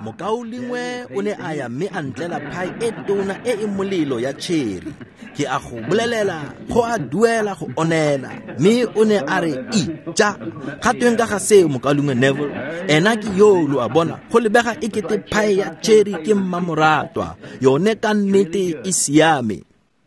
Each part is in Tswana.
Mokaulengwe o ne a ya mme a ntlela phae e tona e e molelo ya cherry. Ke a go bolelela, go a duela go onela. Mme o ne a re, ija. Ga tweng ka ga seo, mokaulengwe Neville? Ena ke yo, lo a bona, go lebega e kete phae ya cherry ke mmamoratwa. Yone ka nnete e siame.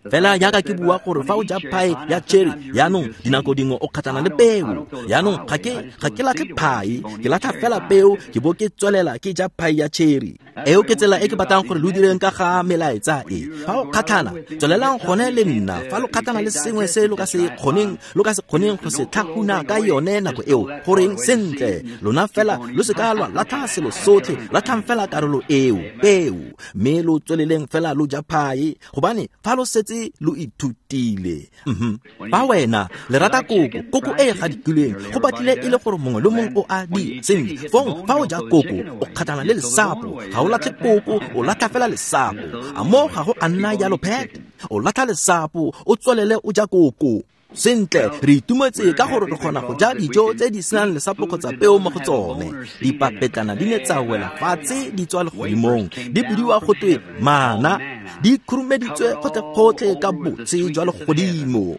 Fela jaaka ke bua gore fa o ja phae ya cherry, yaanong dinako dingwe o kgatlhana le peo. Yaanong ga ke latlhe phae, ke latlha fela peo, ke bo ke tswelela ke ja phae ya cherry. Eo ke tsela e ke batlang gore lo direng ka ga melaetsa e. Fa o kgatlhana, tswelelang gone le nna. Fa lo kgatlhana le sengwe se lo ka se kgoneng go se tlhakuna ka yone nako eo, goreng sentle, lona fela lo se ka lwa latlha selo sotlhe, latlhang fela karolo eo, peo, mme lo tsweleleng fela lo ja phae, gobane fa lo setse lo ithutile. Fa wena le rata koko, koko e e gadikilweng, go batlile e le gore mongwe le mongwe o a di sentle. Fong fa o ja koko, o kgatlhana le lesapo, ga o latlhe koko, o latlha fela lesapo. A mo ga go a nna jalo, Pat? O latlha lesapo, o tswelele o ja koko. Sentle, re itumetse ka gore re kgona go ja dijo tse di senang lesapo kgotsa peo mo go tsone. Dipapetlana di ne tsa wela fatshe di tswa legodimong, di bidiwa go twe mana, di khurumeditswe gotlhe-gotlhe ka botse jwa legodimo.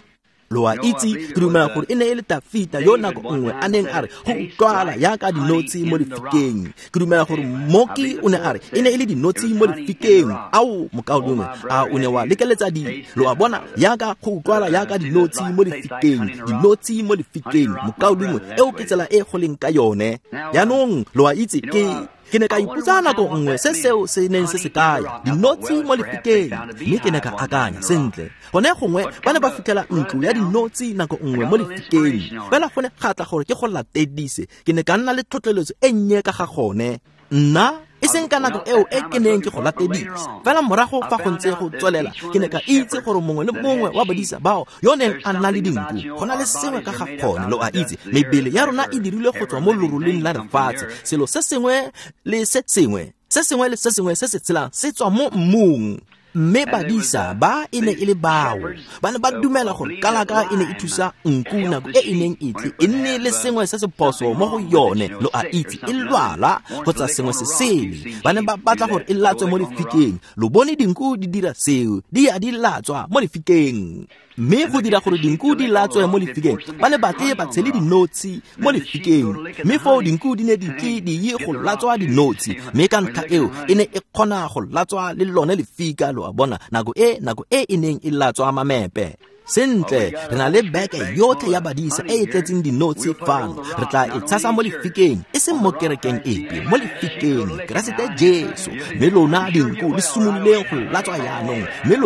Lo a itse, ke dumela gore e ne e le Tafita yo nako nngwe a neng a re go utlwala jaaka dinotshi mo lefikeng. Ke dumela gore mmoki o ne a re e ne e le dinotshi mo lefikeng. Ao, mokaulengwe, a o ne wa lekeletsa di? Lo a bona, jaaka go utlwala jaaka dinotshi mo lefikeng, dinotshi mo lefikeng, mokaulengwe, eo ke tsela e go leng ka yone. Jaanong lo a itse, ke ne ka ipotsa nako nngwe se seo se neng se se kaya, dinotshi mo lefikeng, mme ke ne ka akanya sentle. Gone gongwe ba ne ba fitlhela ntlo ya dinotshi nako nngwe mo lefikeng, fela go ne ga tla gore ke go latedise. Ke ne ka nna le tlhotlheletso e nnye ka ga gone. Nna e seng ka nako eo e ke neng ke go latedisa, fela morago fa go ntse go tswelela, ke ne ka itse gore mongwe le mongwe wa badisa bao yo neng a nna le dinku, go na le sengwe ka ga gone. Lo a itse, mebele ya rona e dirilwe go tswa mo loroleng la lefatshe. Selo se sengwe le se sengwe, se sengwe le se sengwe se se tshelang se tswa mo mmung. Mme badisa ba e ne e le bao ba ne ba dumela gore kalaka e ne e thusa nku nako e e neng e tle e nne le sengwe se se phoso mo go yone, lo a itse, e lwala kgotsa sengwe se sele. Ba ne ba batla gore e latswe mo lefikeng. Lo bone dinku di dira seo, di a di latswa mo lefikeng. Mme go dira gore dinku di latswe mo lefikeng, ba ne batle ba tshele dinotshi mo lefikeng. Mme foo dinku di ne di tle di ye go latswa dinotshi, mme ka ntlha eo e ne e kgona go latswa le lone lefika, lo a bona, nako e e neng e latswa mamepe. Sentle, re na le beke yotlhe ya badisa e e tletseng dinotshi fano. Re tla e tshasa mo lefikeng, e seng mo kerekeng epe, mo lefikeng, Keresete Jesu. Mme lona dinku le simololeng go latswa jaanong. Mme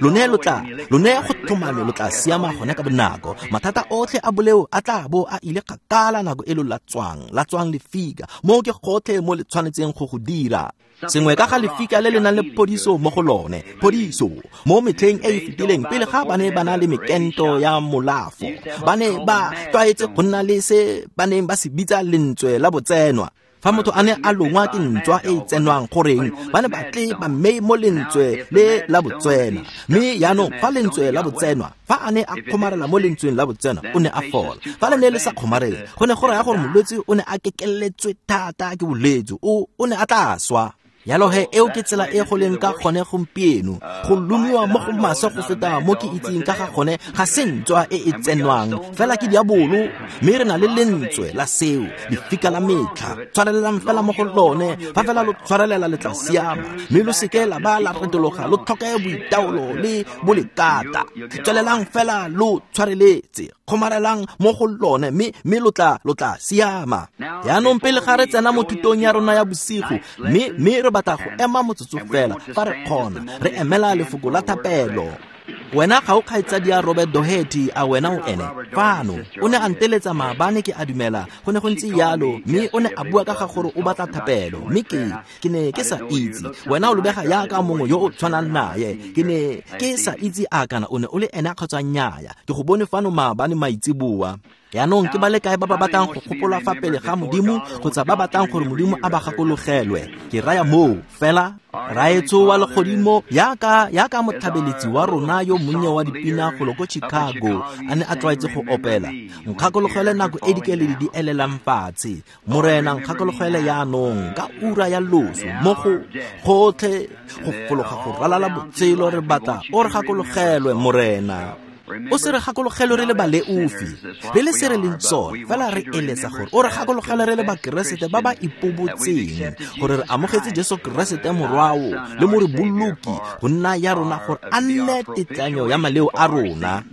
lone lo tla, lone go tlhomame lo tla siama gone ka bonako. Mathata otlhe a boleo a tla bo a ile kgakala nako e lo latswang lefika. Moo ke gotlhe mo le tshwanetseng go go dira. Sengwe ka ga lefika le le nang le phodiso mo go lone, phodiso mo metlheng e e fetileng pele ga ba ne ba na le mekento ya molafo, ba ne ba tlwaetse go nna le se ba neng ba se bitsa lentswe la botsenwa. Fa motho a ne a longwa ke ntswa e e tsenwang, goreng ba ne ba tle ba mme mo lentswe le la botsena. Mme jaanong fa lentswe la botsenwa, fa a ne a kgomarela mo lentsweng la botsena, o ne a fola. Fa le ne le sa kgomarele, go ne go raya gore molwetse o ne a kekeletswe thata ke bolwetse, o ne a tla swa. Yalo he, eo ke tsela e go leng ka gone gompieno. Go lomiwa mo go maswe go feta mo ke itseng ka ga gone ga se ntswa e e tsenwang, fela ke diabolo. Mme re na le lentswe la seo, lefika la metlha. Tshwarelelang fela mo go lone, fa fela lo tshwarelela le tla siama. Mme lo seke la ba la retologa, lo tlhoke boitaolo le bolekata. Tswelelang fela lo tshwareletse, kgomarelang mo go lone, mme lo tla siama. Jaanong pele ga re tsena mo thutong ya rona ya bosigo, mme re batla go ema motsotso fela fa re kgona, re emela lefoko la thapelo. Wena ga o kgaitsadi ya Robert Doherty, a wena o ene fano? O ne a nteletsa maabane, ke a dumela go ne go ntse yalo, mme o ne a bua ka ga gore o batla thapelo, mme ke ne ke sa itse. Wena o lebega jaaka mongwe yo o tshwanang naye. Ke ne ke sa itse a kana o ne o le ene kgotsa nnyaya. Ke go bone fano maabane maitseboa. Yaanong ke ba le kae ba ba batlang go gopola fa pele ga Modimo kgotsa ba batlang gore Modimo a ba gakologelwe? Ke raya moo fela. Raetsho wa legodimo, yaka motlhabeletsi wa rona yo monnye wa dipina golo ko Chicago a ne a tlwaetse go opela, nkgakologele nako e dikeledi di elelang fatshe. Morena, nkgakologele yaanong ka ura ya loso mo go gotlhe go fologa go ralala botshelo re batla o re gakologelwe, Morena. O se re gakologelwe re le baleofi, re le se re leng sone, fela re eletsa gore o re gakologelwe re le bakeresete ba ba ipobotseng gore re amogetse Jesu Keresete morwao le moreboloki go nna ya rona, gore a nne tetlanyo ya maleo a rona,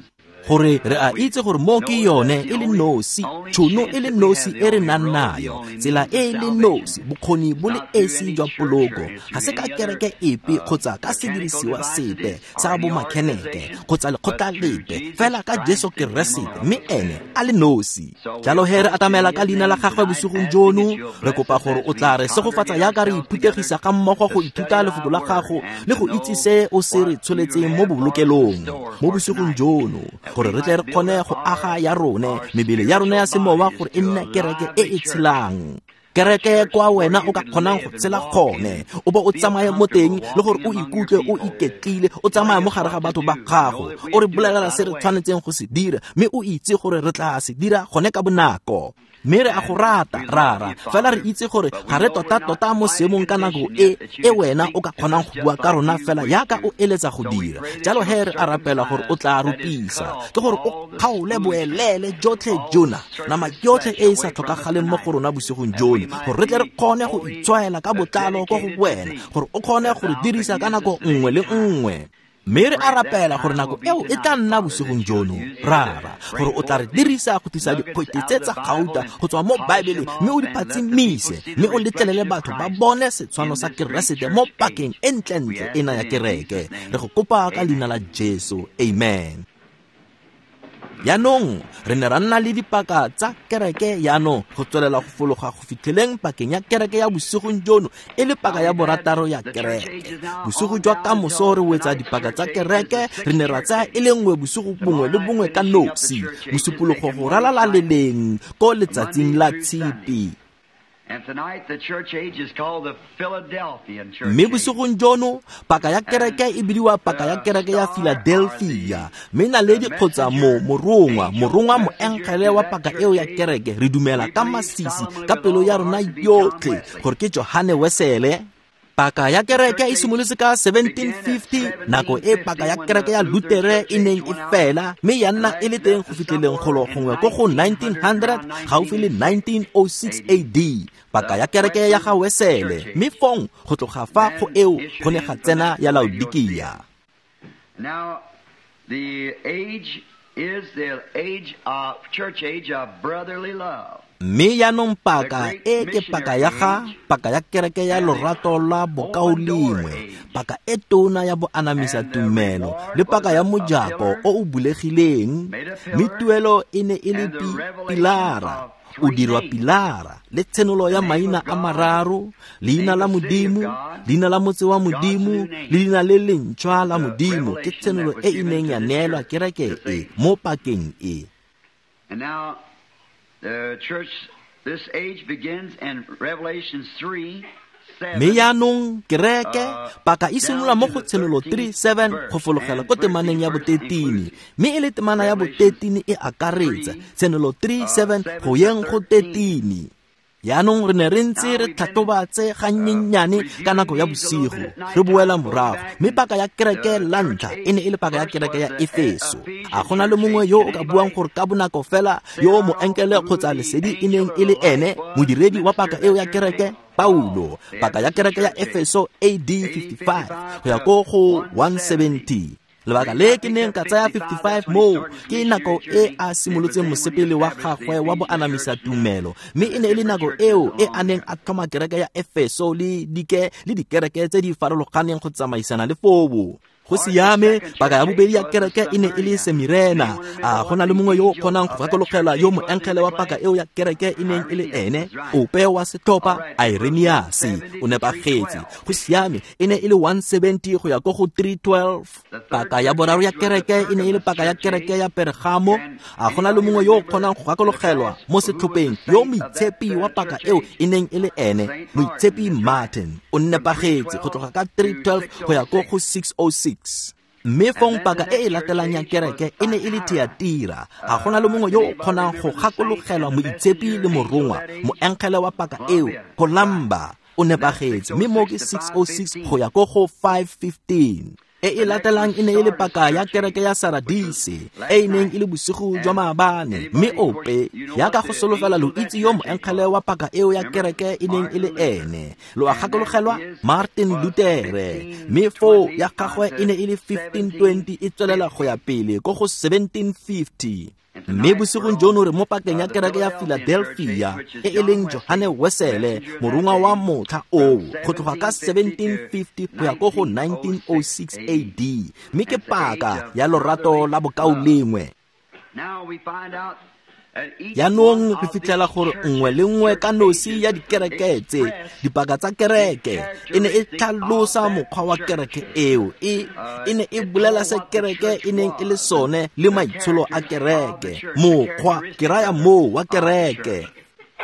gore re a itse gore mo ke yone e le nosi, tšhono e le nosi e re nang nayo, tsela e le nosi, bokgoni bo le esi jwa poloko. Ga se ka kereke epe kgotsa ka sedirisiwa sepe sa bomakheneke kgotsa lekgotla lepe, fela ka Jesu Keresete, mme ene a le nosi. Jalo he re atamela ka leina la gagwe bosigong jono, re kopa gore o tla re segofatsa yaka re iphuthegisa ga mmogo go ithuta lefoko la gago le go itse se o se re tsholetseng mo bobolokelong mo bosigong jono, gore re tle re kgone go aga ya rone mebele ya rona ya semowa gore e nne kereke e e tshelang, kereke kwa wena o ka kgonang go tshela gone, o bo o tsamaye mo teng le gore o ikutlwe o iketlile, o tsamaya mo gare ga batho ba gago, o re bolelela se re tshwanetseng go se dira, mme o itse gore re tla se dira gone ka bonako. Mme re a go rata, Rara, fela re itse gore ga re tota-tota mo seemong ka nako e e wena o ka kgonang go bua ka rona fela yaka o eletsa go dira. Jalo he re a rapela gore o tla rupisa, ke gore o kgaole boelele jotlhe jona, nama yotlhe e e sa tlhokagaleng mo go rona bosigong jono, gore re tle re kgone go itshwaela ka botlalo ko go wena, gore o kgone go re dirisa ka nako nngwe le nngwe. Mme re a rapela gore nako eo e tla nna bosigong jono, Rara, gore o tla re dirisa go tlisa dikgwete tse tsa gauta go tswa mo Baebeleng, mme o di phatsimise, mme o letlelele batho ba bone setshwano sa Keresete mo pakeng e ntlentle ena ya kereke. Re go kopa ka leina la Jesu, amen. Yaanong re ne ra nna le dipaka tsa kereke yaanong go tswelela go fologa go fitlheleng pakeng ya kereke ya bosigong jono e le paka ya borataro ya kereke. Bosigo jwa kamoso re wetsa dipaka tsa kereke, re ne ra tsaya e le nngwe bosigo bongwe le bongwe ka nosi, mosupologo go ralala leleng ko letsatsing la Tshipi. Mme bosigong jono paka ya kereke e bidiwa paka ya kereke ya Philadelphia, mme naledi kgotsa morongwa moengele wa paka eo ya kereke re dumela ka masisi ka pelo ya rona yotlhe gore ke Johane Wesele. Paka ya kereke e simolotse ka 1750, nako e paka ya kereke ya Lutere e neng e fela, mme ya nna e le teng go fitlheleng golo gongwe ko go 1900, gaufi le 1906 AD, paka ya kereke ya ga Wesele, mme fong go tloga fa go eo go ne ga tsena ya Laodikia. Now the age is the age of church age of brotherly love. Mme yaanong paka e ke paka ya ga paka ya kereke ya lorato la bokaulengwe, paka e tona ya boanamisa tumelo le paka ya mojako o o bulegileng, mme tuelo e ne e le pilara, o dirwa pilara le tshenolo ya maina a mararo, leina la Modimo, leina la motse wa Modimo le leina le lentšhwa la Modimo, ke tshenolo e e neng ya neelwa kereke e mo pakeng e. The church, this age begins in Revelation 3:7. Mme yaanong kereke paka e simolola mo go Tshenolo 3:7 go fologela ko temaneng ya bo-13, mme e le temana ya bo-13 e akaretsa Tshenolo 3:7 go yeng go 13. Yaanong re ne re ntse re tlhatlhoba tse gannyenyane ka nako ya bosigo, re boela morago, mme paka ya kereke la ntlha e ne e le paka ya kereke ya Efeso. A gona le mongwe yo o ka buang gore ka bonako fela yo moenkele kgotsa lesedi e neng e le ene modiredi wa paka eo ya kereke? Paulo. Paka ya kereke ya Efeso AD 55 go ya ko go 170. Lebaka le ke neng ka tsaya 55 moo ke nako e a simolotseng mosepele wa gagwe wa boanamisa tumelo, mme e ne e le nako eo e a neng a tlhoma kereke ya Efeso le dikereke tse di farologaneng go tsamaisana le foo. Go siame, paka ya bobedi ya kereke e ne e le Semirena. A go na le mongwe yo o kgonang go gakologelwa yo moengele wa paka eo ya kereke e neng e le ene? Ope wa setlhopha, Irenaeus, o nepagetse. Go siame, e ne e le 170 go ya ko go 312. Paka ya boraro ya kereke e ne e le paka ya kereke ya Pergamo. A go na le mongwe yo o kgonang go gakologelwa mo setlhopheng yo moitshepi wa paka eo e neng e le ene? Moitshepi Martin, o nepagetse, go tloga ka 312 go ya ko go 606. Mme fong paka e e latelang ya kereke e ne e le Thiatira. A go na le mongwe yo o kgonang go gakologelwa moitshepi le morongwa, moengele wa paka eo, Columba, o nepagetse, mme mo ke 606 go ya ko go 515. E e latelang e ne e le paka ya kereke ya Saradise, e e neng e le bosigo jwa maabane. Mme ope ya ka go solofela lo itse yo moengele wa paka eo ya kereke e neng e le ene. Lo a gakologelwa Martin Luther, mme foo ya gagwe e ne e le 1520 e tswelela go ya pele ko go 1750. Mme bosigong jono re mo pakeng ya kereke ya Philadelphia, e e leng Johane Wesele, morongwa wa motlha oo, go tloga ka 1750 go ya ko go 1906 AD. Mme ke paka ya lorato la bokaulengwe. Jaanong re fitlhela gore nngwe le nngwe ka nosi ya dikereke tse, dipaka tsa kereke, e ne e tlhalosa mokgwa wa kereke eo. E ne e bolela se kereke e neng e le sone le maitsholo a kereke, mokgwa, ke raya moo, wa kereke.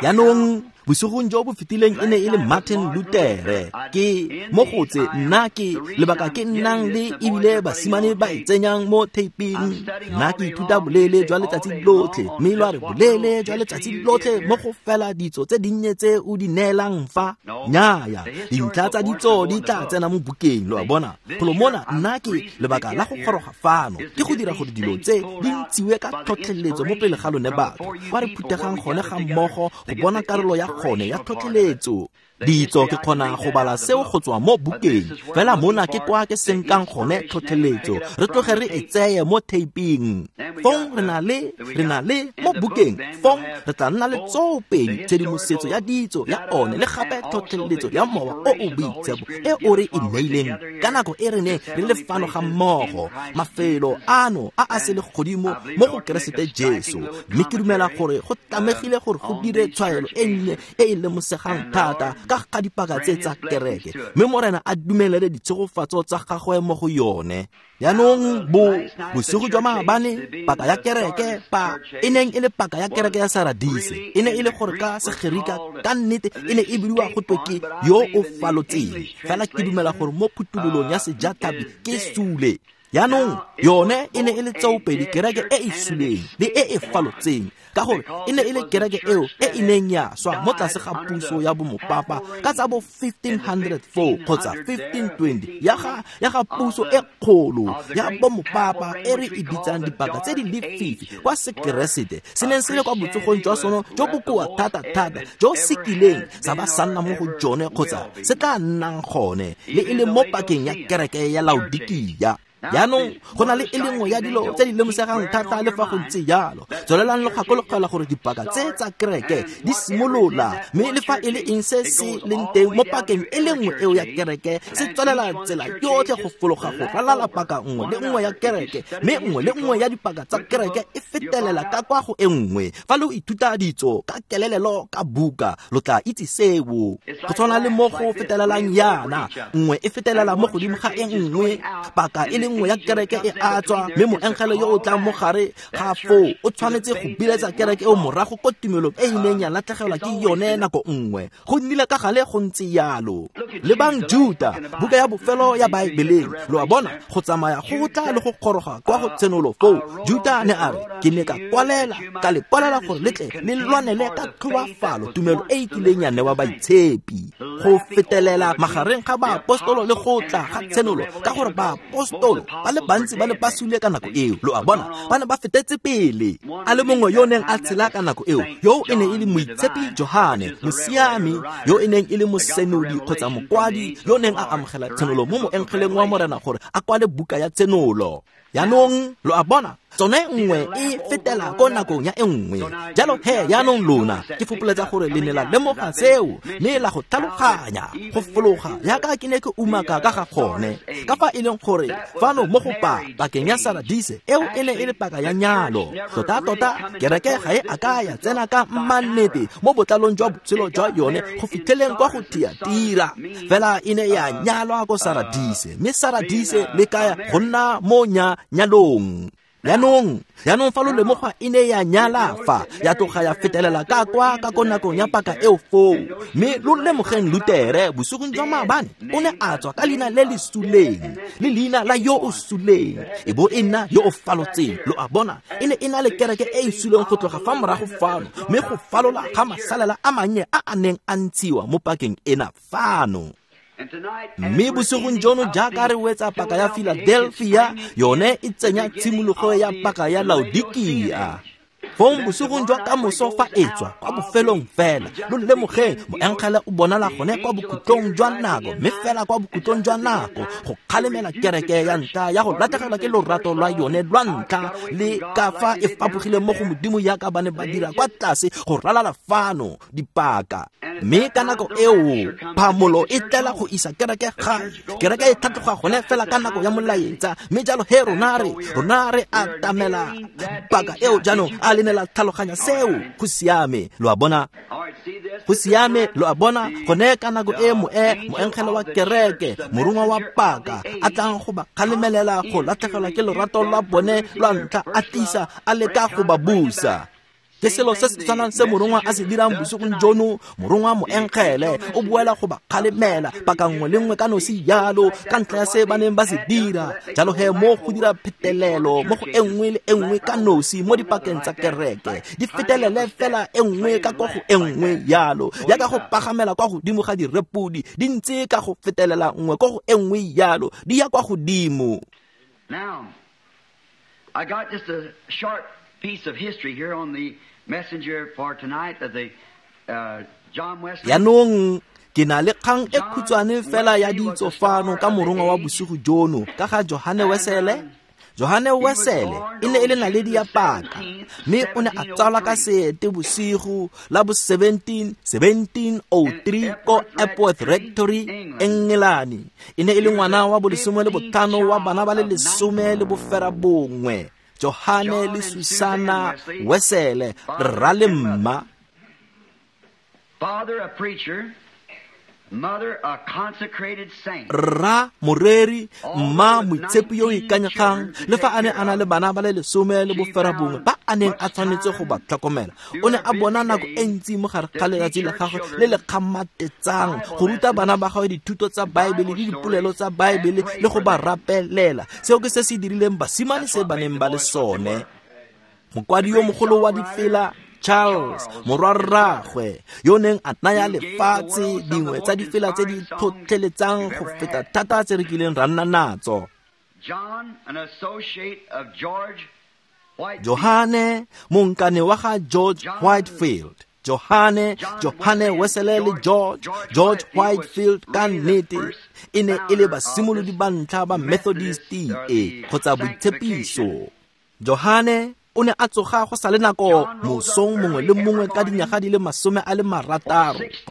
Jaanong bosigong jo bo fetileng e ne e le Martin Luther. Ke mo go tse nna ke lebaka ke nnang le ebile basimane ba e tsenyang mo taping. Nna ke ithuta boleele jwa letsatsi lotlhe, mme lo a re boleele jwa letsatsi lotlhe mo go fela ditso tse dinnye tse o di neelang fa. Nnyaya, dintlha tsa ditso di tla tsena mo bukeng, lo a bona. Golo mona nna ke lebaka la go goroga fano ke go dira gore dilo tse di ntshiwe ka tlhotlheletso mo pele ga lone batho, kwa re phutegang gone ga mmogo go bona karolo ya gone ya tlhotlheletso. Ditso ke kgona go bala seo go tswa mo bukeng, fela mona ke kwa ke senkang gone tlhotlheletso, re tloge re e tseye mo taping. Fong re na le mo bukeng, fong re tla nna le tsoopedi tshedimosetso ya ditso ya one le gape tlhotlheletso ya mowa o o boitshepo e o re e neileng ka nako e re neng re le fano ga mmogo, mafelo ano a a selegodimo mo go Keresete Jesu. Mme ke dumela gore go tlamegile gore go dire tshwaelo e nnye e e lemosegang thata ka ga dipaka tse tsa kereke, mme Morena a dumelele ditshegofatso tsa gagwe mo go yone. Jaanong bosigo jwa maabane, paka ya kereke e neng e le paka ya kereke ya Saradise, e ne e le gore ka Segerika ka nnete e ne e bidiwa go twe ke yo o falotseng, fela ke dumela gore mo phuthololong ya sejatlhapi ke sule. Jaanong yone e ne e le tsoopedi kereke e e suleng le e e falotseng, ka gore e ne e le kereke eo e e neng ya swa mo tlase ga puso ya bomopapa ka tsa bo 1504 kgotsa 1520 ya ga puso e kgolo ya bomopapa e re e bitsang dipaka tse di lefifi kwa Sekeresete se neng se le kwa botsogong jwa sone jo bokoa thata-thata jo se kileng sa ba sa nna mo go jone kgotsa se tla nnang gone, le e le mo pakeng ya kereke ya Laodikia. Jaanong go na le e le nngwe ya dilo tse di lemosegang thata le fa go ntse jalo. Tswelelang lo gakologelwa gore dipaka tse tsa kereke di simolola, mme le fa e le eng se se leng teng mo pakeng e le nngwe eo ya kereke se tswelela tsela yotlhe go fologa go ralala paka nngwe le nngwe ya kereke, mme nngwe le nngwe ya dipaka tsa kereke e fetelela ka kwa go e nngwe. Fa lo ithuta ditso ka kelelelo ka buka, lo tla itse seo. Go tshwana le mo go fetelelang yana, nngwe e fetelela mo godimo ga e nngwe, paka e le nngwe ya kereke e a tswa, mme moengele yo o tlang mo gare ga foo o tshwanetse go biletsa kereke eo morago ko tumelong e e neng ya latlhegelwa ke yone nako nngwe. Go nnile ka gale go ntse yalo. Lebang Juta, buka ya bofelo ya Baebeleng, lo a bona, go tsamaya go tla le go goroga kwa go tshenolo foo. Juta ne a re, ke ne ka kwalela, ka le kwalela gore le tle le lwanele ka tlhoafalo tumelo e e kileng ya newa baitshepi. Go fetelela magareng ga baapostolo le go tla ga tshenolo, ka gore baapostolo ba le bantsi ba ne ba sule ka nako eo, lo a bona, ba ne ba fetetse pele. A le mongwe yo neng a tshela ka nako eo, yo e ne e le moitshepi Johane, mosiami, yo e neng e le mosenodi kgotsa mokwadi, yo neng a amogela tshenolo mo moengeleng wa Morena gore a kwale buka ya tshenolo. Jaanong lo a bona, tsone nngwe e fetela ko nakong ya e nngwe. Jalo he jaanong lona ke fopoletsa gore le ne la lemoga seo mme la go tlhaloganya go fologa jaaka ke ne ke umaka ka ga gone, ka fa e leng gore fano mo go pakeng ya Saradise eo e ne e le paka ya nyalo. Tota-tota kereke ga e a ka ya tsena ka mmannete mo botlalong jwa botshelo jwa yone go fitlheleng kwa go Thiatira, fela e ne ya nyalwa ko Saradise, mme Saradise le kaya go nna mo nyalong. Jaanong fa lo lemoga e ne ya nyala fa, ya tloga ya fetelela ka kwa ka ko nakong ya paka eo foo. Mme lo lemogeng Lutere bosigong jwa maabane o ne a tswa ka leina le le suleng, le leina la yo o suleng, e bo e nna yo o falotseng. Lo a bona, e ne e na le kereke e e suleng go tloga fa morago fano, mme go falola ga masalela a mannye a a neng a ntshiwa mo pakeng ena fano. Mme bosigong jono jaaka re wetsa paka ya Philadelphia, yone e tsenya tshimologo ya paka ya Laodikia. Fong bosigong jwa kamoso fa e tswa kwa bofelong fela, lo lemogeng moengele o bonala gone kwa bokhutlong jwa nako, mme fela kwa bokhutlong jwa nako go kgalemela kereke ya ntlha ya go latlhegelwa ke lorato lwa yone lwa ntlha, le ka fa e fapogile mo go Modimo jaaka ba ne ba dira kwa tlase go ralala fano dipaka. Mme ka nako eo phamolo e tlela go isa kereke gae. Kereke e tlhatloga gone fela ka nako ya molaetsa, mme jalo he rona re atamela paka eo. Jaanong a le ne la tlhaloganya seo? Go siame, lo a bona. Go siame, lo a bona. Gone ka nako e moengele wa kereke, morongwa wa paka, a tlang go ba kgalemelela go latlhegelwa ke lorato lwa bone lwa ntlha, a tlisa a leka go ba busa. Ke selo se se tshwanang se morongwa a se dirang bosigong jono. Morongwa moengele o boela go ba kgalemela paka nngwe le nngwe ka nosi jalo, ka ntlha ya se ba neng ba se dira. Jalo he mo go dira phetelelo mo go e nngwe le e nngwe ka nosi mo dipakeng tsa kereke, di fetelele fela e nngwe ka ko go e nngwe jalo, jaaka go pagamela kwa godimo ga direpodi, di ntse ka go fetelela nngwe ko go e nngwe jalo, di ya kwa godimo. Now, I got just a short piece of history here on the messenger for tonight of the John Wesley. Jaanong ke na le kgang e khutshwane fela ya ditso fano ka morongwa wa bosigo jono ka ga Johane Wesele. Johane Wesele e ne e le naledi ya paka, mme o ne a tsalwa ka seete bosigo la bo 1703 ko Epworth Rectory, Engelane. E ne e le ngwana wa bo 15 wa bana ba le 19, Johane le Susana Wesele, rra le mma. Father a preacher, mother a consecrated saint. Rra moreri, mma moitshepi yo o ikanyegang, le fa a ne a na le bana ba le 19 ba a neng a tshwanetse go ba tlhokomela. O ne a bona nako e ntsi mo gare ga letsatsi la gagwe le le kgamatetsang go ruta bana ba gagwe dithuto tsa Baebele le dipolelo tsa Baebele le go ba rapelela. Seo ke se se dirileng basimane se ba neng ba le sone. Mokwadi yo mogolo wa difela Charles, morwarraagwe, yo neng a naya lefatshe dingwe tsa difela tse di tlhotlheletsang go feta thata tse re kileng ra nna natso. John, an associate of George Whitefield. Johane, monkane wa ga George Whitefield. Johane Wesele le George Whitefield ka nnete e ne e le basimolodi ba ntlha ba Methodist e kgotsa boitshepiso. Johane o ne a tsoga go sa le nako mosong mongwe le mongwe ka dinyaga di le 60.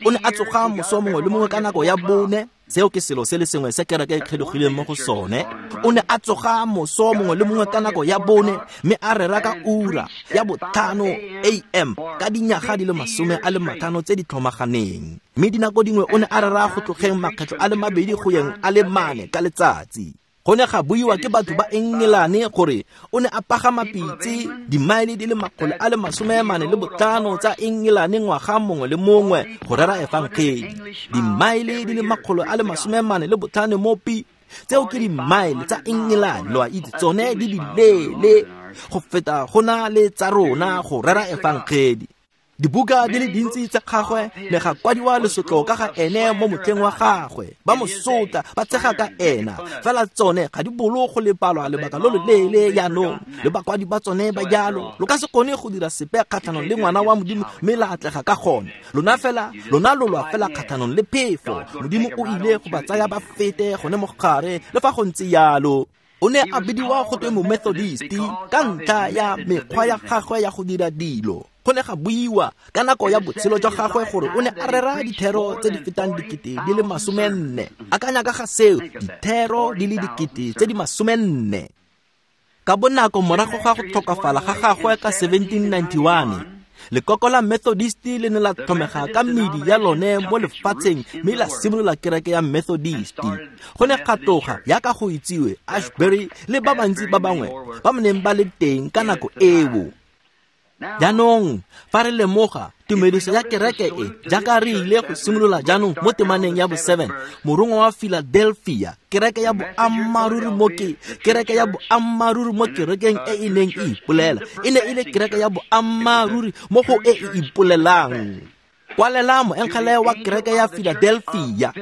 O ne a tsoga moso mongwe le mongwe ka nako ya 4. Seo ke selo se le sengwe se kereke e kgelogileng mo go sone. O ne a tsoga moso mongwe le mongwe ka nako ya 4, mme a rera ka ura ya 5 AM ka dinyaga di le 50 tse di tlhomaganeng. Mme dinako dingwe o ne a rera go tlogeng makgetlho a le 2 go yeng a le 4 ka letsatsi. Go ne ga buiwa ke batho ba Engelane gore o ne a pagama pitse dimaele di le 445 tsa Engelane ngwaga mongwe le mongwe go rera efangedi. Dimaele di le 445 mo pi, tseo ke dimaele tsa Engelane, lo a itse, tsone di dileele go feta go na le tsa rona go rera efangedi. Dibuka di le dintsi tsa gagwe ne ga kwadiwa lesotlo ka ga ene mo motlheng wa gagwe, ba mo sotla, ba tshega ka ena, fela tsone ga di bolo go lebalwa lebaka lo loleele jaanong, le bakwadi ba tsone ba jalo. Lo ka se kgone go dira sepe kgatlhanong le ngwana wa Modimo mme la atlega ka gone. Lona fela, lona lo lwa fela kgatlhanong le phefo. Modimo o ile go ba tsaya ba fete gone mo gare, le fa go ntse jalo. O ne a bidiwa go twe Momethodisti ka ntlha ya mekgwa ya gagwe ya go dira dilo. Go ne ga buiwa ka nako ya botshelo jwa gagwe gore o ne a rera dithero tse di fetang 40,000. Akanya ka ga seo, dithero di le 40,000. Ka bonako morago ga go tlhokafala ga gagwe ka 1791, lekoko la Methodisti le ne la tlhomega ka medi ya lone mo lefatsheng mme la simolola kereke ya Methodisti. Go ne ga tloga yaka go itsiwe Ashbury le ba bantsi ba bangwe ba neng ba le teng ka nako eo. Jaanong fa re lemoga tumediso ya kereke e jaaka re ile go simolola jaanong mo temaneng ya bo-7, morongwa wa Philadelphia, kereke ya boammaaruri mo kereke ya boammaaruri mo kerekeng e e neng e ipolela, e ne e le kereke ya boammaaruri mo go e e ipolelang. Kwalela moengele wa kereke ya Philadelphia.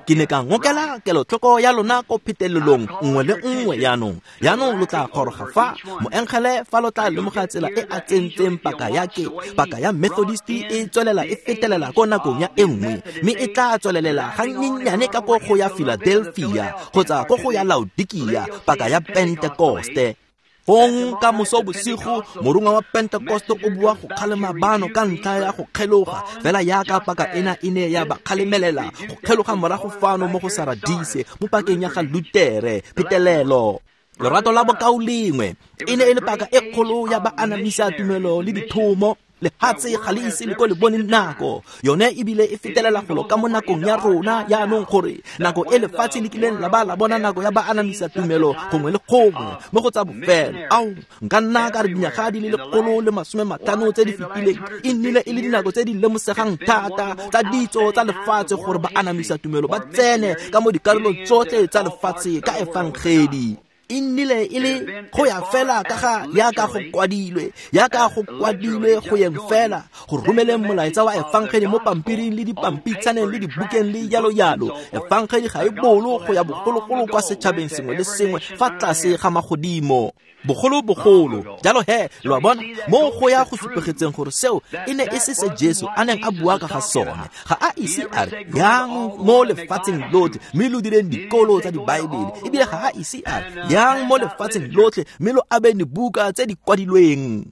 Ke ne ka ngokela kelotlhoko ya lona ko phetelelong nngwe le nngwe jaanong. Jaanong lo tla goroga fa moengele fa lo tla lemoga tsela e a tsentseng paka ya ke paka ya Methodisti e tswelela e fetelela ko nakong ya e nngwe, mme e tla tswelelela gannyenyane ka ko go ya Philadelphia kgotsa ko go ya Laodikia, paka ya Pentekoste. Fong ka moso bosigo morongwa wa Pentekoste o bua go kgalema bano ka ntlha ya go kgeloga, fela yaka paka ena e ne ya ba kgalemelela go kgeloga morago fano mo go Saradise mo pakeng ya ga Lutere. Phetelelo lorato la bokaulengwe e ne e le paka e kgolo ya baanamisa tumelo le dithomo. Lehatshe ga le ise le ko le bone nako yone ebile e fetelela golo ka mo nakong ya rona jaanong, gore nako e lefatshe le kileng la ba la bona nako ya baanamisa tumelo gongwe le gongwe mo go tsa bofelo. Ao, nka nna ka re dinyaga di le 150 tse di fetileng e nnile e le dinako tse di lemosegang thata tsa ditso tsa lefatshe gore baanamisa tumelo ba tsene ka mo dikarolong tsotlhe tsa lefatshe ka efangedi. E nnile e le go ya fela ka ga yaka go kwadilwe, yaka go kwadilwe go yeng fela go romeleng molaetsa wa efangedi mo pampiring le dipampitshaneng le dibukeng le jalo jalo. Efangedi ga e bolo go ya bogologolo kwa setšhabeng sengwe le sengwe fa tlase ga magodimo. Bogolo-bogolo jalo he, lo a bona mo go ya go supegetseng gore seo e ne e se se Jesu a neng a bua ka ga sone. Ga a ise a re yang mo lefatsheng lotlhe mme lo direng dikolo tsa dibaebele, ebile ga a ise a re yang mo lefatsheng lotlhe mme lo abeng dibuka tse di kwadilweng.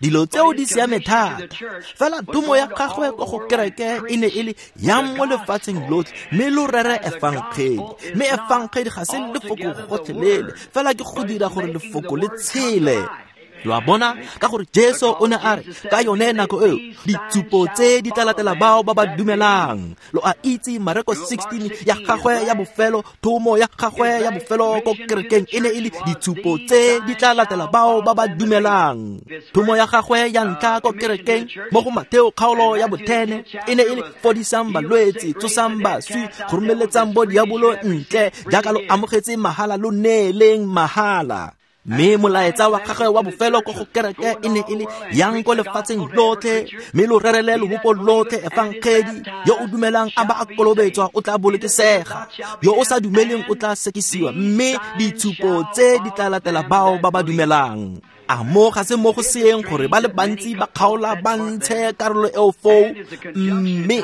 Dilo tseo di siame thata, fela tumo ya gagwe ko go kereke e ne e le yang mo lefatsheng lotlhe mme lo rere efangedi. Mme efangedi ga se lefoko gotlhelele, fela ke go dira gore lefoko le tshele. Lo a bona, ka gore Jesu o ne a re ka yone nako eo ditshupo tse di tla latela bao ba ba dumelang. Lo a itse Mareko 16 ya gagwe ya bofelo, thomo ya gagwe ya bofelo ko kerekeng e ne e le ditshupo tse di tla latela bao ba ba dumelang. Thomo ya gagwe ya ntlha ko kerekeng mo go Mateo kgaolo ya bo-10 e ne e le fodisang balwetse, tsosang baswi, go romeletsang bo diabolo ntle, jaaka lo amogetse mahala lo neeleng mahala. Mme molaetsa wa gagwe wa bofelo ko go kereke e ne e le yang ko lefatsheng lotlhe mme lo rerele lobopo lotlhe efangedi. Yo o dumelang a ba a kolobetswa o tla bolokesega, yo o sa dumeleng o tla sekisiwa, mme ditshupo tse di tla latela bao ba ba dumelang. A mo ga se mo go seeng gore ba le bantsi ba kgaola ba ntshe karolo eo foo, mme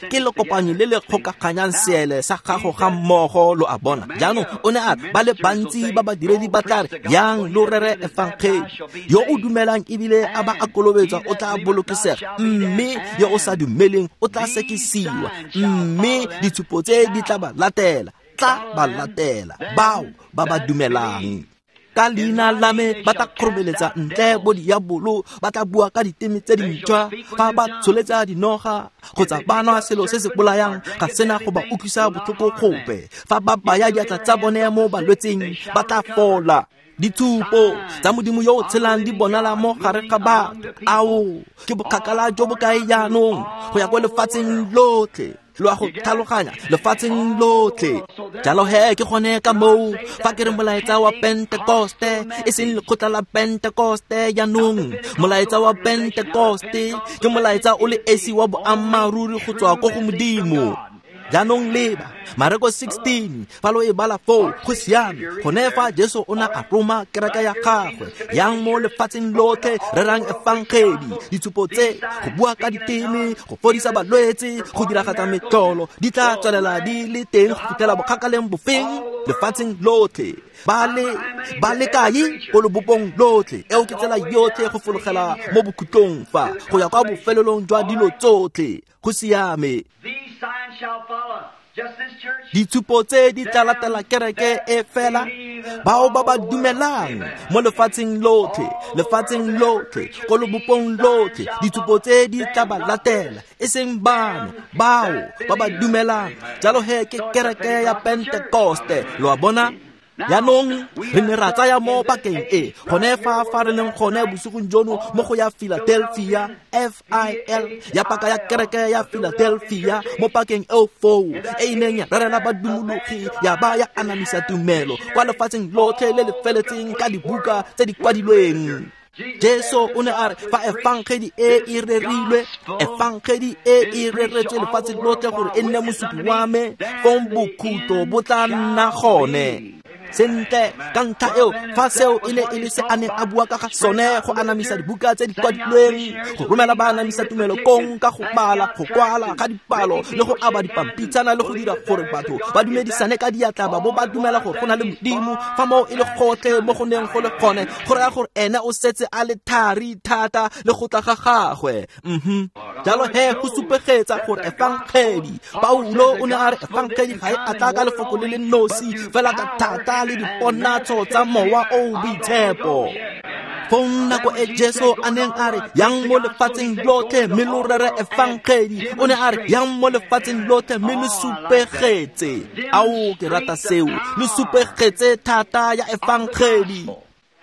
ke lekopanyo le le kgokaganyang seele sa gago ga mmogo, lo a bona. Jaanong o ne a re ba le bantsi ba badiredi ba tla re yang lo rere efangedi, yo o dumelang ebile a ba a kolobetswa o tla bolokesega, mme yo o sa dumeleng o tla sekisiwa, mme ditshupo tse di tla ba latela, tla ba latela bao ba ba dumelang. Ka leina la me ba tla kgoromeletsa ntle bo diabolo, ba tla bua ka diteme tse dintšhwa, fa ba tsholetsa dinoga kgotsa ba nwa selo se se bolayang ga sena go ba utlwisa botlhoko gope, fa ba baya diatla tsa bone mo balwetseng ba tla fola. Ditshupo tsa Modimo yo o tshelang di bonala mo gare ga batho. Ao, ke bokgakala jo bo kae jaanong go ya ko lefatsheng lotlhe, lo a go tlhaloganya, lefatsheng lotlhe. Jalo he ke gone ka moo fa ke re molaetsa wa Pentekoste e seng lekgotla la Pentekoste jaanong, molaetsa wa Pentekoste ke molaetsa o le esi wa boammaaruri go tswa ko go Modimo. Jaanong leba Mareko 16 fa lo e bala foo go siame gone fa Jesu o na a roma kereke ya gagwe yang mo lefatsheng lotlhe rerang efangedi ditshupo tse go bua ka diteme go fodisa balwetse go diragatsa metlolo di tla tswelela di le teng go fitlhela bokgakaleng bofeng lefatsheng lotlhe ba le kae ko lobopong lotlhe eo ke tsela yotlhe go fologela mo bokhutlong fa go ya kwa bofelelong jwa dilo tsotlhe go siame. Ditshupo tse di tla latela kereke e fela bao ba ba dumelang mo lefatsheng lotlhe ko lobopong lotlhe ditshupo tse di tla ba latela e seng bano bao ba ba dumelang jalo he ke kereke ya Pentekoste lo a bona. Jaanong re ne ra tsaya mo pakeng e gone fa fa re leng gone bosigong jono mo go ya Philadelphia FIL ya paka ya kereke ya Philadelphia mo pakeng eo foo e e neng ya rerela badumologi ya ba ya anamisa tumelo kwa lefatsheng lotlhe le le feletseng ka dibuka tse di kwadilweng. Jesu o ne a re fa efangedi e e rerilwe efangedi e e reretswe lefatshe lotlhe gore e nne mosupi wa me fong bokhutlo bo tla nna gone. Sentle ka ntlha eo fa seo e ne e le se a neng a bua ka ga sone go anamisa dibuka tse di kwadilweng go romela ba anamisa tumelo kong ka go bala go kwala ga dipalo le go aba dipampitshana le go dira gore batho ba dumedisane ka diatla ba bo ba dumela gore go na le Modimo fa moo e le gotlhe mo go neng go le gone go raya gore ene o setse a le thari thata le go tla ga gagwe. Jalo he go supegetsa gore efangedi Paulo o ne a re efangedi ga e a tla ka lefoko le le nosi fela ka thata le diponatso tsa mowa o boitshepo. Fong nako e Jesu a neng a re yang mo lefatsheng lotlhe mme lo rere efangedi o ne a re yang mo lefatsheng lotlhe mme lo supegetse. Ao ke rata seo lo supegetse thata ya efangedi.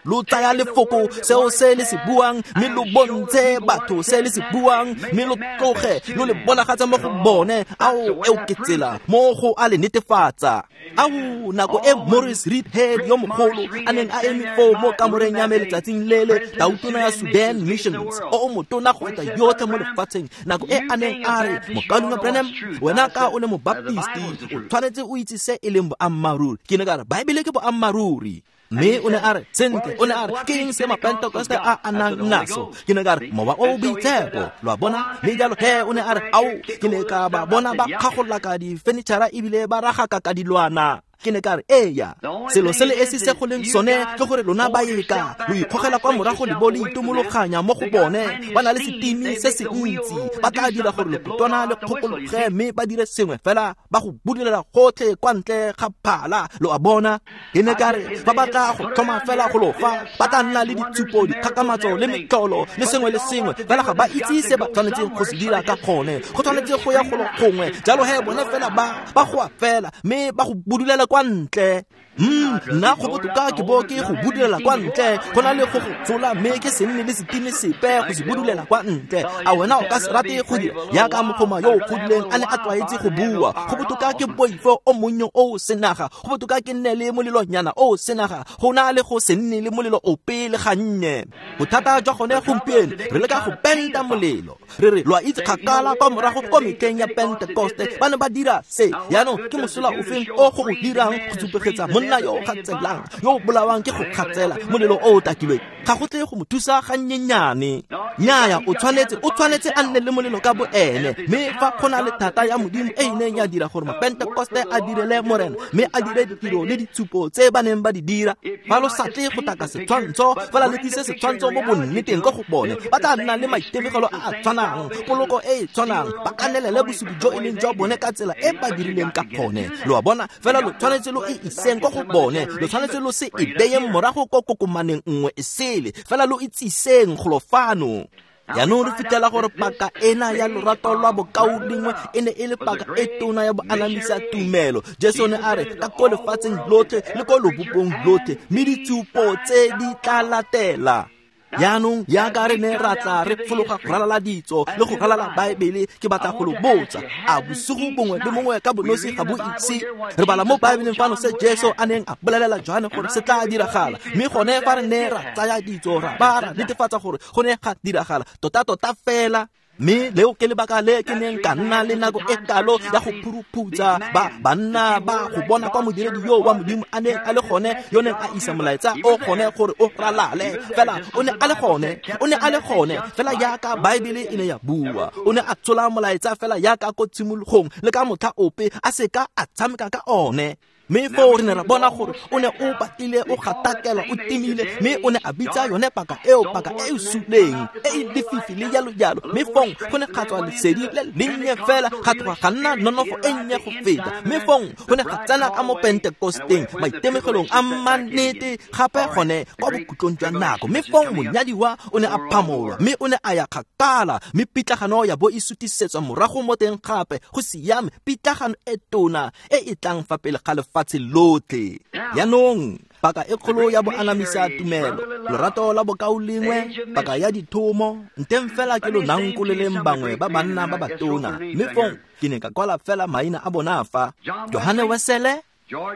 Lo tsaya lefoko seo se le se buang mme lo bontshe batho se le se buang mme lo tloge lo le bonagatsa mo go bone. Ao eo ke tsela mo go a le netefatsa. Ao nako e Morris Reidhead yo mogolo a neng a eme foo mo kamoreng ya me letsatsing lele tautona ya Sudan Missions o o motona go feta yotlhe mo lefatsheng nako e a neng a re mokaulengwe Branham wena ka o le mobaptisti o tshwanetse o itse se e leng boammaaruri. Ke ne ka re Baebele ke boammaaruri. Mme o ne a re sentle o ne a re ke eng se mapentekoste a a nang naso ke ne ka re mowa o boitshepo lo a bona. Mme jalo he o ne a re ao ke ne ka ba bona ba kgagolaka difenitšhara ebile ba ragaka ka dilwana. Ke ne ka re eya selo se le esi se go leng sone ke gore lona ba eka lo ikgogela kwa morago le bo le itomologanya mo go bone ba na le setimi se se ntsi ba tla dira gore lekutwana le kgokologe mme ba dire sengwe fela ba go budulela gotlhe kwa ntle ga phala lo a bona. Ke ne ka re fa ba tla go tlhoma fela go lo fa ba tla nna le ditshupo dikgakgamatso le metlolo le sengwe le sengwe fela ga ba itse se ba tshwanetseng go se dira ka gone go tshwanetse go ya golo gongwe jalo he bone fela ba goa fela mme ba go budulela kwa ntle. Nna go botoka ke bo ke go budulela kwa ntle go na le go go tsola mme ke se nne le setime sepe go se budulela kwa ntle. A wena o ka se rate go dira yaka mogoma yo o godileng a ne a tlwaetse go bua go botoka ke boifo o monnye o senaga go botoka ke nne le molelonyana o senaga go na le go se nne le molelo ope le gannye. Bothata jwa gone gompieno re leka go penta molelo re re lo a itse kgakala kwa morago ko metlheng ya Pentekoste ba ne ba dira se jaanong ke mosola ofeng o go o dirang go supegetsa monna yo o gatselang yo o bolawang ke go gatsela molelo o o takilweng ga go tle go mo thusa gannyenyane. Nnyaya o tshwanetse a nne le molelo ka bo ene mme fa go na le thata ya Modimo e e neng ya dira gore mapentekoste a direle Morena mme a dire ditiro le ditshupo tse ba neng ba di dira fa lo sa tle go taka setshwantsho fela le tlise setshwantsho mo bonneteng ko go bone ba tla nna le maitemogelo a a tshwanang poloko e e tshwanang ba kanelele bosupi jo e leng jwa bone ka tsela e ba dirileng ka gone lo a bona. Fela lo tshwanetse lo e iseng ko go bone lo tshwanetse lo se e beyeng morago ko kokomaneng nngwe e sele fela lo itsiseng golo fano. Jaanong re fitlhela gore paka ena ya lorato lwa bokaulengwe e ne e le paka e tona ya boanamisa tumelo. Jesu ne a re ka ko lefatsheng lotlhe le ko lobopong lotlhe mme ditshupo tse di tla latela. Jaanong yaka re ne ra tla re fologa go ralala ditso le go ralala Baebele ke batla go lo botsa a bosigo bongwe le mongwe ka bonosi ga bo itse re bala mo Baebeleng fano se Jesu a neng a bolelela Johane gore se tla diragala mme gone fa re ne ra tsaya ditso ra ba ra netefatsa gore go ne ga diragala tota-tota fela. Mme leo ke lebaka le ke neng ka nna le nako e kalo ya go phuruphutsa ba banna ba go bona kwa modiredi yo wa Modimo a neng a le gone, yo neng a isa molaetsa o gone gore o ralale. Fela o ne a le gone, o ne a le gone fela jaaka Baebele e ne ya bua. O ne a tshola molaetsa fela jaaka ko tshimologong, le ka motlha ope a seka a tshameka ka one. Mme foo re ne ra bona gore o ne o batlile o gatakelwa, o timile, mme o ne a bitsa yone paka eo paka e e suleng, e e lefifi le jalo jalo. Mme fong go ne ga tswa lesedi le lennye fela, ga tloga ga nna nonofo e nnye go feta. Mme fong go ne ga tsena ka mo Pentekosteng, maitemogelong a mannete gape gone kwa bokhutlong jwa nako. Mme fong monyadiwa o ne a phamolwa, mme o ne a ya kgakala, mme pitlagano ya bo e sutisetswa morago mo teng gape. Go siame, pitlagano e tona e e tlang fa pele ga lefatshe lotlhe. Jaanong paka e kgolo ya boanamisa tumelo, lorato la bokaulengwe, paka ya dithomo, nteng fela ke lo nankoleleng bangwe ba banna ba batona. Mme fong ke ne ka kwala fela maina a bona fa: Johane Wesele,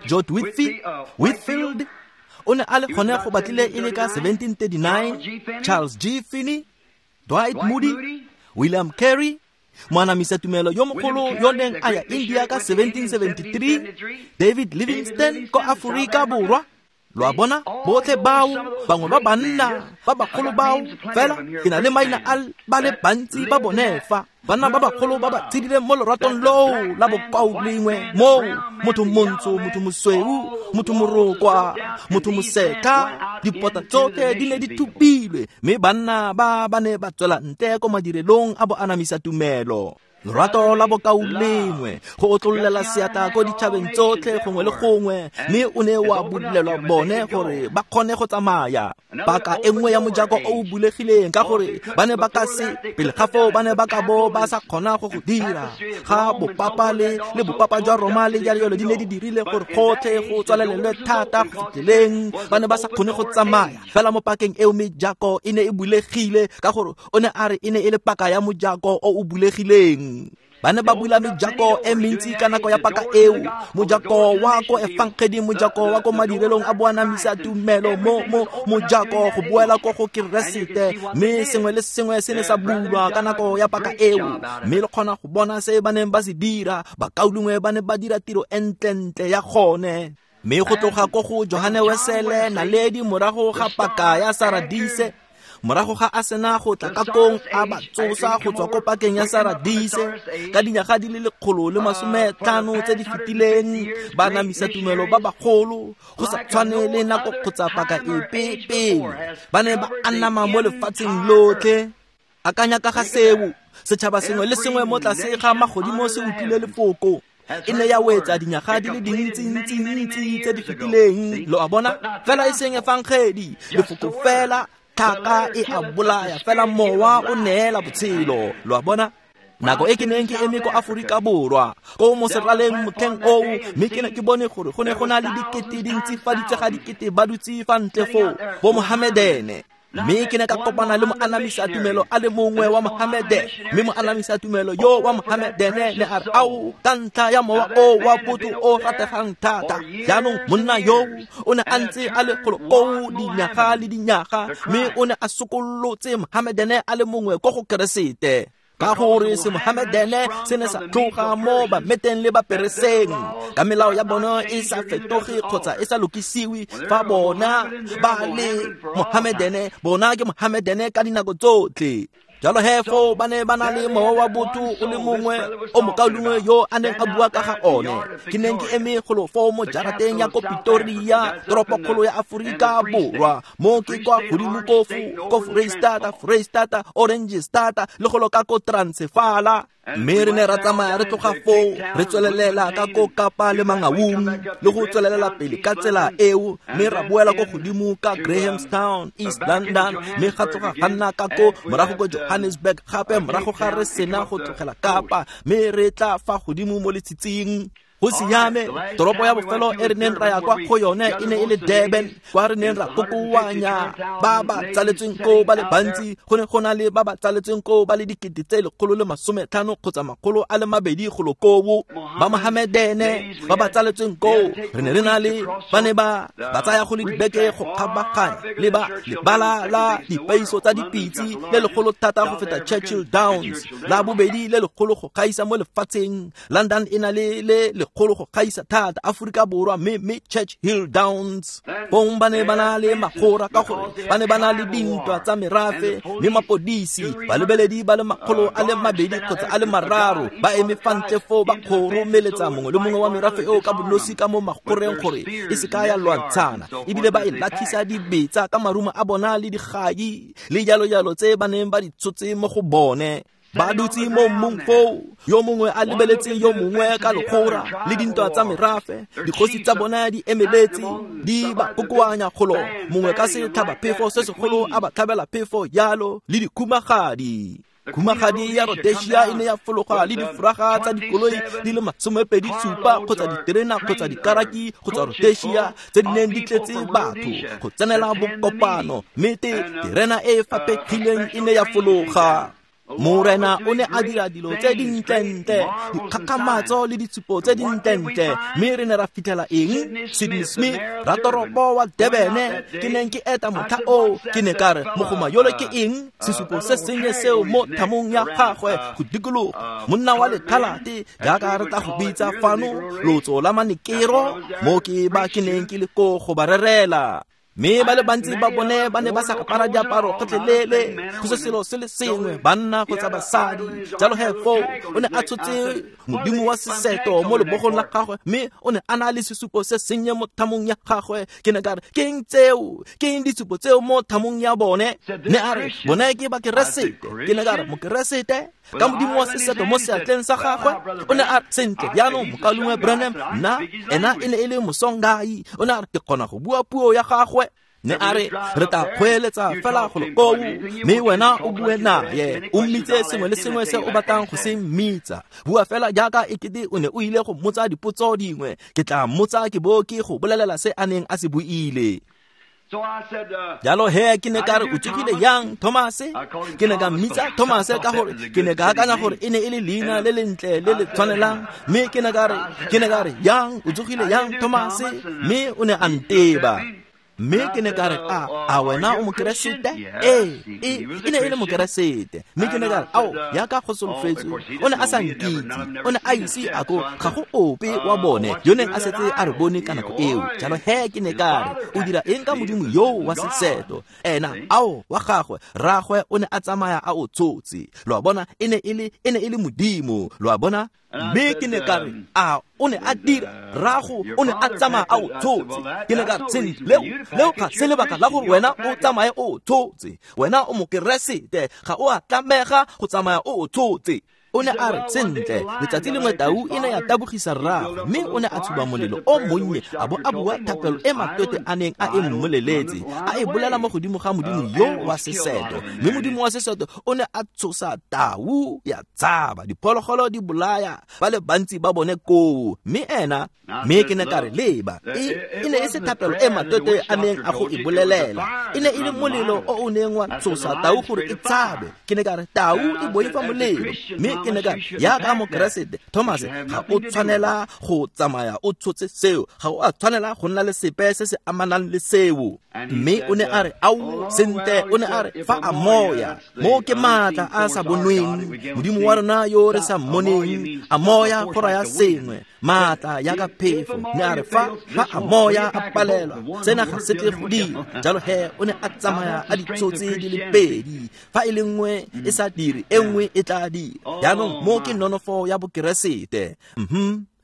George Whitfield, o ne a le gone go batlile e le ka 1739, Charles G. Finney, Dwight Moody, William Carey, moanamisa tumelo yo mogolo yo neng a ya India ka 1773, David Livingstone ko Aforika Borwa. Lo a bona, botlhe bao, bangwe ba banna ba bagolo bao, fela ke na le maina a ba le bantsi ba bone fa. Banna ba bagolo ba ba tshedileng mo loratong loo la bokaulengwe, moo motho montsho, motho mosweu, motho morokwa, motho mosetha, dipota tsotlhe di ne di thupilwe, mme banna ba ba ne ba tswela ntle ko madirelong a boanamisa tumelo. Lorato la bokaulengwe, go otlololela seatla ko ditšhabeng tsotlhe gongwe le gongwe, mme o ne wa bulelwa bone gore ba kgone go tsamaya. Paka e nngwe ya mojako o o bulegileng, ka gore ba ne ba ka se pele ga foo ba ne ba ka bo ba sa kgona go go dira. Ga bopapa le bopapa jwa Roma le jalo jalo di ne di dirile gore gotlhe go tswalelelwe thata go fitlheleng ba ne ba sa kgone go tsamaya. Fela mo pakeng eo mejako e ne e bulegile, ka gore o ne a re e ne e le paka ya mojako o o bulegileng. Ba ne ba bula mejako e mentsi ka nako ya paka eo, mojako wa ko efangedi, mojako wa ko madirelong a boanamisa tumelo, mo mojako go boela ko go Keresete. Mme sengwe le sengwe se ne sa bulwa ka nako ya paka eo, mme le kgona go bona se ba neng ba se dira. Bakaulengwe ba ne ba dira tiro e ntlentle ya gone. Mme go tloga ko go Johane Wesele, naledi morago ga paka ya Saradise, morago ga a sena go tla ka kong a ba tsosa go tswa ko pakeng ya Saradise ka dinyaga di le 150 tse di fetileng, ba namisa tumelo ba bagolo go sa tshwane le nako kgotsa paka epe pele. Ba ne ba anama mo lefatsheng lotlhe. Akanya ka ga seo, setšhaba sengwe le sengwe mo tlase ga magodimo se utlwile lefoko. E ne ya wetsa dinyaga di le dintsi-ntsi-ntsi tse di fetileng. Lo a bona, fela e seng efangedi, lefoko fela. Tlhaka e a bolaya, fela mowa o neela botshelo. Lo a bona, nako e ke neng ke eme ko Aforika Borwa ko mo seraleng motlheng oo, mme ke ne ke bone gore go ne go na le dikete dintsifaditse ga dikete ba dutse fa ntle foo bo Mohamedene. Mme ke ne ka kopana le moanamisa tumelo a le mongwe wa Mohamede, mme moanamisa tumelo yo wa Mohamedene ne a re, ao, ka ntlha ya mowa o wa botho o rategang thata. Jaanong monna yo o ne a ntse a le golo koo dinyaga le dinyaga, mme o ne a sokolotse Mohamedene a le mongwe ko go Keresete. Ka gore se Mohamedene se ne sa tloga mo bameteng le bapereseng, ka melao ya bona e sa fetoge kgotsa e sa lokisiwe. Fa bona ba le Mohamedene, bona ke Mohamedene ka dinako tsotlhe. Jalo he foo ba ne ba na le mowa wa botho o le mongwe o mokaulengwe yo a neng a bua ka ga one. Ke neng ke eme golo foo mo jarateng ya ko Pretoria, toropokgolo ya Aforika Borwa, mo ke kwa godimo ko Foreistata, Orange Stata le golo ka ko Transefala. Mme re ne ra tsamaya re tloga foo re tswelelela ka ko Kapa le Mangaung le go tswelelela pele ka tsela eo, mme ra boela ko godimo ka Grahamstown, East London, mme ga tloga ga nna ka ko morago ko Johannesburg gape morago ga re sena go tlogela Kapa, mme re tla fa godimo mo letshitsing. Go siame, toropo ya bofelo e re neng ra ya kwa go yone e ne e le Durban, kwa re neng ra kokoanya ba ba tsaletsweng koo ba le bantsi. Go ne go na le ba ba tsaletsweng koo ba le 150 kgotsa 200 golo koo, ba Mohamedene ba ba tsaletsweng koo. Re ne re na le ba ne ba tsaya go le dibeke go kgabaganya le ba lebala la dipeiso tsa dipitse le legolo thata go feta Churchill Downs, la bobedi le legolo go gaisa mo lefatsheng. London e na le le legolo go gaisa thata Aforika Borwa, mme Churchill Downs. Bong ba ne ba na le magora ka gore ba ne ba na le dintwa tsa merafe, mme mapodisi balebeledi ba le 200 kgotsa 3 ba eme fa ntle foo ba kgoromeletsa mongwe le mongwe wa merafe eo ka bonosi ka mo magoreng gore e se ka ya lwantshana, ebile ba e latlhisa dibetsa ka marumo a bona le digai le jalo-jalo tse ba neng ba di tshotse mo go bone. Ba dutse mo mmung foo, yo mongwe a lebeletse yo mongwe ka legora le dintwa tsa merafe. Dikgosi tsa bona di emeletse di ba kokoanya kgolo, mongwe ka setlhabaphefo se segolo a ba tlhabela phefo jalo le dikhumagadi. Khumagadi ya Rhodesia e ne ya fologa le difraga tsa dikoloi di le 27 kgotsa diterena kgotsa dikaraki kgotsa Rhodesia tse di neng di tletse batho go tsenela bokopano, mme terena e e faphegileng e ne ya fologa. Morena o ne a dira dilo tse dintlentle, dikgakgamatso le ditshupo tse dintlentle, mme re ne ra fitlhela eng? Sydney Smith, ratoropo wa Durban, ke neng ke eta motlha oo, ke ne ka re, mogoma yole ke eng? Sesupo se sennye seo mo thamong ya gagwe go dikologa, monna wa lekhalate jaaka re tla go bitsa fano, lotso la manekero, mo ke ba ke neng ke le ko go ba rerela. Mme ba le bantsi ba bone ba ne ba sa apara diaparo gotlhelele, go se selo se le sengwe, banna kgotsa basadi. Jalo he foo o ne a tshotse modimo wa seseto mo lebogong la gagwe, mme o ne a na le sesupo se sennye mo thamong ya gagwe. Ke ne ka re, ke eng tseo? Ke eng ditshupo tseo mo thamong ya bone? Ne a re, bone ke bakeresete. Ke ne ka re, mokeresete ka modimo wa seseto mo seatleng sa gagwe? O ne a re, sentle jaanong mokaulengwe Branham, nna ena e ne e le mosongai. O ne a re, ke kgona go bua puo ya gagwe. Ne a re, re tla kgweeletsa fela golo koo, mme wena o bue naye, o mmitse sengwe le sengwe se o batlang go se mmitsa. Bua fela jaaka ekete o ne o ile go mmotsa dipotso dingwe. Ke tla mmotsa ke bo ke go bolelela se a neng a se buile. Jalo he ke ne ka re, o tsogile yang, Thomase? Ke ne ka mmitsa Thomase ka gore ke ne ka akanya gore e ne e le leina le lentle le le tshwanelang, mme ke ne ka re, yang, o tsogile yang, Thomase? Mme o ne a nteba. Mme ke ne ka re, a wena o mokeresete? Ee, e ne e le mokeresete. Mme ke ne ka re, ao, yaka go solofetswe, o ne a sa nkitse, o ne a ise a ko ga go ope wa bone yo neng a setse a re bone ka nako eo. Jalo he ke ne ka re, o dira eng ka modimo yoo wa seseto? Ena, ao, wa gagwe, rraagwe o ne a tsamaya a o tshotse. Lo a bona, e ne e le modimo, lo a bona? Mme ke ne ka re, a o ne a dira, rrago o ne a tsamaya a o tshotse. Ke ne ka re, sentle, leo ga se lebaka la gore wena o tsamaye o tshotse. Wena o mokeresete, ga o a tlamega go tsamaya o tshotse. O ne a re, sentle, letsatsi lengwe tau e ne ya tabogisa rraagwe, mme o ne a tshuba molelo o monnye a bo a bua thapelo e matwete a neng a e mmoleletse, a e bolela mo godimo ga modimo yo wa seseto. Mme modimo wa seseto o ne a tshosa tau ya tshaba, diphologolo di bolaya ba le bantsi ba bone koo, mme ena. Mme ke ne ka re, leba, e ne e se thapelo e matwete a neng a go e bolelela, e ne e le molelo o o neng wa tshosa tau gore e tshabe. Ke ne ka re, tau e boifa molelo. Mme ke ne ka re, yaka mokeresete, Thomas, ga o tshwanela go tsamaya o tshotse seo, ga o a tshwanela go nna le sepe se se amanang le seo. Mme o ne a re, ao, sentle, o ne a re, fa a moya, mo ke maatla a sa bonweng, modimo wa rona yo re sa mmoneng, a moya go raya sengwe, maatla yaka phefo. Ne a re, fa a moya a palelwa, sena ga se tle go dira. Jalo he o ne a tsamaya a ditshotse di le pedi, fa e le nngwe e sa dire, e nngwe e tla dira. Jaanong mo ke nonofo ya bokeresete.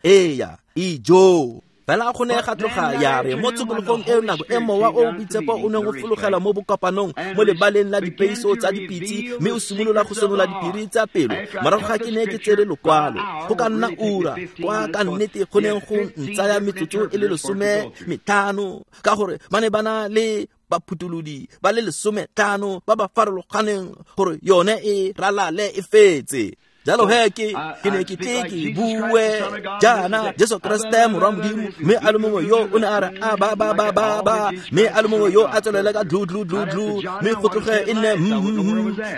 Eya, ijo. Fela go ne ga tloga ya re mo tshokologong eo nako e mowa o boitshepo o neng o fologela mo bokopanong mo lebaleng la dipeiso tsa dipitse, mme o simolola go senola diphiri tsa pelo. Morago ga ke ne ke tsere lokwalo, go ka nna ura kwa ka nnete go neng go ntsaya metsotso e le 15, ka gore ba ne ba na le baphutulodi ba le 15 ba ba farologaneng gore yone e ralale e fetse. Jalo he ke ne ke tle ke bue jaana Jesu Keresete morwa Modimo, mme a le mongwe yo o ne a re a ba ba ba ba ba, mme a le mongwe yo a tswelele ka dlu dlu dlu dlu, mme go tloge e nne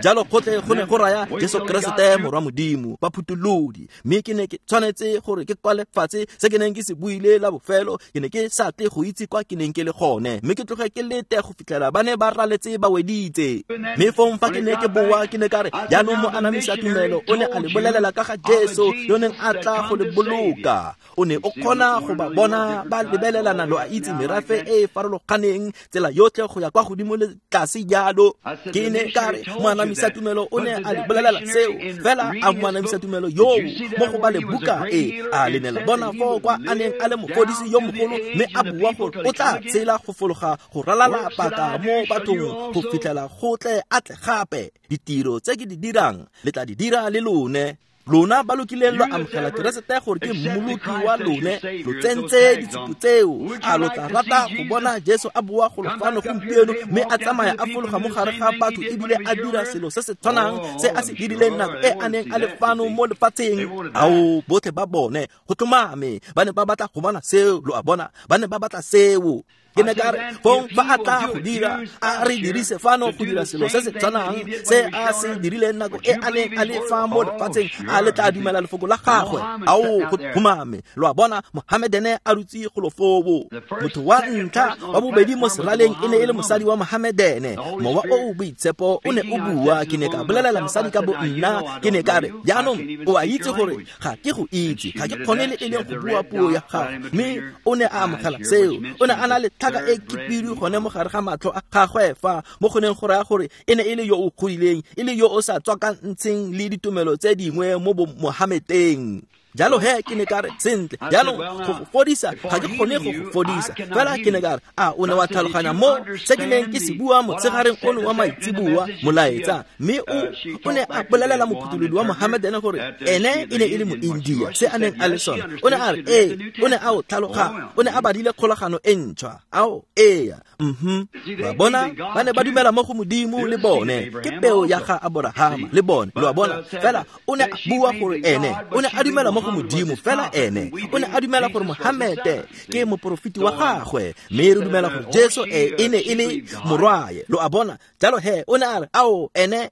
jalo gotlhe go ne go raya Jesu Keresete morwa Modimo, baphutholodi. Mme ke ne ke tshwanetse gore ke kwale fatshe se ke neng ke se buile la bofelo. Ke ne ke sa tle go itse kwa ke neng ke le gone, mme ke tloge ke lete go fitlhela ba ne ba raletse ba weditse. Mme fong fa ke ne ke boa, ke ne ka re jaanong mo anamisa tumelo o ne a le bolelela ka ga Jesu yo neng a tla go le boloka. O ne o kgona go ba bona ba lebelelana, lo a itse, merafe e e farologaneng, tsela yotlhe go ya kwa godimo le tlase jalo. Ke ne ka re moanamisa tumelo o ne a le bolelela seo, fela a moanamisa tumelo yoo mo go ba le buka e a le ne la bona foo kwa a neng a le mofodisi yo mogolo, mme a bua gore o tla tshela go fologa go ralala paka mo bathong go fitlhela go tle a tle gape. Ditiro tse ke di dirang le tla di dira le lone. Lona ba lokileng lo amogela Keresete gore ke mmoloki wa lone, lo tsentse ditshupo tseo. A lo tla rata go bona Jesu a boa golo fano gompieno mme a tsamaya a fologa mo gare ga batho ebile a dira selo se se tshwanang se a se dirileng nako e a neng a le fano mo lefatsheng? Ao, botlhe ba bone go tlhomame ba ne ba batla go bona seo, lo a bona, ba ne ba batla seo. Ke ne ka re fong fa a tla go dira, a re dirise fano go dira selo se se tshwanang se a se dirileng nako e a neng a le fa mo lefatsheng, a le tla dumela lefoko la gagwe? Ao, go tlhomame, lo a bona, Mohamedene a dutse golo foo. Motho wa ntlha wa bobedi mo seraleng e ne e le mosadi wa Mohamedene. Mowa o o boitshepo o ne o bua. Ke ne ka bolelela mosadi ka bo nna, ke ne ka re jaanong o a itse gore ga ke go itse, ga ke kgone le e leng go bua puo ya gago. Mme o ne a amogela seo. O ne a na le tlhaka e khibidu gone mo gare ga matlho a gagwe fa mo go neng go raya gore e ne e le yo o godileng, e le yo o sa tswakantsheng le ditumelo tse dingwe mo bo Mohameteng. Jalo he ke ne ka re sentle jaanong go go fodisa ga ke kgone go go fodisa, fela ke ne ka re a o ne wa tlhaloganya mo se ke neng ke se bua motshegareng ono wa maitseboa molaetsa. Mme o ne a bolelela mophutholodi wa Mohamedene gore ene e ne e le Moindia, se a neng a le sone. O ne a re ee, o ne a o tlhaloganya, o ne a badile kgolagano e ntšhwa. Ao, ee, ba bona ba ne ba dumela mo go Modimo le bone, ke peo ya ga Aborahama le bone, lo a bona. Fela o ne a bua gore ene o ne a dumela mo go Modimo, fela ene o ne a dumela gore Mohamede ke moporofeti wa gagwe, mme re dumela gore Jesu e ne e le morwaye, lo a bona. Jalo he o ne a re ao, ene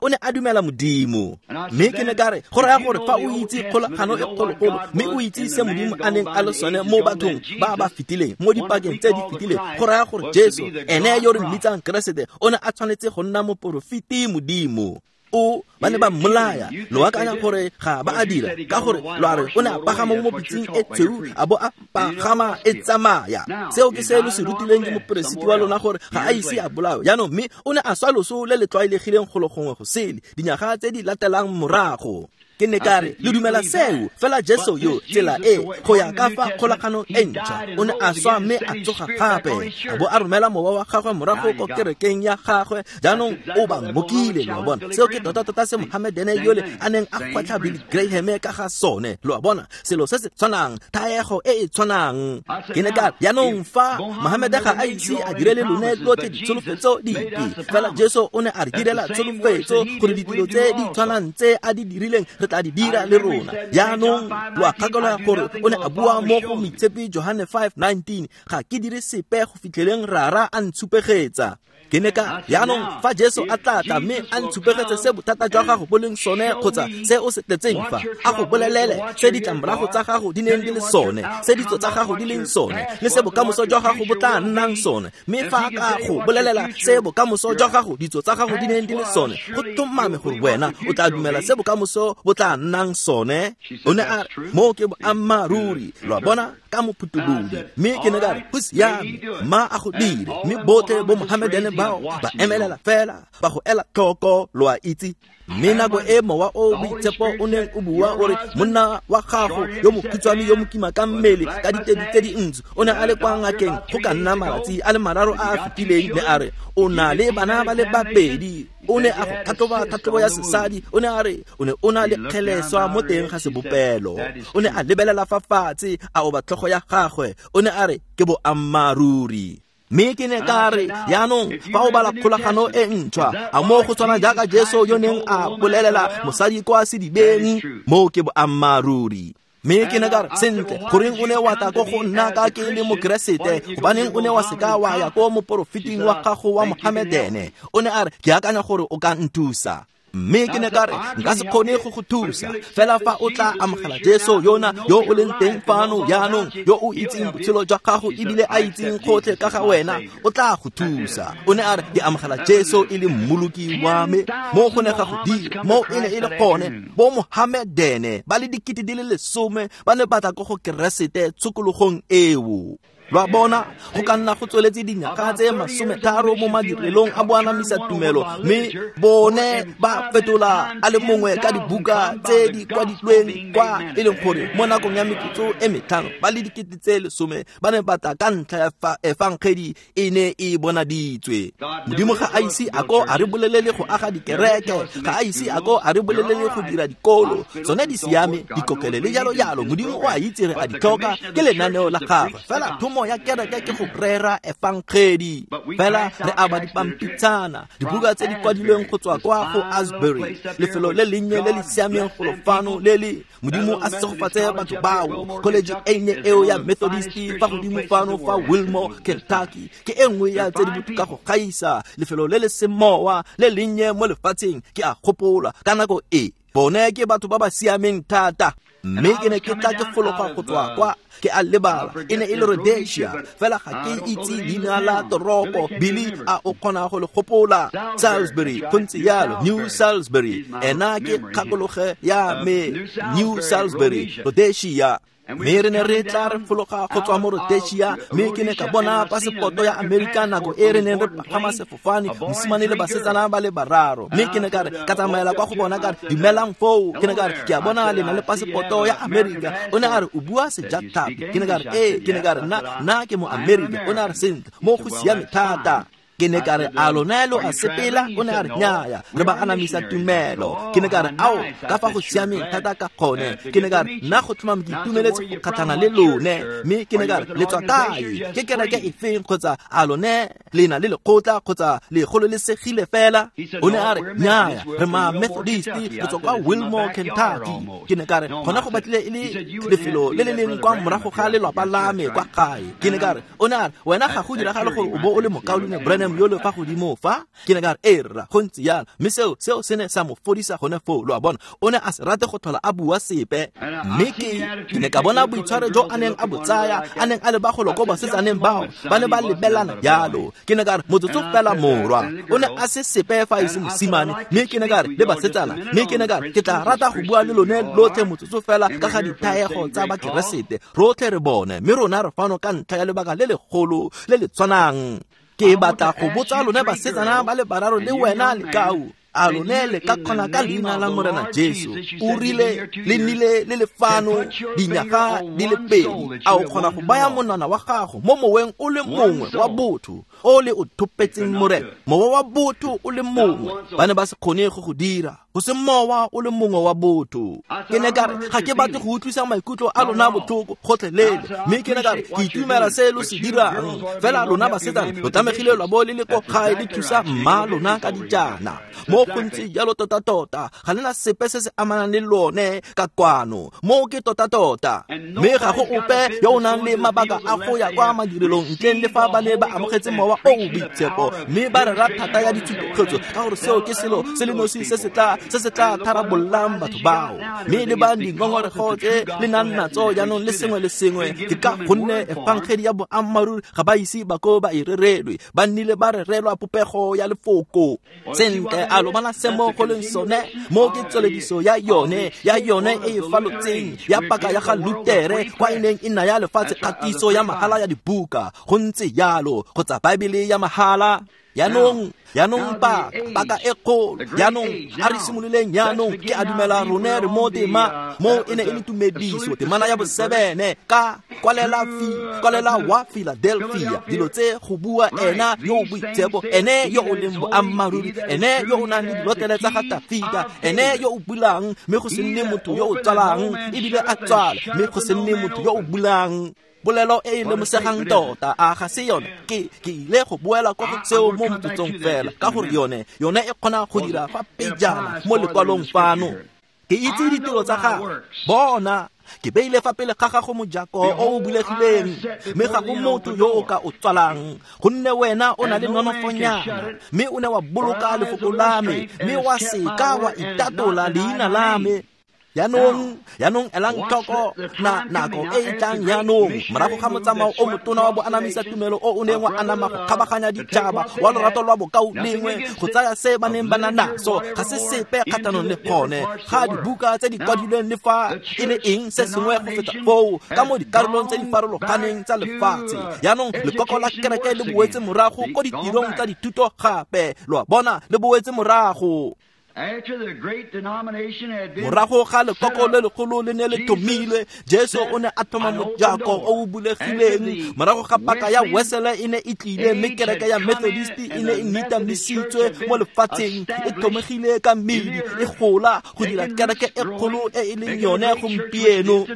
o ne a dumela Modimo. Mme ke ne ka re go raya gore fa o itse kgolagano e kgologolo, mme o itse se Modimo a neng a le sone mo bathong ba ba fetileng, mo dipakeng tse di fetileng, go raya gore Jesu ene yo re mmitsang Keresete o ne a tshwanetse go nna moporofeti Modimo. O ba ne ba mmolaya, lo akanya gore ga ba a dira, ka gore lo a re o ne a pagama mo pitseng e tshweu a bo a pagama e tsamaya. Seo ke se lo se rutileng ke moperesiti wa lona gore ga a ise a bolawe. Jaanong mme o ne a swa loso le le tlwaelegileng golo gongwe go sele dinyaga tse di latelang morago. Ke ne ka re le dumela seo, fela Jesu yo tsela e go ya ka fa kgolagano e ntšhwa o ne a swa mme a tsoga gape, a bo a romela mowa wa gagwe morago ko kerekeng ya gagwe. Jaanong o ba ngokile, lo a bona. Seo ke tota-tota se Mohamedene yole a neng a gwetlha Billy Graham ka ga sone, lo a bona, selo se se tshwanang, thaego e e tshwanang. Ke ne ka re jaanong fa Mohamede ga a ise a direle lone lotlhe ditsholofetso dipe, fela Jesu o ne a re direla tsholofetso gore ditiro tse di tshwanang tse a di dirileng re tla di dira le rona. Jaanong lo a gakologa gore o ne a bua mo go Moitshepi Johane 5:19, ga ke dire sepe go fitlheleng Rara a ntshupegetsa. Ke ne ka jaanong fa Jesu a tla tla mme a ntshupegetse se bothata jwa gago bo leng sone kgotsa se o se tletseng fa, a go bolelele se ditlamorago tsa gago di neng di le sone, se ditso tsa gago di leng sone, le se bokamoso jwa gago bo tla nnang sone. Mme fa ka go bolelela se bokamoso jwa gago, ditso tsa gago di neng di le sone, go tlhomame gore wena o tla dumela se bokamoso bo tla nnang sone. O ne a re mo ke boammaaruri, lo a bona, ka mophutholodi. Mme ke ne ka re go siame, ma a go dire. Mme botlhe bo Mohamedene bao ba emelela fela ba go ela tlhoko, lo a itse. Mme nako e mowa o boitshepo o neng o bua o re monna wa gago yo mokhutshwane yo mokima ka mmele ka ditedi tse dintsho o ne a le kwa ngakeng go ka nna malatsi a le mararo a a fetileng, ne a re o na le bana ba le babedi. O ne a go tlhatlhoba tlhatlhobo ya sesadi, o ne a re o ne o na le kgeleswa mo teng ga sebopelo. O ne a lebelela fa fatshe, a oba tlhogo ya gagwe, o ne a re ke boammaaruri. Mme ke ne ka re, jaanong fa o bala kgolagano e ntšhwa, a mo go tshwana jaaka Jesu yo neng a bolelela mosadi kwa sedibeng, moo ke boammaaruri. Mme ke ne ka re, sentle, goreng o ne wa tla ko go nna ka ke le Mokeresete, gobaneng o ne wa seka wa ya ko moporofeting wa gago wa Mohamedene? O ne a re, ke akanya gore o ka nthusa. Mme ke ne ka re, nka se kgone go go thusa, fela fa o tla amogela Jesu yona yo o leng teng fano jaanong, yo o itseng botshelo jwa gago ebile a itseng gotlhe ka ga wena, o tla go thusa. O ne a re, ke amogela Jesu e le mmoloki wa me. Mo go ne ga go dira, mo e ne e le gone, bo Mohamedene ba le 10,000 ba ne ba tla ko go Keresete tshokologong eo. Lwa bona, go ka nna go tsweletse dinyaga tse 30 mo madirelong a boanamisa tumelo, mme bone ba fetola a le mongwe ka dibuka tse di kwadilweng kwa e leng gore mo nakong ya metsotso e 5 ba le 10,000 ba ne ba tla ka ntlha ya efangedi e ne e bonaditswe. Modimo ga a ise a ko a re bolelele go aga dikereke, ga a ise a ko a re bolelele go dira dikolo, tsone di siame, dikokele le jalo jalo. Modimo o a itse re a di tlhoka, ke lenaneo la gagwe. Fela thomo ya kereke ke go rera efangedi. Fela re aba dipampitshana, dibuka tse di kwadilweng go tswa kwa go Asbury, lefelo le lennye le le siameng golo fano le le Modimo a segofatse batho bao. College e nnye eo ya Methodist fa godimo fano fa Wilmore, Kentucky, ke e nngwe ya tse di botoka go gaisa, lefelo le le semowa le lennye mo lefatsheng. Ke a gopola ka nako e, bone ke batho ba ba siameng thata. Mme ke ne ke tla ke fologa go tswa kwa, ke a lebala, e ne e le Rhodesia, fela ga ke itse leina la toropo. Billy, a o kgona go le gopola? Salisbury, go ntse jalo, New Salisbury. Ena ke kgakologe ya me, New Salisbury, Rhodesia. Mme re ne re tla re fologa go tswa mo Rhodesia, mme ke ne ka bona pasepoto ya Amerika nako e re neng re pagama sefofane, mosimane le basetsana ba le bararo. Mme ke ne ka re, ka tsamaela kwa go bona ka re, dumelang foo. Ke ne ka re, ke a bona le na le pasepoto ya Amerika. O ne a re, o bua sejatlhapi. Ke ne ka re, ee. Ke ne ka re, nna ke mo Amerika. O ne a re, sentle, mo go siame thata. Ke ne ka re, a lona lo a sepela? O ne a re, nnyaya, re ba anamisa tumelo. Ke ne ka re, ao, ka fa go siameng thata ka gone. Ke ne ka re, nna go tlhomame ke itumeletse go kgatlhana le lone. Mme ke ne ka re, le tswa kae? Ke kereke efeng, kgotsa a lone le na le lekgotla, kgotsa le gololesegile fela? O ne a re, nnyaya, re ma Methodist, re tswa kwa Wilmore, Kentucky. Ke ne ka re, gona go batlile e le lefelo le le leng kwa morago ga lelwapa la me kwa gae. Ke ne ka re, o ne a re, wena ga go diragale gore o bo o le mokaulengwe Branham yo le fa godimo fa? Ke ne ka re, ee rra, go ntse jalo. Mme seo se ne sa mo fodisa gone foo, lo a bona. O ne a se rate go tlhola a bua sepe. Mme ke ne ka bona boitshwaro jo a neng a bo tsaya, a neng a le bagolo ko basetsaneng bao, ba ne ba lebelana jalo. Ke ne ka re, motsotso fela morwa. O ne a se sepe fa e se mosimane. Mme ke ne ka re, le basetsana. Mme ke ne ka re, ke tla rata go bua le lone lotlhe motsotso fela ka ga dithaego tsa Bakeresete. Rotlhe re bone, mme rona re fano ka ntlha ya lebaka le legolo le le tshwanang. Ke batla go botsa lone basetsana ba le bararo le wena lekau, a lone le ka kgona ka leina la Morena Jesu, o rile le nnile le le fano dinyaga di le pedi, a o kgona go baya monwana wa gago mo moweng o le mongwe wa botho o le o thopetseng Morena, mowa wa botho o le mongwe? Ba ne ba se kgone go go dira, go se mowa o le mongwe wa botho. Ke ne ka re, ga ke batle go utlwisa maikutlo a lona botlhoko gotlhelele. Mme ke ne ka re, ke itumela se lo se dirang, fela lona basetsana lo tlamegile lwa bo le le ko gae le thusa mma lona ka dijana. Mo go ntse jalo tota-tota, ga lena sepe se se amanang le lone ka kwano. Mo ke tota-tota. Mme ga go ope yo o nang le mabaka a go ya kwa madirelong ntleng le fa ba ne ba amogetse mowa o o boitshepo, mme ba rera thata ya ditshupetso, ka gore seo ke selo se le nosi se se tla tharabollang batho bao. Mme le ba dingongorego tse le nang natso jaanong le sengwe le sengwe, ke ka gonne efangedi ya boammaaruri ga ba ise ba ko ba e rerelwe, ba nnile ba rerelwa popego ya lefoko. Sentle, a lo bona se mo go leng sone? Mo ke tswelediso ya yone e e falotseng ya paka ya ga Lutere, kwa e neng e naya lefatshe kgatiso ya mahala ya dibuka, go ntse jalo, kgotsa Baebele ya mahala. Jaanong Yaanong paka e kgolo, yaanong a re simololeng yaanong ke a dumela rone re mo tema mo e ne e le tumediso temana ya bo-7 ka kwalela wa Philadelphia dilo tse go bua ena yo o boitshepo, ene yo o leng boammaaruri, ene yo o nang le dilotlele tsa ga Tafita, ene yo o bulang mme go se nne motho yo o tswalang, ebile a tswale mme go se nne motho yo o bulang. Bolelo e e lemosegang tota a ga se yone. Ke ile go boela kwa go tseo mo motsotsong fela ka gore yone e kgona go dira fa pejana mo lekwalong fano. Ke itse ditiro tsa gago, bona ke beile fa pele ga gago mojako o o bulegileng, mme ga go motho yo o ka o tswalang, gonne wena o na le nonofonyana, mme o ne wa boloka lefoko la me, mme wa seka wa itatola leina la me. Yaanong elang tlhoko na nako e e tlang yaanong morago ga motsamao o motona wa boanamisa tumelo o o neng wa anama go kgabaganya ditšhaba wa lorato lwa bokao lengwe go tsaya se ba neng ba na naso ga se sepe kgatlhanong le gone ga dibuka tse di kwadilweng le fa e le eng se sengwe go feta foo ka mo dikarolong tse di farologaneng tsa lefatshe. Yaanong lekoko la kereke le boetse morago ko ditirong tsa dithuto gape, lo a bona, le boetse morago. Morago ga lekoko le legolo le ne le thomilwe, Jesu o ne a thoma mojako o o bulegileng. Morago ga paka ya Wesele e ne e tlile, mme kereke ya Methodist e ne e nitamisitswe mo lefatsheng, e thomegile ka mmidi, e gola go dira kereke e kgolo e e leng yone gompieno,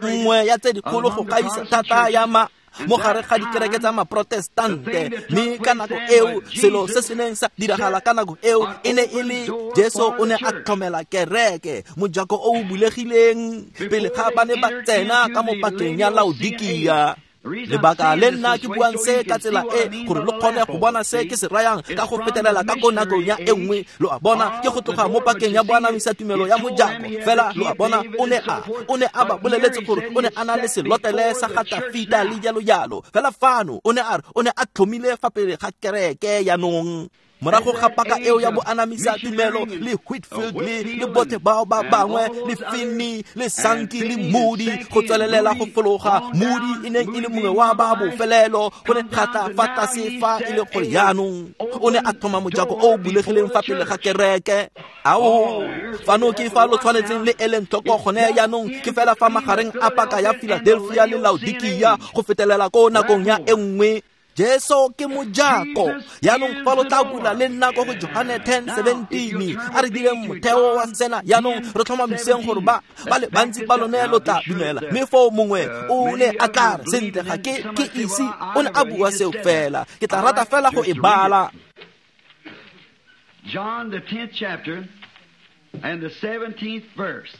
nngwe ya tse dikgolo go gaisa thata ya ma mo gare ga dikereke tsa maprotestante. Mme ka nako eo selo se se neng sa diragala ka nako eo e ne e le Jesu o ne a tlhomela kereke mojako o o bulegileng pele ga ba ne ba tsena ka mo pakeng ya Laodikia. Lebaka le nna ke buang se ka tsela e gore lo kgone go bona se ke se rayang ka go fetelela ka ko nakong ya e nngwe, lo a bona, ke go tloga mo pakeng ya boanamisa tumelo ya mojako fela. Lo a bona, o ne a ba boleletse gore o ne a na le selotlele sa ga Tafita le jalo jalo. Fela fano o ne a re o ne a tlhomile fa pele ga kereke yaanong. Morago ga paka eo ya boanamisa tumelo le Whitfield le botlhe bao ba bangwe le Finney le Sankey le Moody go tswelelela go fologa, Moody e neng e le mongwe wa ba bofelelo go ne ga tla fa tlase fa e le gore yaanong o ne a thoma mojako o o bulegileng fa pele ga kereke. Ao, fano ke fa lo tshwanetseng le eleng tlhoko gone yaanong, ke fela fa magareng a paka ya Philadelphia le Laodikia go fetelela ko nakong ya e nngwe. Jesu ke mojako. Yaanong fa lo tla bula le nna ko go Johane 10:17 a re direng motheo wa sena. Yaanong re tlhomamiseng gore ba le bantsi ba lone lo tla dumela, mme foo mongwe o ne a tla re sentle ga ke ise o ne a bua seo fela, ke tla rata fela go e bala. John the 10th chapter and the 17th verse.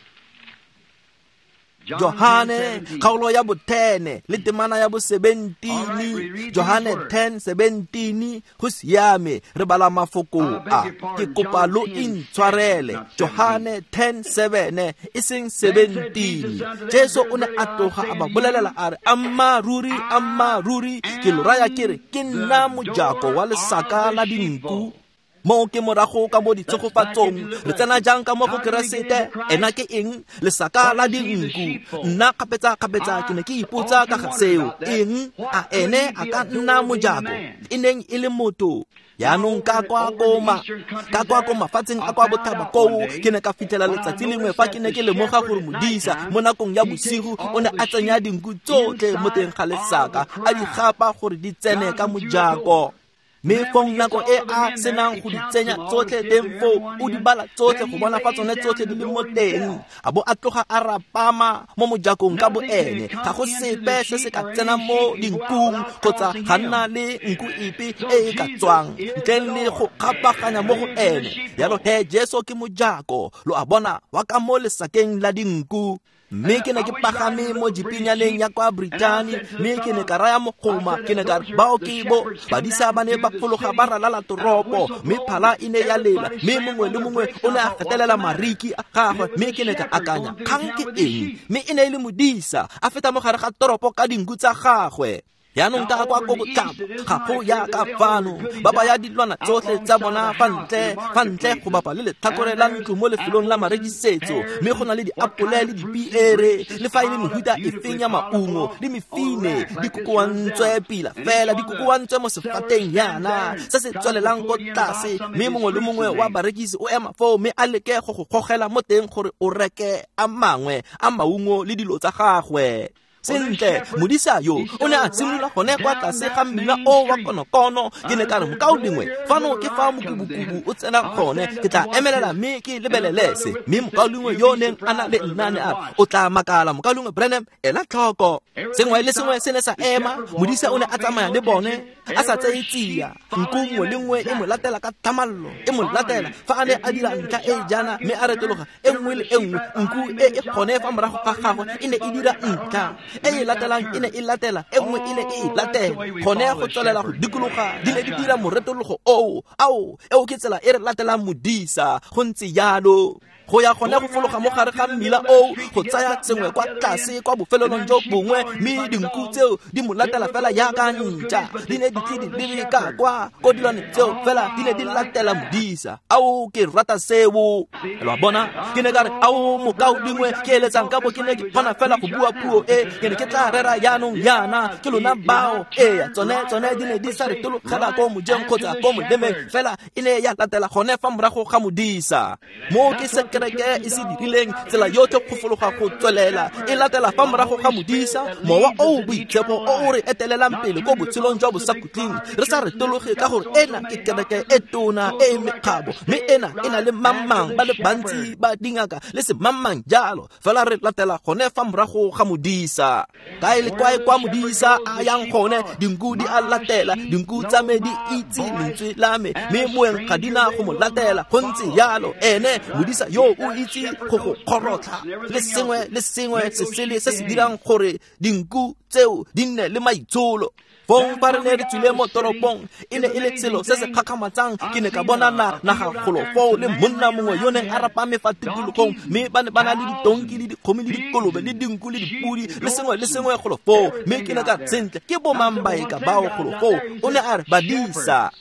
Johane kgaolo ya bo-10 le temana ya bo-17. Johane 10:17. Go siame, re bala mafoko a, ke kopa lo intshwarele. Johane 10:7 e seng 17. Jesu o ne a tloga a ba bolelela a re, ammaaruri ammaaruri ke lo raya ke re ke nna mojako wa lesaka la dinku. Mo ke morago ka mo ditshegofatsong re tsena jang ka mo go Keresete? Ena ke eng? Lesaka la dinku. Nna kgapetsa ke ne ke ipotsa ka ga seo. Eng? A ene a ka nna mojako? E neng e le motho. Yaanong ka kwa ko mafatsheng a kwa bothaba koo ke ne ka fitlhela letsatsi lengwe fa ke ne ke lemoga gore modisa mo nakong ya bosigo o ne a tsenya dinku tsotlhe mo teng ga lesaka, a di gapa gore di tsene ka mojako. Mme fong nako e a senang go di tsenya tsotlhe teng foo, o di bala tsotlhe go bona fa tsone tsotlhe di le mo teng, a bo a tloga a rapama mo mojakong ka bo ene. Ga go sepe se se ka tsenang mo dinkung kgotsa ga nna le nku epe e e ka tswang ntleng le go kgapaganya mo go ene. Jalo he Jesu ke mojako, lo a bona, wa ka mo lesakeng la dinku. Mme ke ne ke pagame mo jipinyaneng ya kwa Britani, mme ke ne ka raya mogoma, ke ne ka re bao ke bo badisa ba ne ba fologa ba ralala toropo, mme phala e ne ya lela, mme mongwe le mongwe o ne a gatelela mariki a gagwe. Mme ke ne ka akanya, kgang ke eng? Mme e ne e le modisa a feta mo gare ga toropo ka dinku tsa gagwe. Jaanong ka kwa ko botlhaba ga go yaka fano, ba baya dilwana tsotlhe tsa bona fa ntle go bapa le letlhakore la ntlo mo lefelong la marekisetso, mme go na le diapole le dipiere le fa e le mehuta efeng ya maungo le mefine di kokoantswe pila fela, di kokoantswe mo sefateng yana se se tswelelang ko tlase, mme mongwe le mongwe wa barekisi o ema foo mme a leke go go gogela mo teng gore o reke a mangwe a maungo le dilo tsa gagwe. Sentle, modisa yo o ne a simolola gone kwa tlase ga mmila o wa konokono. Ke ne ka re, mokaulengwe, fano ke fa mokubukubu o tsena gone, ke tla emelela mme ke lebelele se. Mme mokaulengwe yo neng a na le nna ne a re, o tla makala, mokaulengwe Branham, ela tlhoko. Sengwe le sengwe se ne sa ema, modisa o ne a tsamaya le bone a sa tseye tsia, nku nngwe le nngwe e mo latela ka thamallo, e mo latela fa a ne a dira ntlha e jaana mme a retologa, e nngwe le e nngwe nku e e gone fa morago ga gagwe e ne e dira ntlha e e latelang, e ne e latela, e nngwe e ne e latela, gone go tswelela go dikologa, di ne di dira moretologo oo. Ao, eo ke tsela e re latelang modisa, go ntse jalo. Go ya gone go fologa mo gare ga mmila oo, go tsaya sengwe kwa tlase kwa bofelelong jo bongwe, mme dinku tseo di mo latela fela jaaka ntša, di ne di tle di lebe ka kwa ko dilwane tseo fela di ne di latela modisa. Ao, ke rata seo. Lo a bona? Ke ne ka re, ao mokaulengwe, ke eletsang ka bo ke ne ke kgona fela go bua puo e, ke ne ke tla rera jaanong yana, ke lona bao. Ee, tsone di ne di sa retologela ko mojeng kgotsa ko molemeng, fela e ne ya latela gone fa morago ga modisa. Mo ke se kereke e se dirileng, tsela yotlhe go fologa go tswelela e latela fa morago ga modisa, mowa o boitshepo o o re etelelang pele ko botshelong jwa bosakhutleng, re sa retologe ka gore ena ke kereke e tona e e mekgabo, mme ena e na le mang-mang ba le bantsi ba dingaka le se mang-mang jalo, fela re latela gone fa morago ga modisa. Kae le kae kwa modisa a yang gone, dinku di a latela, dinku tsa me di itse lentswe la me, mme moeng ga di na go mo latela. Go ntse jalo, ene modisa yo o itse go go kgorotlha le sengwe le sengwe se sele se se dirang gore dinku tseo di nne le maitsholo. Fong fa re ne re tswile mo toropong, e ne e le selo se se kgakgamatsang. Ke ne ka bona naga golo foo le monna mongwe yo neng a rapame fa tikologong, mme ba ne ba na le ditonki le dikgomo le dikolobe le dinku le dipudi le sengwe le sengwe golo foo. Mme ke ne ka sentle, ke bomang baeka bao golo foo? O ne a re, badisa.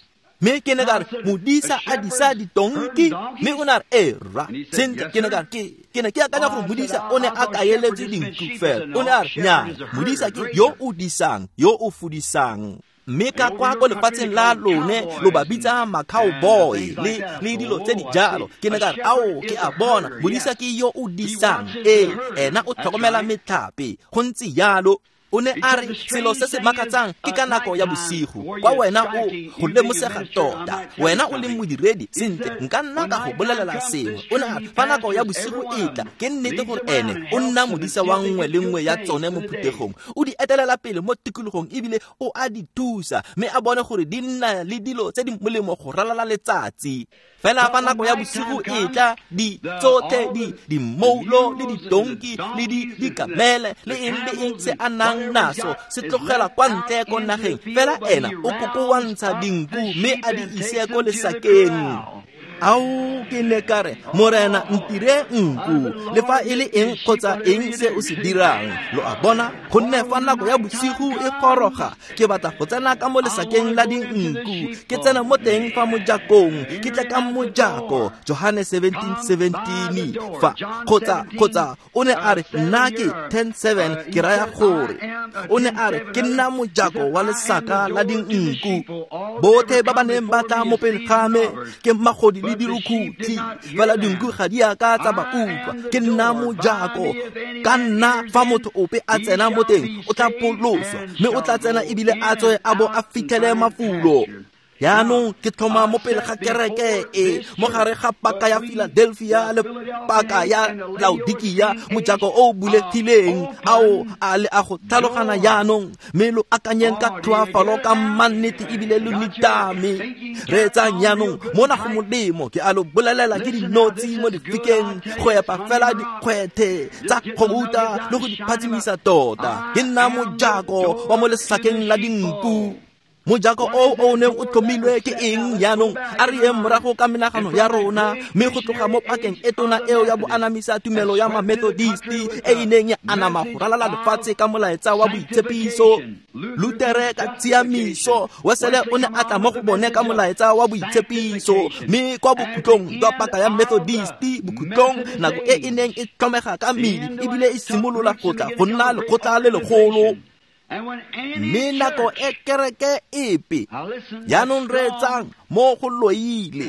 Mme ke ne ka re, modisa a disa ditonki? Mme o ne a re, ee rra. Sentle, ke ne ka re, ke ne ke akanya gore modisa o ne a kaeletse dinku fela. O ne a re, nnyaa, modisa ke yo o disang, yo o fudisang. Mme ka kwa ko lefatsheng la lone lo ba bitsa ma-cowboy le dilo tse di jalo. Ke ne ka re, ao, ke a bona, modisa ke yo o disang, ee, ena o tlhokomela metlhape. Go ntse jalo. O ne a re, selo se se makatsang ke ka nako ya bosigo, kwa wena o go lemosega tota, wena o leng modiredi, sentle, nka nna ka go bolelela sengwe. O ne a re, fa nako ya bosigo e tla, ke nnete gore ene o nna modisa wa nngwe le nngwe ya tsone mo phuthegong, o di etelela pele mo tikologong ebile o a di thusa, mme a bone gore di nna le dilo tse di molemo go ralala letsatsi. Fela fa nako ya bosigo e tla, di tsotlhe di dimoulo le ditonki le dikamele le eng le eng se a nang naso se tlogela kwa ntle ko nageng, fela ena o kokoantsha dinku mme a di ise ko lesakeng. Ao, ke ne ka re, Morena, ntire nku, le fa e le eng kgotsa eng se o se dirang. Lo a bona? Gonne fa nako ya bosigo e goroga, ke batla go tsena ka mo lesakeng la dinku, ke tsena mo teng fa mojakong, ke tle ka mojako. Johane 17:17 fa kgotsa o ne a re, nna ke 10:7, ke raya gore o ne a re, ke nna mojako wa lesaka la dinku. Botlhe ba ba neng ba tla mo pele ga me ke magodi le dirukhutlhi, fela dinku ga di a ka tsa ba utlwa. Ke nna mojako, ka nna fa motho ope a tsena mo teng o tla pholoswa, mme o tla tsena ebile a tswe a bo a fitlhele mafulo. Jaanong ke tlhoma mo pele ga kereke e, mo gare ga paka ya Philadelphia le paka ya Laodikia, mojako o bulegileng. Ao, a le a go tlhalogana jaanong, mme lo akanyeng ka tlhoafalo ka mannete ebile lo nitame. Reetsang jaanong, mona go molemo, ke a lo bolelela ke dinotshi mo difikeng, go epa fela dikgwethe tsa gouta le go di phatsimisa tota. Ke nna mojako wa mo lesakeng la dinku. Mojako o o neng o tlhomilwe ke eng jaanong? A re yeng morago ka menagano ya rona, mme go tloga mo pakeng e tona eo ya boanamisa tumelo ya Mamethodisti e e neng ya anama go ralala lefatshe ka molaetsa wa boitshepiso. Lutere ka tshiamiso, Wesele o ne a tla mo go bone ka molaetsa wa boitshepiso, mme kwa bokhutlong jwa paka ya Methodisti, bokhutlong nako e e neng e tlhomega ka medi ebile e simolola go tla go nna lekgotla le legolo. Mme nako e kereke epe jaanong reetsang mo go loile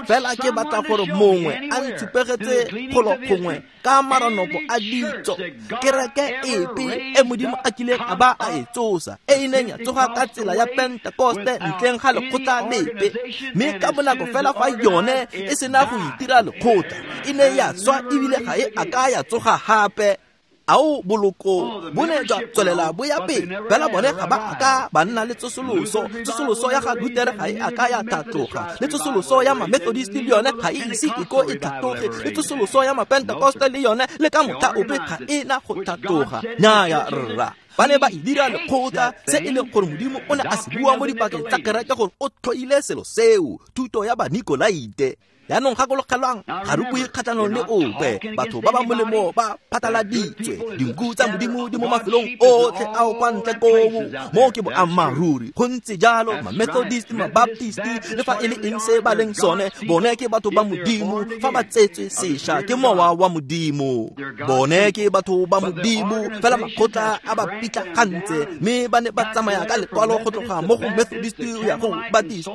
fela, ke batla gore mongwe a ntshupegetse kgolo gongwe ka maranoko a ditso, kereke epe e Modimo a kileng a ba a e tsosa, e e neng ya tsoga ka tsela ya Pentekoste ntleng ga lekgotla lepe, mme ka bonako fela fa yone e sena go itira lekgotla, e ne ya swa ebile ga e a ka ya tsoga gape. Ao boloko bo ne jwa tswelela bo ya pele, fela bone ga ba a ka ba nna le tsosoloso. Tsosoloso ya ga Lutere ga e a ka ya tlhatloga, le tsosoloso ya Mamethodist le yone ga e ise e ko e tlhatloge, le tsosoloso ya Mapentekoste le yone le ka motlha ope ga e na go tlhatloga. Nnyaya rra, ba ne ba e dira lekgotla, se e leng gore Modimo o ne a se bua mo dipakeng tsa kereke gore o tlhoile selo seo, thuto ya Banikolaite. Jaanong gakologelwang, ga re bue kgatlhanong le ope, batho ba ba molemo ba phataladitswe, dinku tsa Modimo di mo mafelong otlhe ao kwa ntle koo, mo ke boammaaruri. Go ntse jalo, Mamethodist, Mabaptist, le fa e le eng se ba leng sone, bone ke batho ba Modimo fa ba tsetswe sešwa ke mowa wa Modimo. Bone ke batho ba Modimo, fela makgotla a ba pitlagantse, mme ba ne ba tsamaya ka lekwalo go tloga mo go Methodist go ya go Baptist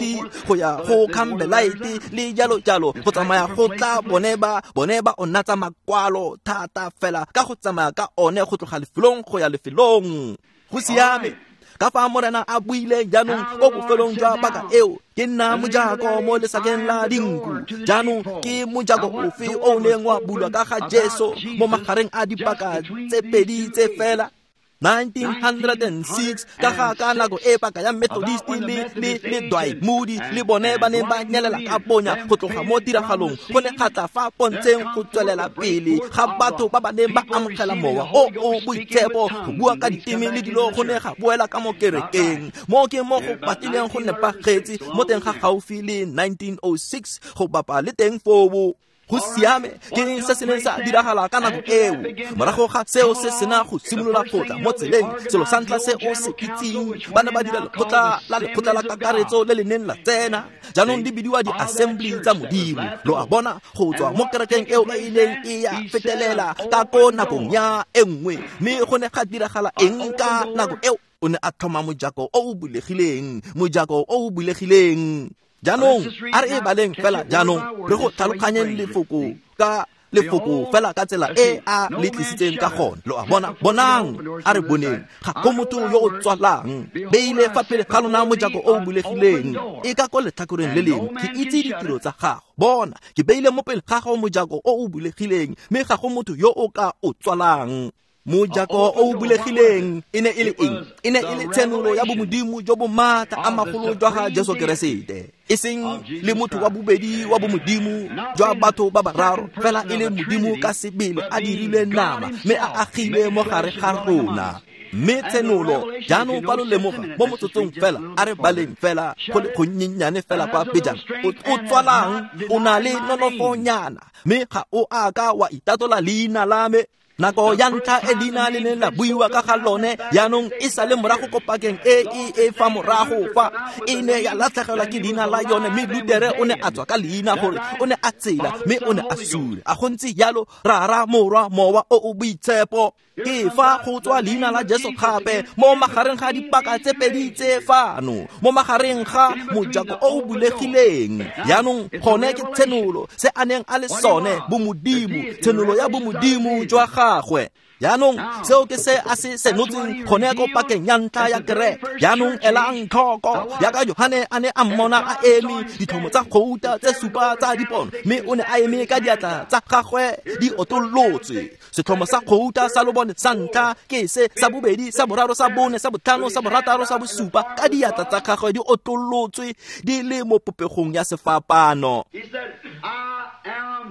go ya go Campbellite le jalo jalo, go tsamaya go tla bone ba onatsa makwalo thata fela ka go tsamaya ka one go tloga lefelong go ya lefelong. Go siame ka fa Morena a buile jaanong ko bofelong jwa paka eo, ke nna mojako mo lesakeng la dinku. Jaanong ke mojako ofe o o neng wa bulwa ka ga Jesu mo magareng a dipaka tse pedi tse fela? 1906 ka ga ka nako e paka ya Methodist le Dwight Moody le bone ba ne ba nyelela ka bonya go tloga mo tiragalong, go ne ga tla fa pontsheng go tswelela pele ga batho ba ba neng ba amogela mowa o o boitshepo, go bua ka diteme le dilo go ne ga boela ka mo kerekeng. Mo ke mo go batlileng go nepagetse mo teng ga gaufi le 1906 go bapa le teng foo. Go siame, ke se se neng sa diragala ka nako eo. Morago ga seo se sena go simolola go tla mo tseleng, selo sa ntlha se o se itseng, ba ne ba dira lekgotla la kakaretso le le neng la tsena. Jaanong di bidiwa di-assembly tsa Modimo. Lo a bona, go tswa mo kerekeng eo e ileng e ya fetelela ka ko nakong ya e nngwe. Mme go ne ga diragala eng ka nako eo? O ne a tlhoma mojako o o bulegileng, mojako o o bulegileng. Jaanong a re e baleng fela jaanong, re go tlhaloganyeng lefoko ka lefoko fela ka tsela e a le tlisitseng ka gone. Lo a bona, bonang, a re boneng, ga go motho yo o tswalang. Beile fa pele ga lona mojako o o bulegileng, e ka ko letlhakoreng le lengwe, ke itse ditiro tsa gago. Bona, ke beile mo pele ga gago mojako o o bulegileng, mme ga go motho yo o ka o tswalang. Mojako o o bulegileng e ne e le eng? E ne e le tshenolo ya bomodimo jo bo maatla a magolo jwa ga Jesu Keresete, e seng le motho wa bobedi wa bomodimo jwa batho ba bararo, fela e le Modimo ka sebele a dirile nama mme a agile mo gare ga rona. Mme tshenolo jaanong fa lo lemoga mo motsotsong fela, a re baleng fela go le gonnyenyane fela kwa pejana. O tswalang o na le nonofonyana, mme ga o a ka wa itatola leina la me. Nako ya ntlha e leina le neng la buiwa ka ga lone jaanong e sa le morago ko pakeng e e fa morago fa, e ne ya latlhegelwa ke leina la yone, mme Lutere o ne a tswa ka leina gore o ne a tsela mme o ne a sule. A go ntse jalo, Rara, Morwa, Mowa o o Boitshepo. Ke fa go tswa leina la Jesu gape mo magareng ga dipaka tse pedi tse fano, mo magareng ga mojako o o bulegileng. Jaanong gone ke tshenolo, se a neng a le sone, bomodimo, tshenolo ya bomodimo jwa gagwe. Jaanong seo ke se a se senotseng gone ko pakeng ya ntlha ya kereke. Jaanong elang tlhoko, jaaka Johane a ne a mmona a eme ditlhomo tsa gouta tse supa tsa dipono, mme o ne a eme ka diatla tsa gagwe di otolotswe. Setlhomo sa gouta sa lobone sa ntlha ke se, sa bobedi, sa boraro, sa bone, sa botlhano, sa borataro, sa bosupa, ka diatla tsa gagwe di otolotswe di le mo popegong ya sefapano.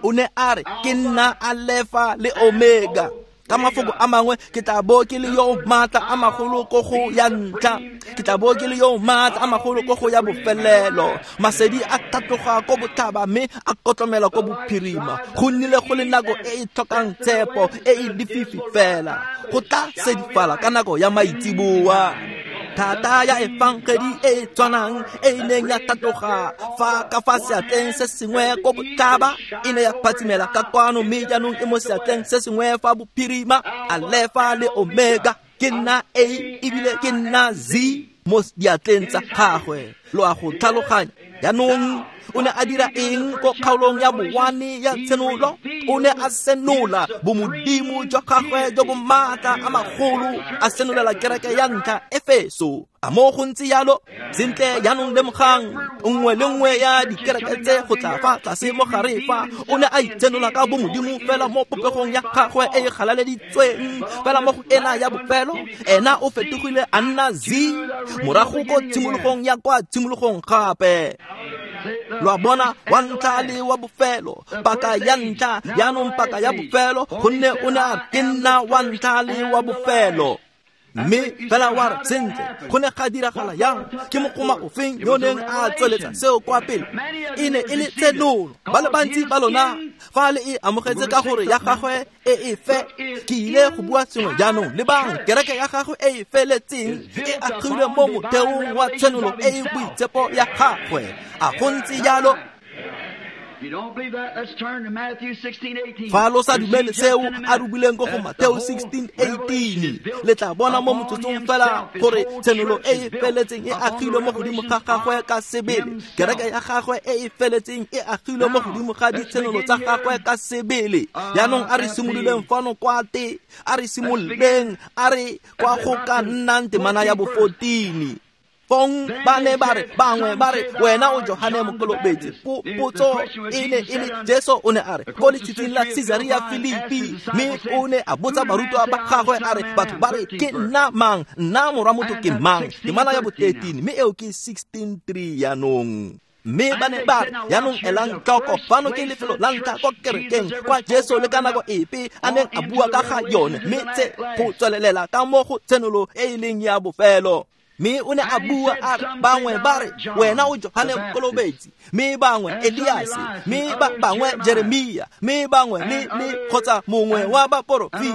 O ne a re, ke nna Alefa le Omega. Ka mafoko a mangwe, ke tla bo ke le yo maatla a magolo ko go ya ntlha, ke tla bo ke le yo maatla a magolo ko go ya bofelelo. Masedi a tlhatloga ko botlhaba mme a kotlomela ko bophirima. Go nnile go le nako e e tlhokang tshepo, e e lefifi fela. Go tla sedifala ka nako ya maitseboa. Thata ya efangedi e e tshwanang e e neng ya tlhatloga fa ka fa seatleng se sengwe ko botlhaba e ne ya phatsimela ka kwano, mme jaanong e mo seatleng se sengwe fa bophirima. Alefa le Omega, ke nna A ebile ke nna Z mo diatleng tsa gagwe. Lo a go tlhaloganya? Jaanong o ne a dira eng ko kgaolong ya bowane ya tshenolo? O ne a senola bomodimo jwa gagwe jo bo maatla a magolo, a senolela kereke ya ntlha Efeso. A mo go ntse yalo? Sentle, jaanong lemogang nngwe le nngwe ya dikereke tse go tla fa tlase mo gare fa, o ne a itsenola ka bomodimo fela mo popegong ya gagwe e e galaleditsweng. Fela mo go ena ya bofelo, ena o fetogile a nna Z morago ko tshimologong ya kwa tshimologong gape. Lo a bona, wa ntlha le wa bofelo, paka ya ntlha jaanong paka ya bofelo, gonne o ne a ke nna wa ntlha le wa bofelo. Mme fela wa re, sentle, go ne ga diragala yang? Ke mogoma ofeng yo neng a tsweletsa seo kwa pele? E ne e le tshenolo. Ba le bantsi ba lona fa le e amogetse ka gore ya gagwe e e fe. Ke ile go bua sengwe jaanong. Lebang, kereke ya gagwe e e feletseng e agilwe mo motheong wa tshenolo e e boitshepo ya gagwe. A go ntse jalo? Fa lo sa dumele seo a rubileng ko go Mateo 16:18, le tla bona mo motsotsong fela gore tshenolo e e feletseng e agilwe mo godimo ga gagwe ka sebele. Kereke ya gagwe e e feletseng e agilwe mo godimo ga ditshenolo tsa gagwe ka sebele. Jaanong a re simololeng fano kwa te, a re simololeng, a re kwa go ka nnang temana ya bo 14. Fong ba ne ba re, bangwe ba re, wena o Johane Mokolobetsi. Potso e ne e le, Jesu o ne a re ko letshitshing la Caesarea Philippi, mme o ne a botsa barutwa ba gagwe a re, batho ba re ke nna mang? Nna morwa motho ke mang? Temana ya bo 13, mme eo ke 16:3 jaanong. Mme ba ne ba re, jaanong elang tlhoko, fano ke lefelo la ntlha ko kerekeng kwa Jesu le ka nako epe a neng a bua ka ga yone, mme tse go tswelelela ka mo go tshenolo e e leng ya bofelo. Mme o ne a bua a re, bangwe ba re wena o Johane Mokolobetsi, mme bangwe Eliase, mme ba bangwe Jeremia, mme bangwe le kgotsa mongwe wa baporofeti.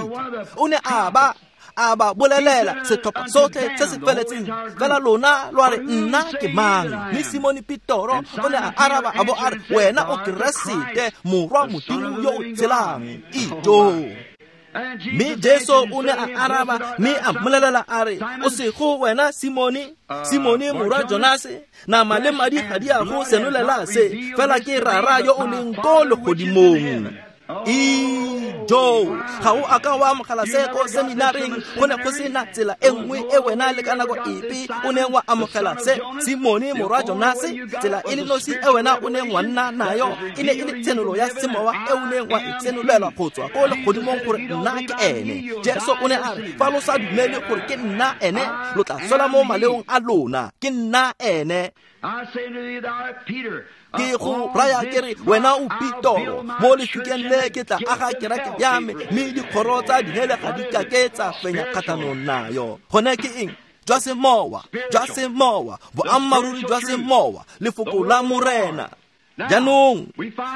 O ne a ba bolelela setlhopha sotlhe se se feletseng, fela lona lwa re nna ke mang? Mme Simone Petoro o ne a araba a bo a re, wena o Keresete, morwa Modimo yo o tshelang. Ijo. Mme Jesu o ne a araba mme a mmolelela a re, o sego wena Simone, Simone morwa Jonase, nama le madi ga di a go senolela se, fela ke Rara yo o leng ko legodimong. Ijo, ga o a ka wa amogela se ko seminareng, go ne go sena tsela e nngwe e wena le ka nako epe o neng wa amogela se, Simone morwa Jonase. Tsela e le nosi e wena o neng wa nna nayo e ne e le tshenolo ya semowa e o neng wa e tsenolelwa go tswa ko legodimong gore nna ke ene. Jesu o ne a re, fa lo sa dumele gore ke nna ene, lo tla swela mo maleong a lona. Ke nna ene. Ke go raya ke re, wena o Petoro, mo lefikeng le ke tla aga kereke ya me, mme dikgoro tsa dihele ga di ka ke tsa fenya kgatlhanong nayo. Gone ke eng? Jwa semowa, jwa semowa, boammaaruri jwa semowa, lefoko la Morena. Jaanong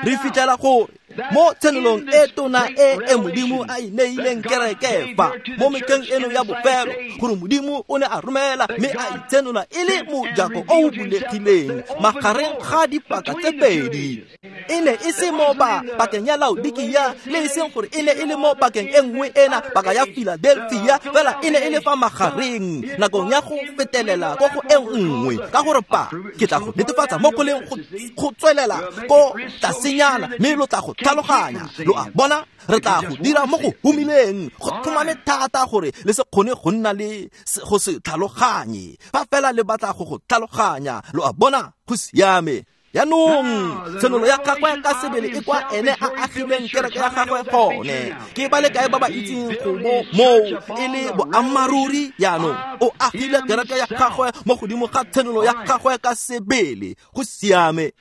re fitlhela gore mo tshenolong e tona e e Modimo a e neileng kereke fa mo metlheng eno ya bofelo, gore Modimo o ne a romela mme a itsenola e le mojako o o bulegileng magareng ga dipaka tse pedi. E ne e se mo pakeng ya Laodikia, le e seng gore e ne e le mo pakeng e nngwe ena, paka ya Philadelphia, fela e ne e le fa magareng nakong ya go fetelela ko go e nngwe. Ka gore pa ke tla go netefatsa mo go leng go tswelela ko tlasenyana, mme lo tla go tlhaloganya. Lo a bona, re tla go dira mo go humileng, go tlhomame thata gore le se kgone go nna le go se tlhaloganye. Fa fela le batla go go tlhaloganya, lo a bona, go siame. Jaanong tshenolo ya gagwe ka sebele e kwa ene a agileng kereke ya gagwe gone. Ke ba le kae ba ba itseng go bo moo e le boammaaruri? Jaanong o agile kereke ya gagwe mo godimo ga tshenolo ya gagwe ka sebele. Go siame.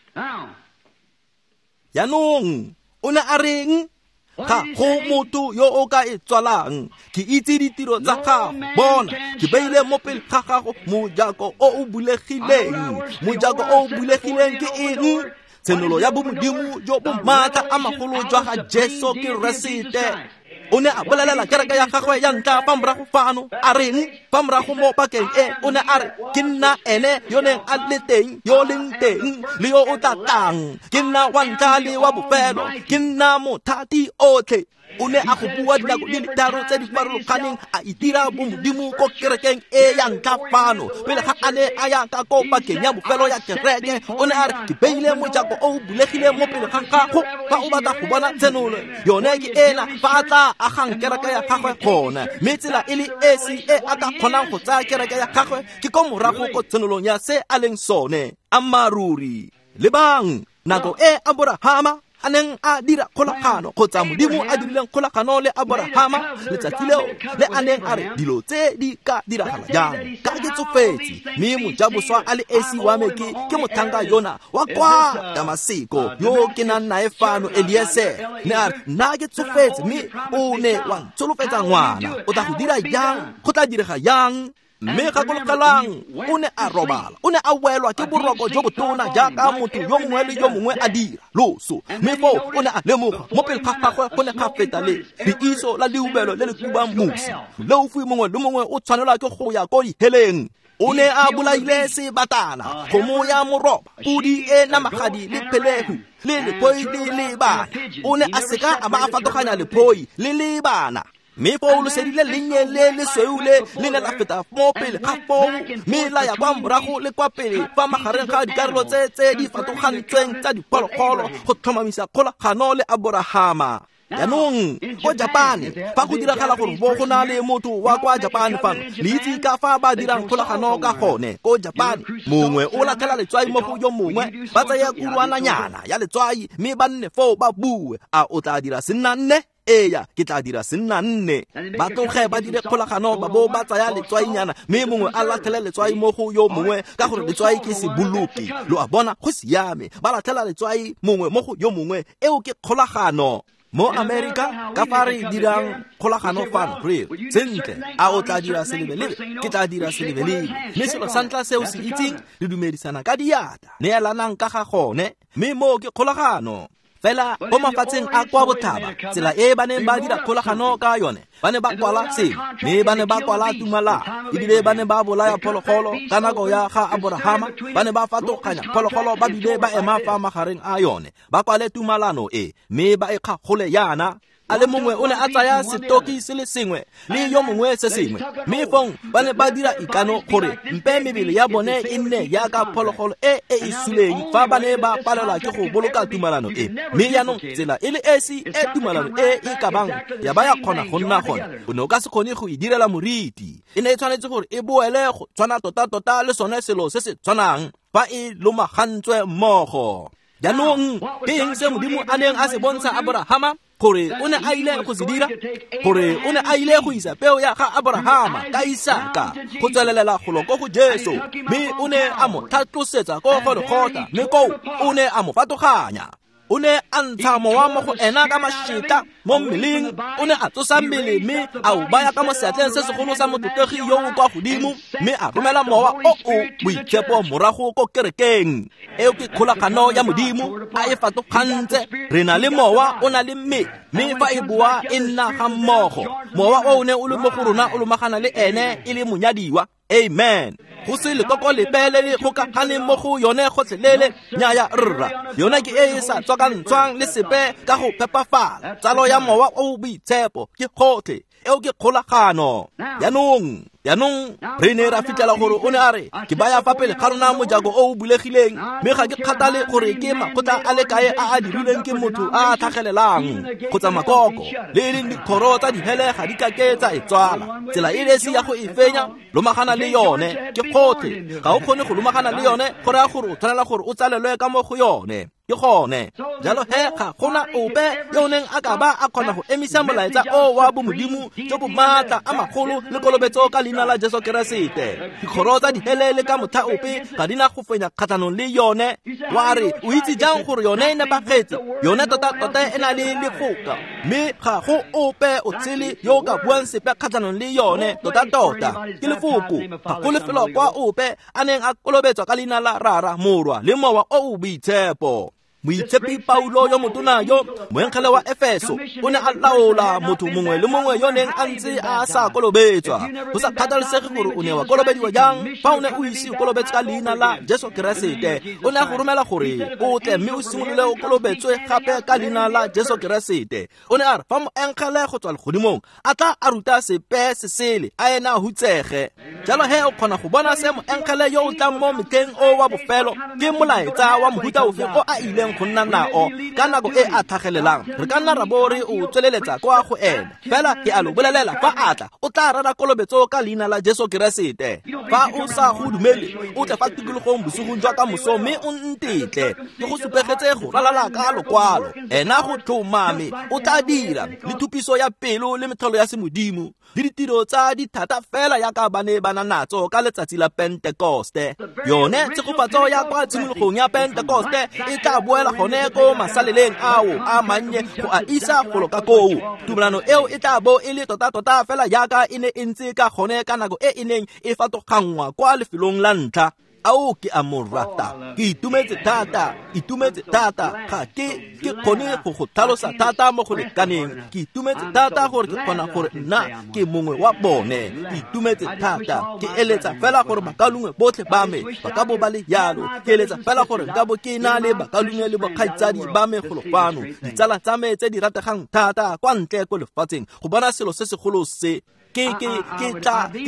Jaanong o ne a reng? Ga go motho yo o ka e tswalang. Ke itse ditiro tsa gago. Bona, ke beile mo pele ga gago mojako o o bulegileng. Mojako o o bulegileng ke eng? Tshenolo ya bomodimo jo bo maatla a magolo jwa ga Jesu Keresete. O ne a bolelela kereke ya gagwe ya ntlha fa morago fano, a reng fa morago mo pakeng e, o ne a re, ke nna ene yo neng a le teng, yo leng teng, le yo o tla tlang. Ke nna wa ntlha le wa bofelo, ke nna mothati otlhe. O ne a go bua dinako di le tharo tse di farologaneng, a itira bomodimo ko kerekeng e ya ntlha fano. Pele ga a ne a ya ka ko pakeng ya bofelo ya kereke, o ne a re, ke beile mojako o o bulegileng mo pele ga gago fa o batla go bona tshenolo. Yone ke ena fa a tla agang kereke ya gagwe gone. Mme tsela e le esi e a ka kgonang go tsaya kereke ya gagwe ke ko morago ko tshenolong ya se a leng sone. Ammaaruri. Lebang, nako e Aborahama a neng a dira kgolagano, kgotsa Modimo a dirileng kgolagano le Aborahama, letsatsi leo le a neng a re dilo tse di ka diragala jang, ka ke tsofetse, mme mojaboswa a le esi wa me ke motlhanka yona wa kwa Damaseko yo ke nang nae fano, Eliezer. Ne a re, nna ke tsofetse, mme o ne wa ntsholofetsa ngwana, o tla go dira jang? Go tla direga jang? Mme gakologelang, o ne a robala, o ne a welwa ke boroko jo botona jaaka motho yo mongwe le yo mongwe a dira, loso. Mme foo o ne a lemoga mo pele ga gagwe go ne ga feta le leiso la leubelo le le kubang mosi. Moleofi mongwe le mongwe o tshwanelwa ke go ya ko diheleng. O ne a bolaile sebatana, kgomo ya moroba, podi e namagadi le phelehu, le lephoi le lebana. O ne a seka a ba a fatoganya lephoi le lebana. Mme foo lesedi le lennye le lesweu le le ne la feta mo pele ga foo, mme la ya kwa morago le kwa pele fa magareng ga dikarolo tse tse di fatogantsweng tsa diphologolo go tlhomamisa kgolagano le Aborahama. Jaanong ko Japane, fa go diragala gore bo go na le motho wa kwa Japane fano, le itse ka fa ba dirang kgolagano ka gone ko Japane. Mongwe o latlhela letswai mo go yo mongwe, ba tsaya kurwananyana ya letswai mme ba nne foo ba bue, a o tla dira senna nne? Eya, ke tla dira senna nne. Ba tloge ba dire kgolagano, ba bo ba tsaya letswainyana, mme mongwe a latlhele letswai mo go yo mongwe, ka gore letswai ke seboloki. Lo a bona, go siame. Ba latlhela letswai mongwe mo go yo mongwe, eo ke kgolagano. Mo Amerika, ka fa re dirang kgolagano fano, re sentle, a o tla dira selebelebe? Ke tla dira selebelebe. Mme selo sa ntlha se o se itseng, re dumedisana ka diatla, neelanang ka ga gone, mme moo ke kgolagano. Fela mo mafatsheng a kwa botlhaba, tsela e ba neng ba dira kgolagano ka yone, ba ne ba kwala sengwe, mme ba ne ba kwala tumalano, ebile ba ne ba bolaya phologolo ka nako ya ga Aborahama, ba ne ba fatoganya phologolo ba bile ba ema fa magareng a yone, ba kwale tumalano e, mme ba e kgagole yana. A le mongwe o ne a tsaya setoki se le sengwe le yo mongwe se sengwe, mme fong ba ne ba dira ikano gore mpe mebele ya bone e nne jaaka phologolo e e e suleng fa ba ne ba palelwa ke go boloka tumalano e. Mme jaanong tsela e le esi e tumalano e e ka bang ya ba ya kgona go nna gone, o ne o ka se kgone go e direla moriti. E ne e tshwanetse gore e boele go tshwana tota-tota le sone selo se se tshwanang fa e lomagantswe mmogo. Jaanong ke eng se Modimo a neng a se bontsha Aborahama gore o ne a ile go se dira? Gore o ne a ile go isa peo ya ga Aborahama ka Isaka go tswelelela golo ko go Jesu, mme o ne a mo tlhatlosetsa ko Golgotha, mme koo o ne a mo fatoganya. O ne a ntsha mowa mo go ena ka mašetla mo mmeleng, o ne a tsosa mmele mme a o baya ka mo seatleng se segolo sa motlotlegi yo o kwa godimo, mme a romela mowa o o boitshepo morago ko kerekeng. Eo ke kgolagano ya Modimo a e fatogantse. Re na le mowa o na le mmele, mme fa e boa e nna ga mmogo. Mowa o ne o le mo go rona o lomagana le ene e le monyadiwa. Amen. Go se lekoko lepe le le gokaganeng mo go yone gotlhelele, nnyaya rra. Yone ke e e sa tswakantshwang le sepe ka go phepafala. Tsalo ya mowa o o boitshepo ke gotlhe. Eo ke kgolagano. Jaanong re ne ra fitlhela gore o ne a re, ke baya fa pele ga rona mojako o o bulegileng, mme ga ke kgathale gore ke makgotla a le kae a a dirilweng ke motho a a tlhagelelang kgotsa makoko, le e leng dikgoro tsa dihele ga di kake tsa e tswala. Tsela e le esi ya go e fenya, lomagana le yone, ke gotlhe. Ga o kgone go lomagana le yone, go raya gore o tshwanela gore o tsalelwe ka mo go yone. Ke gone. Jalo he ga gona ope yo o neng a ka ba a kgona go emisa molaetsa o wa bomodimo jo bo maatla a magolo le kolobetso ka leina la Jesu Keresete. Dikgoro tsa dihele le ka motlha ope ga di na go fenya kgatlhanong le yone. Wa re o itse jang gore yone e nepagetse? Yone tota-tota e na le lefoka, mme ga go ope o tshele yo o ka buang sepe kgatlhanong le yone. Tota-tota ke lefoko. Ga go lefelo kwa ope a neng a kolobetswa ka leina la Rara, Morwa le Mowa o o Boitshepo. Moitshepi Paulo yo motona yo, moengele wa Efeso, o ne a laola motho mongwe le mongwe yo neng a ntse a sa kolobetswa. Go sa kgathalesege gore o ne wa kolobediwa jang, fa o ne o ise o kolobetswe ka leina la Jesu Keresete, o ne a go romela gore o tle mme o simolole o kolobetswe gape ka leina la Jesu Keresete. O ne a re fa moengele go tswa legodimong a tla a ruta sepe se sele, a ena a hutsege. Jalo he o kgona go bona se moengele yo o tlang mo metlheng o wa bofelo ke molaetsa wa mohuta ofe o a ileng go nna nao ka nako e a tlhagelelang. Re ka nna ra bo re o tsweleletsa kwa go ene, fela ke a lo bolelela, fa a tla o tla rera kolobetso ka leina la Jesu Keresete. Fa o sa go dumele, o tle fa tikologong bosigong jwa ka moso mme o ntetle ke go supegetse go ralala ka lokwalo. Ena go tlhomame o tla dira le thupiso ya pelo le metlholo ya semodimo le ditiro tsa dithata fela yaka ba ne ba na natso ka letsatsi la Pentekoste. Yone tshegofatso ya kwa tshimologong ya Pentekoste e tla boela gone ko masaleleng ao a mannye go a isa golo ka koo. Tumelano eo e tla bo e le tota-tota fela yaka e ne e ntse ka gone ka nako e e neng e fatoganngwa kwa lefelong la ntlha. Ao ke a mo rata, ke itumetse thata, itumetse thata. Ga ke kgone go go tlhalosa thata mo go lekaneng. Ke itumetse thata gore ke kgona gore nna ke mongwe wa bone. Ke itumetse thata, ke eletsa fela gore bakalungwe botlhe ba me ba ka bo ba le yalo. Ke eletsa fela gore nka bo ke na le bakalungwe le bokgaitsadi ba me golo fano, ditsala tsa me tse di rategang thata kwa ntle ko lefatsheng, go bona selo se segolo se. Ke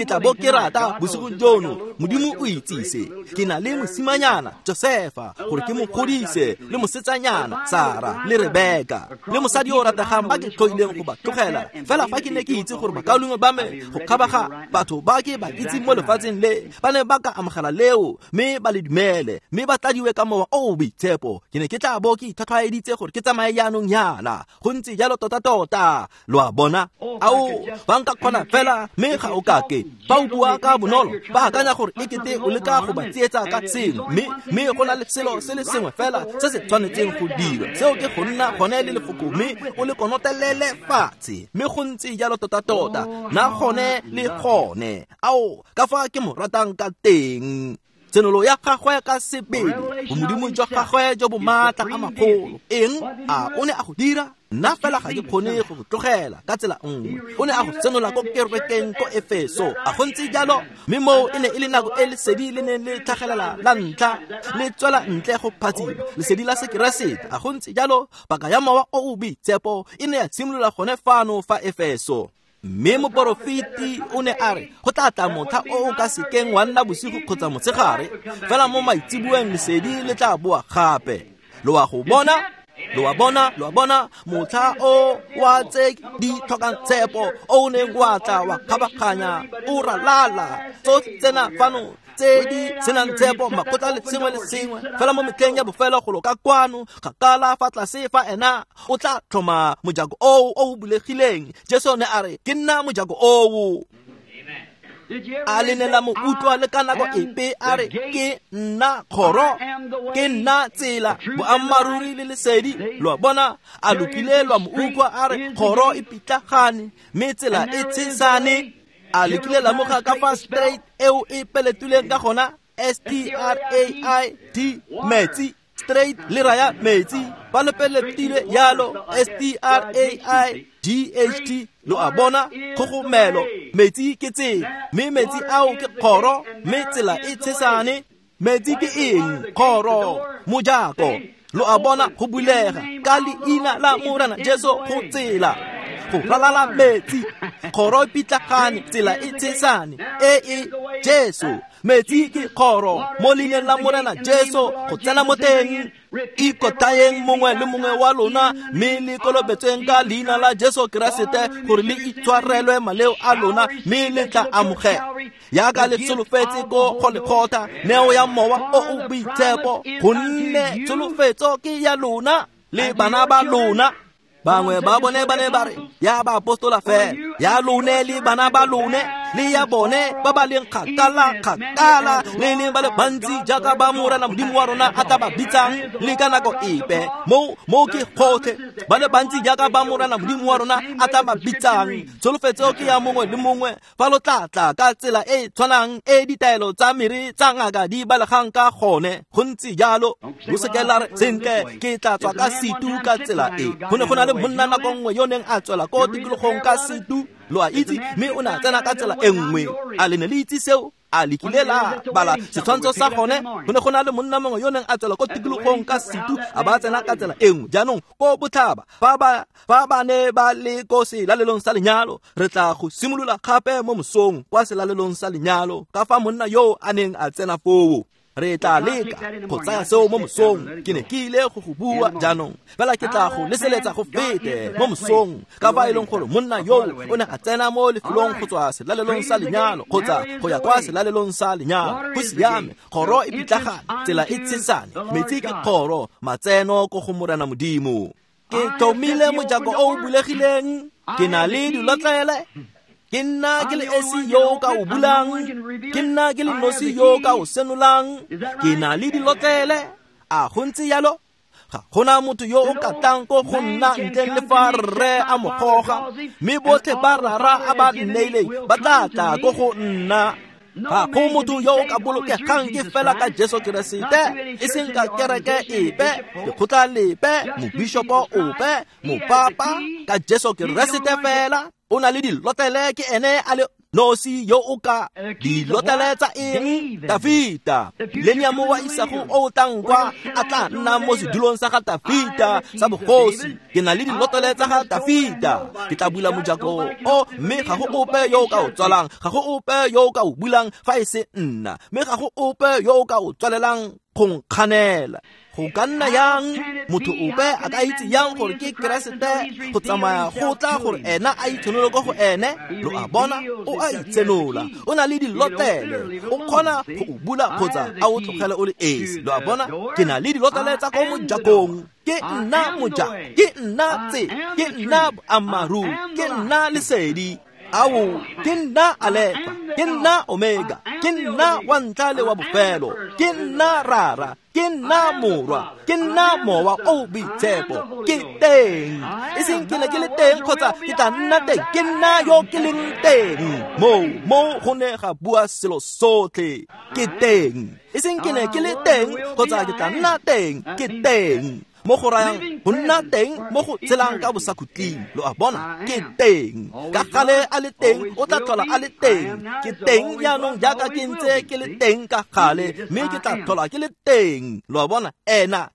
tla bo ke rata bosigong jono. Modimo o itsise ke na le mosimanyana Josefa gore ke mo godise, le mosetsanyana Sara le Rebeka, le mosadi yo o rategang ba ke tlhoileng go ba tlogela. Fela fa ke ne ke itse gore bakaulengwe ba me go kgabaga batho ba ke ba itseng mo lefatsheng le ba ne ba ka amogela leo mme ba le dumele mme ba tladiwe ka Mowa o o Boitshepo, ke ne ke tla bo ke itlhwatlhwaeditse gore ke tsamaye jaanong yana. Go ntse jalo tota-tota. Lo a bona? Ao, ba nka kgona fela, mme ga o kake. Fa o bua ka bonolo, ba akanya gore e kete o leka go ba tsietsa ka sengwe, mme go na le selo se le sengwe fela se se tshwanetseng go dirwa. Seo ke go nna gone le lefoko mme o le konotelele fatshe. Mme go ntse jalo tota-tota, na gone le gone. Ao, ka fa ke mo ratang ka teng. Tsenolo ya gagwe ka sebele, bomodimo jwa gagwe jo bo maatla a magolo. Eng? A o ne a go dira? Nna fela ga ke kgone go go tlogela ka tsela nngwe. O ne a go senola ko kerekeng ko Efeso. A go ntse jalo? Mme moo e ne e le nako e lesedi le neng le tlhagelela la ntlha, le tswela ntle go phatsima, lesedi la Sekeresete. A go ntse jalo? Paka ya Mowa o o Boitshepo e ne ya simolola gone fano fa Efeso. Mme moporofeti o ne a re go tla tla motlha o o ka sekeng wa nna bosigo kgotsa motshegare, fela mo maitseboeng lesedi le tla boa gape. Lo a go bona? Lo a bona, lo a bona, motlha o wa tse di tlhokang tshepo o o neng wa tla wa kgabaganya o ralala tsotlhe tsena fano tse di senang tshepo, makgotla le sengwe le sengwe. Fela mo metlheng ya bofelo golo ka kwano, kgakala fa tlase fa ena o tla tlhoma mojako oo o o bulegileng. Jesu ne a re ke nna mojako oo. A le ne la mo utlwa le ka nako epe a re ke nna kgoro, ke nna tsela, boammaaruri le lesedi? Lo a bona? A lokile lwa mo utlwa a re kgoro e pitlagane mme tsela e tshesane? A lekile la moga ka fa straight eo e peletuleng ka gona? S-T-R-A-I-T, metsi. Straight le raya metsi. Ba le peletile yalo, S-T-R-A-I-G-H-T. Lo a bona? Kgogomelo. Metsi ke tsela, mme metsi ao ke kgoro, mme tsela e tshesane. Metsi ke eng? Kgoro, mojako. Lo a bona? Go bulega ka leina la Morena Jesu go tsela, go ralala metsi. Kgoro e pitlagane, tsela e tshesane. E e Jesu. Metsi ke kgoro mo leineng la Morena Jesu go tsena mo teng. Ikotayeng mongwe le mongwe wa lona mme le kolobetsweng ka leina la Jesu Keresete gore le itshwarelwe maleo a lona mme le tla amogela. Yaka le tsholofetse ko Golgotha, neo ya mowa o o boitshepo, gonne tsholofetso ke ya lona le bana ba lona. Bangwe ba bone ba ne ba re ya baapostola fela, ya lone le bana ba lone le ya bone ba ba leng kgakala kgakala, le leng ba le bantsi jaaka ba Morena Modimo wa rona a tla ba bitsang le ka nako epe. Mo ke gotlhe ba le bantsi jaaka ba Morena Modimo wa rona a tla ba bitsang. Tsholofetso ke ya mongwe le mongwe fa lo tla tla ka tsela e e tshwanang e ditaelo tsa mere tsa ngaka di balegang ka gone. Go ntse jalo, lo seke la re sentle ke tla tswa ka setu ka tsela e. Go ne go na le monna nako nngwe yo neng a tswela ko tikologong ka setu, lo a itse, mme o ne a tsena ka tsela e nngwe. A le ne le itse seo? A le kile la bala setshwantsho sa gone? Go ne go na le monna mongwe yo neng a tswela ko tikologong ka setu, a ba tsena ka tsela e nngwe. Jaanong ko botlhaba fa ba ne ba le ko selalelong sa lenyalo, re tla go simolola gape mo mosong kwa selalelong sa lenyalo, ka fa monna yo a neng a tsena foo. Re tla leka go tsaya seo mo mosong. Ke ne ke ile go go bua jaanong, fela ke tla go leseletsa go fete mo mosong, ka fa e leng gore monna yo o ne a tsena mo lefelong go tswa selalelong sa lenyalo kgotsa go ya kwa selalelong sa lenyalo. Go siame, kgoro e pitlagane, tsela e tshesane, metsi ke kgoro, matseno ko go Morena Modimo. Ke tlhomile mojako o o bulegileng, ke na le dilotlele. Ke nna ke le esi yo ka o bulang, ke nna ke le nosi yo ka o senolang. Ke na le dilotlele. A go ntse jalo? Ga gona motho yo o ka tlang ko go nna ntleng le fa rre a mo goga, mme botlhe ba rara a ba nneileng ba tla tla ko go nna. Ga go motho yo o ka bolokegang ke fela ka Jesu Keresete, e seng ka kereke epe, lekgotla lepe, mobishopo ope, mopapa, ka Jesu Keresete fela. O na le dilotlele, ke ene a le nosi yo o ka dilotlele tsa eng? Dafita. Millennium wa isago o tlang kwa a tla nna mo sedulong sa ga Dafita sa bogosi. Ke na le dilotlele tsa ga Dafita. Ke tla bula mojako o, mme ga go ope yo o ka o tswalang, ga go ope yo o ka o bulang fa e se nna, mme ga go ope yo o ka o tswalelang go nkganela. Go ka nna yang motho ope a ka itse yang gore ke Keresete go tsamaya go tla gore ena a itshenole ko go ene? Lo a bona, o a itsenola, o na le dilotlele, o kgona go o bula kgotsa a o tlogele o le esi. Lo a bona, ke na le dilotlele tsa ko mojakong. Ke nna mojako, ke nna tse, ke nna boammaaruri, ke nna lesedi. Ao, ke nna Alefa, ke nna Omega, ke nna wa ntlha le wa bofelo, ke nna Rara, ke nna Morwa, ke nna Mowa o Boitshepo. Ke teng, e seng ke ne ke le teng kgotsa ke tla nna teng, ke nna yo ke leng teng. Mo go ne ga bua selo sotlhe. Ke teng, e seng ke ne ke le teng kgotsa ke tla nna teng, ke teng. Mo go rayang go nna teng mo go tshelang ka bosakhutleng. Lo a bona, ke teng. Ka gale a le teng, o tla tlhola a le teng. Ke teng jaanong jaaka ke ntse ke le teng ka gale, mme ke tla tlhola ke le teng. Lo a bona, ena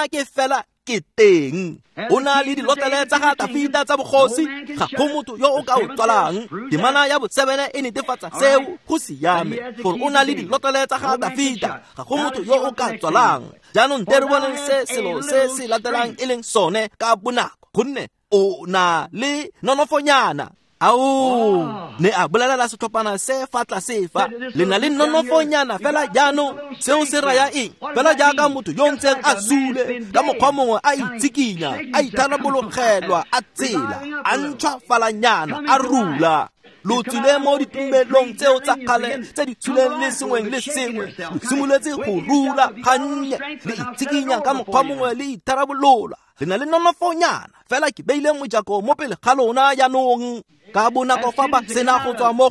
ke fela ke teng. O na le dilotlele tsa ga Dafita tsa bogosi, ga go motho yo o ka o tswalang. Temana ya bo-7 e netefatsa seo. Go siame gore o na le dilotlele tsa ga Dafita, ga go motho yo o ka tswalang. Jaanong te re boneng se selo se se latelang e leng sone ka bonako, gonne o na le nonofonyana. Ao, ne a bolelela setlhophana se fa tlase fa, le na le nonofonyana fela jaanong. Seo se raya eng? Fela jaaka motho yo ntseng a sule, ka mokgwa mongwe a itsikinya, a itharabologelwa, a tsela, a ntšhwafalanyana, a rula. Lo tswile mo ditumelong tseo tsa kgale tse di tshuleng le sengweng le sengwe, lo simoletse go rula gannye, le itsikinya ka mokgwa mongwe, le itharabolola. Le na le nonofonyana fela ke beile mojako mo pele ga lona jaanong. Ka bonako fa ba sena go tswa mo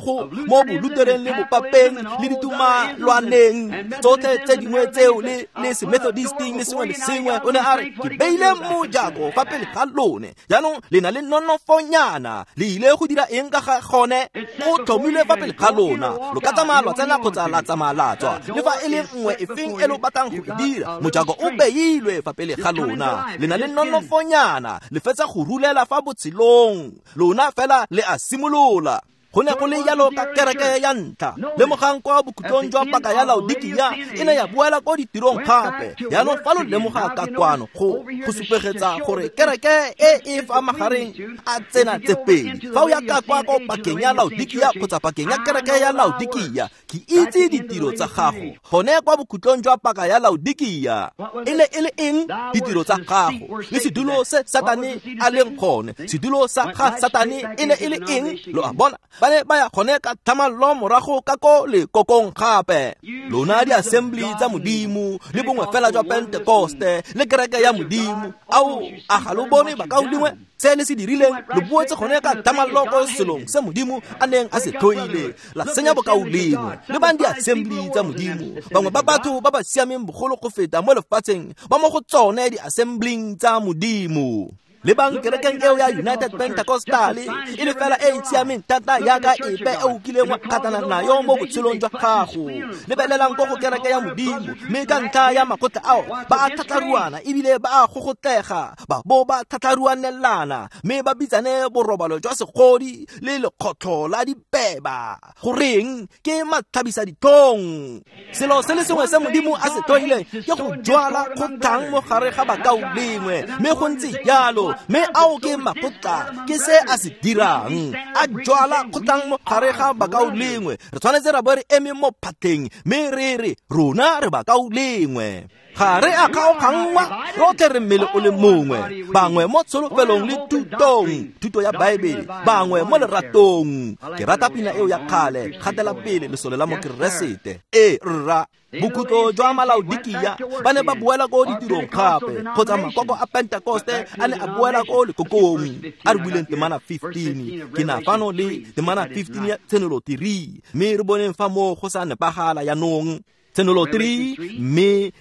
bolutereng le bopapeng le ditumalwaneng tsotlhe tse dingwe tseo le semethodisting le sengwe le sengwe, o ne a re ke beile mojako fa pele ga lone. Jaanong le na le nonofonyana, le ile go dira eng ka ga gone? O tlhomilwe fa pele ga lona, lo ka tsamaya lwa tsena kgotsa la tsamaya la tswa, le fa e le nngwe e feng e lo batlang go e dira, mojako o beilwe fa pele ga lona. Le na le nonofonyana, le fetsa go rulela fa botshelong, lona fela le a simolola. Go ne go le jalo ka kereke ya ntlha. Lemogang kwa bokhutlong jwa paka ya Laodikia e ne ya boela ko ditirong gape. Jaanong fa lo lemoga ka kwano go supegetsa gore kereke e e fa magareng a tsena tse pedi. Fa o ya ka kwa ko pakeng ya Laodikia kgotsa pakeng ya kereke ya Laodikia, ke itse ditiro tsa gago. Gone kwa bokhutlong jwa paka ya Laodikia e ne e le eng? Ditiro tsa gago le sedulo se Satane a leng gone. Sedulo sa ga Satane e ne e le eng? Lo a bona, ba ne ba ya gone ka thamallo morago ka ko lekokong gape. Lona di-assembly tsa Modimo le bongwe fela jwa Pentekoste le kereke ya Modimo, ao a ga lo bone bakaulengwe se le se dirileng? Lo boetse gone ka thamallo ko selong se Modimo a neng a se tlhoile, la senya bokaulengwe. Le bang di-assembly tsa Modimo, bangwe ba batho ba ba siameng bogolo go feta mo lefatsheng ba mo go tsone di-assembling tsa Modimo. Le bang kerekeng eo ya United Pentecostal e le fela e e siameng thata yaka epe e o kileng wa kgatlhana nayo mo botshelong jwa gago. Lebelelang ko go kereke ya Modimo, mme ka ntlha ya makgotla ao ba a tlhatlharuana ebile ba a gogotlega, ba bo ba tlhatlharuanelana, mme ba bitsane borobalo jwa segodi le lekgotlho la dipeba. Goreng? Ke matlhabisa ditlhong. Selo se le sengwe se Modimo a se tlhoileng ke go jwala kgotlhang mo gare ga bakaulengwe, mme go ntse jalo. Mme ao ke makgotla, ke se a se dirang, a jwala kgotlhang mo gare ga bakaulengwe. Re tshwanetse ra bo re eme mo phatlheng mme re re rona re bakaulengwe. Ga re a kgaoganngwa, rotlhe re mmele o le mongwe, bangwe mo tsholofelong le thutong, thuto ya Baebele, bangwe mo leratong. Ke rata pina eo ya kgale, gatela pele lesole la Mokeresete. Ee rra. Bokhutlo jwa Malaodikia ba ne ba boela ko ditirong gape, kgotsa makoko a Pentekoste a ne a boela ko lekokong. A re buileng temana 15, ke na fano le temana 15 ya Tshenolo 3, mme re boneng fa moo go sa nepagala yanong. Tshenolo 3, mme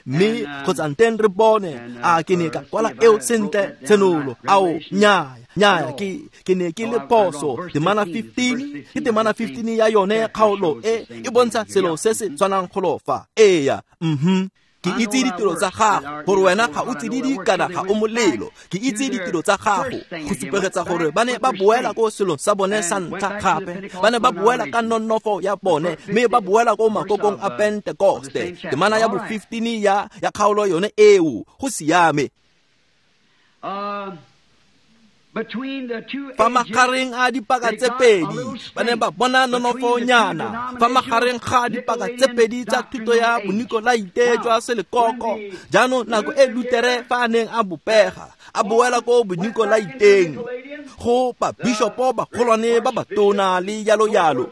kgotsa nteng re bone a ke ne ka kwala eo sentle. Tshenolo, ao nnyaya, ke ne ke le phoso. Temana 15 ke temana 15 ya yone kgaolo e e bontsha selo se se tshwanang golo fa. Eya, Ke itse ditiro tsa gago, gore wena ga o tsididi kana ga o molelo. Ke itse ditiro tsa gago, go supegetsa gore ba ne ba boela ko selong sa bone sa ntlha gape. Ba ne ba boela ka nonofo ya bone, mme ba boela ko makokong a Pentekoste. Temana ya bo 15 ya kgaolo yone eo, go siame. Fa magareng a dipaka tse pedi ba ne ba bona nonofonyana, fa magareng ga dipaka tse pedi tsa thuto ya Bonikolaite jwa selekoko. Jaanong nako e Lutere fa a neng a bopega, a boela ko Bonikolaiteng, go babishopo bagolwane ba batona le jalo jalo.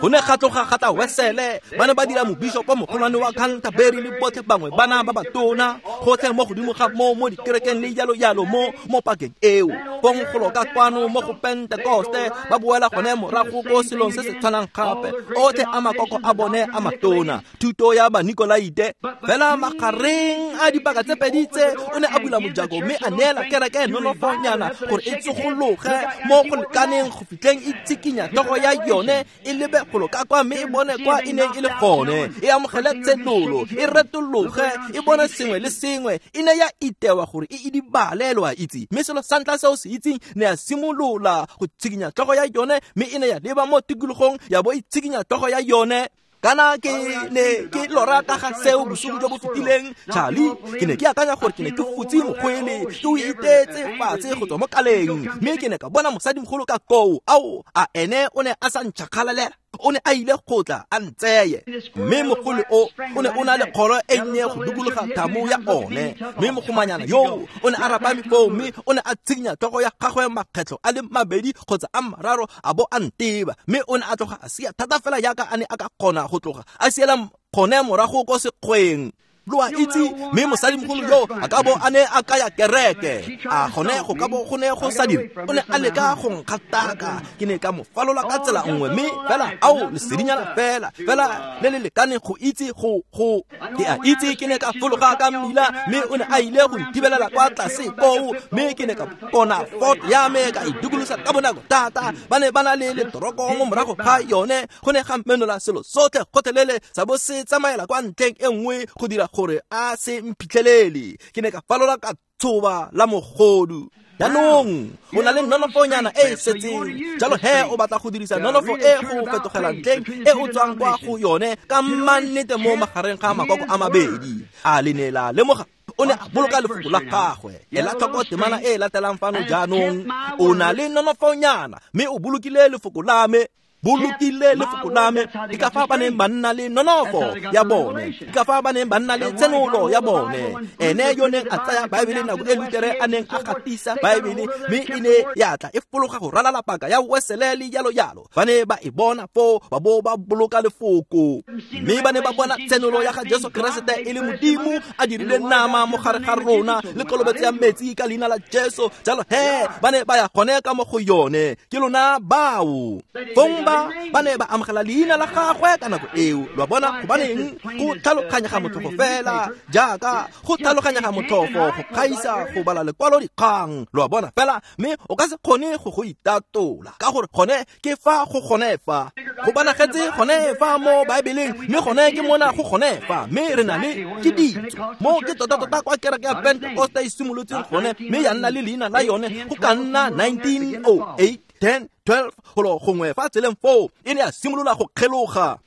Go ne ga tloga ga tla Wesele, ba ne ba dira mobishopo mogolwane wa Canterbury le botlhe bangwe bana ba batona, gotlhe mo godimo ga mo mo dikerekeng le jalo jalo mo pakeng eo. Fong golo ka kwano mo go Pentekoste ba boela gone morago ko selong se se tshwanang gape, otlhe a makoko a bone a matona, thuto ya Banikolaite. Fela magareng a dipaka tse pedi tse o ne a bula mojako mme a neela kereke nonofonyana gore e tsogologe mo go lekaneng go fitlheng e tsikinya tlhogo ya yone e lebe golo ka kwa, mme e bone kwa e neng e le gone, e amogele tshenolo, e retologe, e bone sengwe le sengwe. E ne ya itewa gore e idibale, lo a itse. Mme selo sa ntlha seo se itseng ne ya simolola go tshikinya tlhogo ya yone, mme e ne ya leba mo tikologong ya bo e tshikinya tlhogo ya yone. Kana ke ne ke lora ka ga seo bosigo jo bo fetileng, Charlie. Ke ne ke akanya gore ke ne ke futse mokgwele, ke o itetse fatshe go tswa mo kaleng, mme ke ne ka bona mosadimogolo ka koo. Ao, a ene o ne a sa ntšhakgalalela, o ne a ile go tla a ntseye. Mme mogolo o o ne o na le kgoro e nnye go dikologa thamo ya one, mme mogomanyana yoo o ne a rapame foo, mme o ne a tshikinya tlhogo ya gagwe makgetlho a le mabedi kgotsa a mararo, a bo a nteba, mme o ne a tloga a sia thata fela yaka a ne a ka kgona go tloga a siela gone morago ko sekgweng. Lo a itse, mme mosadimogolo yo a ka bo a ne a kaya kereke, a gone go ka bo go ne go sa dire. O ne a leka go nkgataka, ke ne ka mo falola ka tsela nngwe, mme fela ao lesedinyana fela fela le le lekaneng go itse go ke a itse. Ke ne ka fologa ka mmila, mme o ne a ile go ntibelela kwa tlase koo, mme ke ne ka kona Ford ya me ka e dikolosa ka bonako thata. Ba ne ba na le letoroko mo morago ga yone, go ne ga menola selo sotlhe gotlhelele sa bo se tsamaela kwa ntlheng e nngwe go dira gore a se mphitlhelele. Ke ne ka falola ka tshoba la mogodu. Jaanong o na le nonofonyana e e setseng, jalo he o batla go dirisa nonofo e go fetogela ntleng e o tswang kwa go yone ka mannete mo magareng ga makoko a mabedi. A le ne la lemoga? O ne a boloka lefoko la gagwe. Ela tlhoko temana e e latelang fano jaanong. O na le nonofonyana mme o bolokile lefoko la me. Bolokile lefoko la me. Ke ka fa ba neng ba nna le nonofo ya bone, ke ka fa ba neng ba nna le tshenolo ya bone. Ene yo neng a tsaya Baebele nako e Lutere a neng a gatisa Baebele, mme e ne ya tla e fologa go ralala paka ya Wesele le jalo jalo. Ba ne ba e bona foo, ba bo ba boloka lefoko, mme ba ne ba bona tshenolo ya ga Jesu Keresete e le Modimo a dirile nama mo gare ga rona le kolobetso ya metsi ka leina la Jesu. Jalo he ba ne ba ya gone ka mo go yone. Ke lona bao. Fong ba ne ba amogela leina la gagwe ka nako eo. Lo a bona? Gobaneng? Go tlhaloganyega motlhofo fela, jaaka go tlhaloganyega motlhofo go gaisa go bala lekwalo dikgang. Lo a bona fela, mme o ka se kgone go go itatola, ka gore gone ke fa go gone fa go bonagetse gone fa mo Baebeleng, mme gone ke mona go gone fa. Mme re na le ke ditso mo ke tota-tota kwa kereke ya Pentecoste e simolotseng gone, mme ya nna le leina la yone go ka nna 1908, 10, 12 golo gongwe fa tseleng foo e ne ya simolola go kgeloga.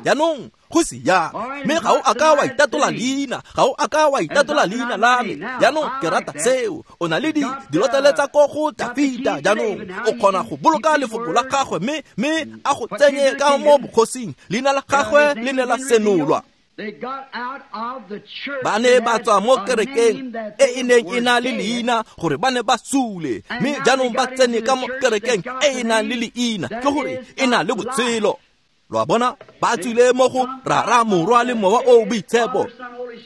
Jaanong go siame, mme ga o a ka wa itatola leina, ga o a ka wa itatola leina la me. Jaanong ke rata seo. O na le dilotlele tsa ko go Dafita. Jaanong o kgona go boloka lefoko la gagwe, mme a go tsenye ka mo bogosing. Leina la gagwe le ne la senolwa. Ba ne ba tswa mo kerekeng e e neng e na le leina gore ba ne ba sule, mme jaanong ba tsene ka mo kerekeng e e nang le leina, ke gore e na le botshelo. Lo a bona? Ba tswile mo go Rara, Morwa le Mowa o Boitshepo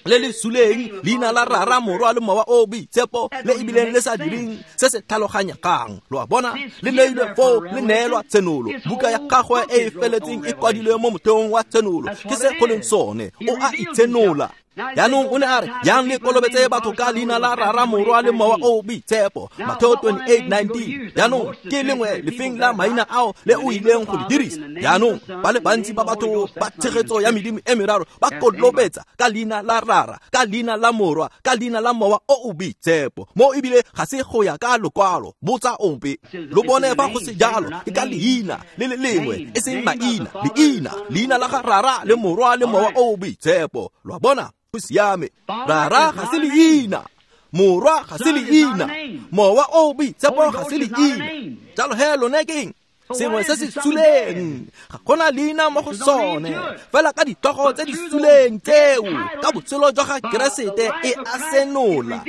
le le suleng, leina la Rara, Morwa le Mowa o Boitshepo le ebileng le sa direng se se tlhaloganyegang. Lo a bona? Le neilwe foo, le neelwa tshenolo. Buka ya gagwe e e feletseng e kwadilwe mo motheong wa tshenolo. Ke se go leng sone. O a itshenola. Jaanong o ne a re, yang le kolobetse batho ka leina la Rara, Morwa le Mowa o Boitshepo. Mateo 28:19. Jaanong ke lengwe lefeng la maina ao le o ileng go le dirisa. Jaanong ba le bantsi ba batho ba tshegetso ya medimo e meraro ba kolobetsa ka leina la Rara, ka leina la Morwa, ka leina la Mowa o o Boitshepo. Mo ebile ga se go ya ka lokwalo. Botsa ope. Lo bone fa go se jalo, ke ka leina le le lengwe, e seng maina, leina, leina la ga Rara le Morwa le Mowa o o Boitshepo. Lo a bona? Go siame. Rara ga se leina, Morwa ga se leina, Mowa o Boitshepo ga se leina. Jalo he lone ke eng? Sengwe se se suleng, ga gona leina mo go sone, fela ka ditlhogo tse di suleng tseo ka botshelo jwa ga Keresete e a senola.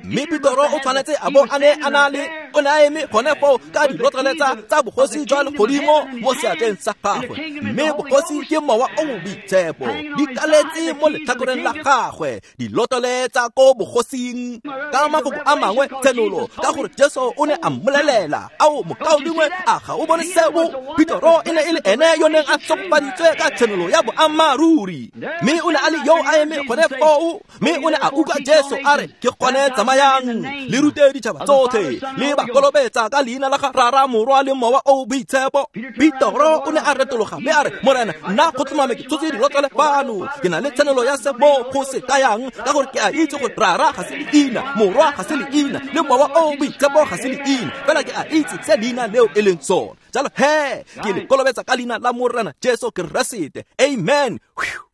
Mme Petoro o tshwanetse a bo a ne a na le, o ne a eme gone foo ka dilotlele tsa bogosi jwa legodimo mo seatleng sa gagwe, mme bogosi ke Mowa o o Boitshepo di kaletse mo letlhakoreng la gagwe, dilotlele tsa ko bogosing. Ka mafoko a mangwe, tshenolo, ka gore Jesu o ne a mmolelela, ao mokaulengwe, a ga o bone seo? Petoro e ne e le ene yo neng a tshogofaditswe ka tshenolo ya boammaaruri, mme o ne a le yo a eme gone foo, mme o ne a utlwa Jesu a re, ke gone tsamayang le rute ditšhaba tsotlhe, le ba kolobetsa ka leina la ga Rara, Morwa le Mowa o Boitshepo. Petoro o ne a retologa mme a re, Morena, nna go tlhomame ke tshotse dilotlele fano, ke na le tshenolo ya se mo go se kayang, ka gore ke a itse gore Rara ga se leina, Morwa ga se leina, le Mowa o Boitshepo ga se leina, fela ke a itse se leina leo e leng sone. Jalo he ke le kolobetsa ka leina la Morena Jesu Keresete. Amen.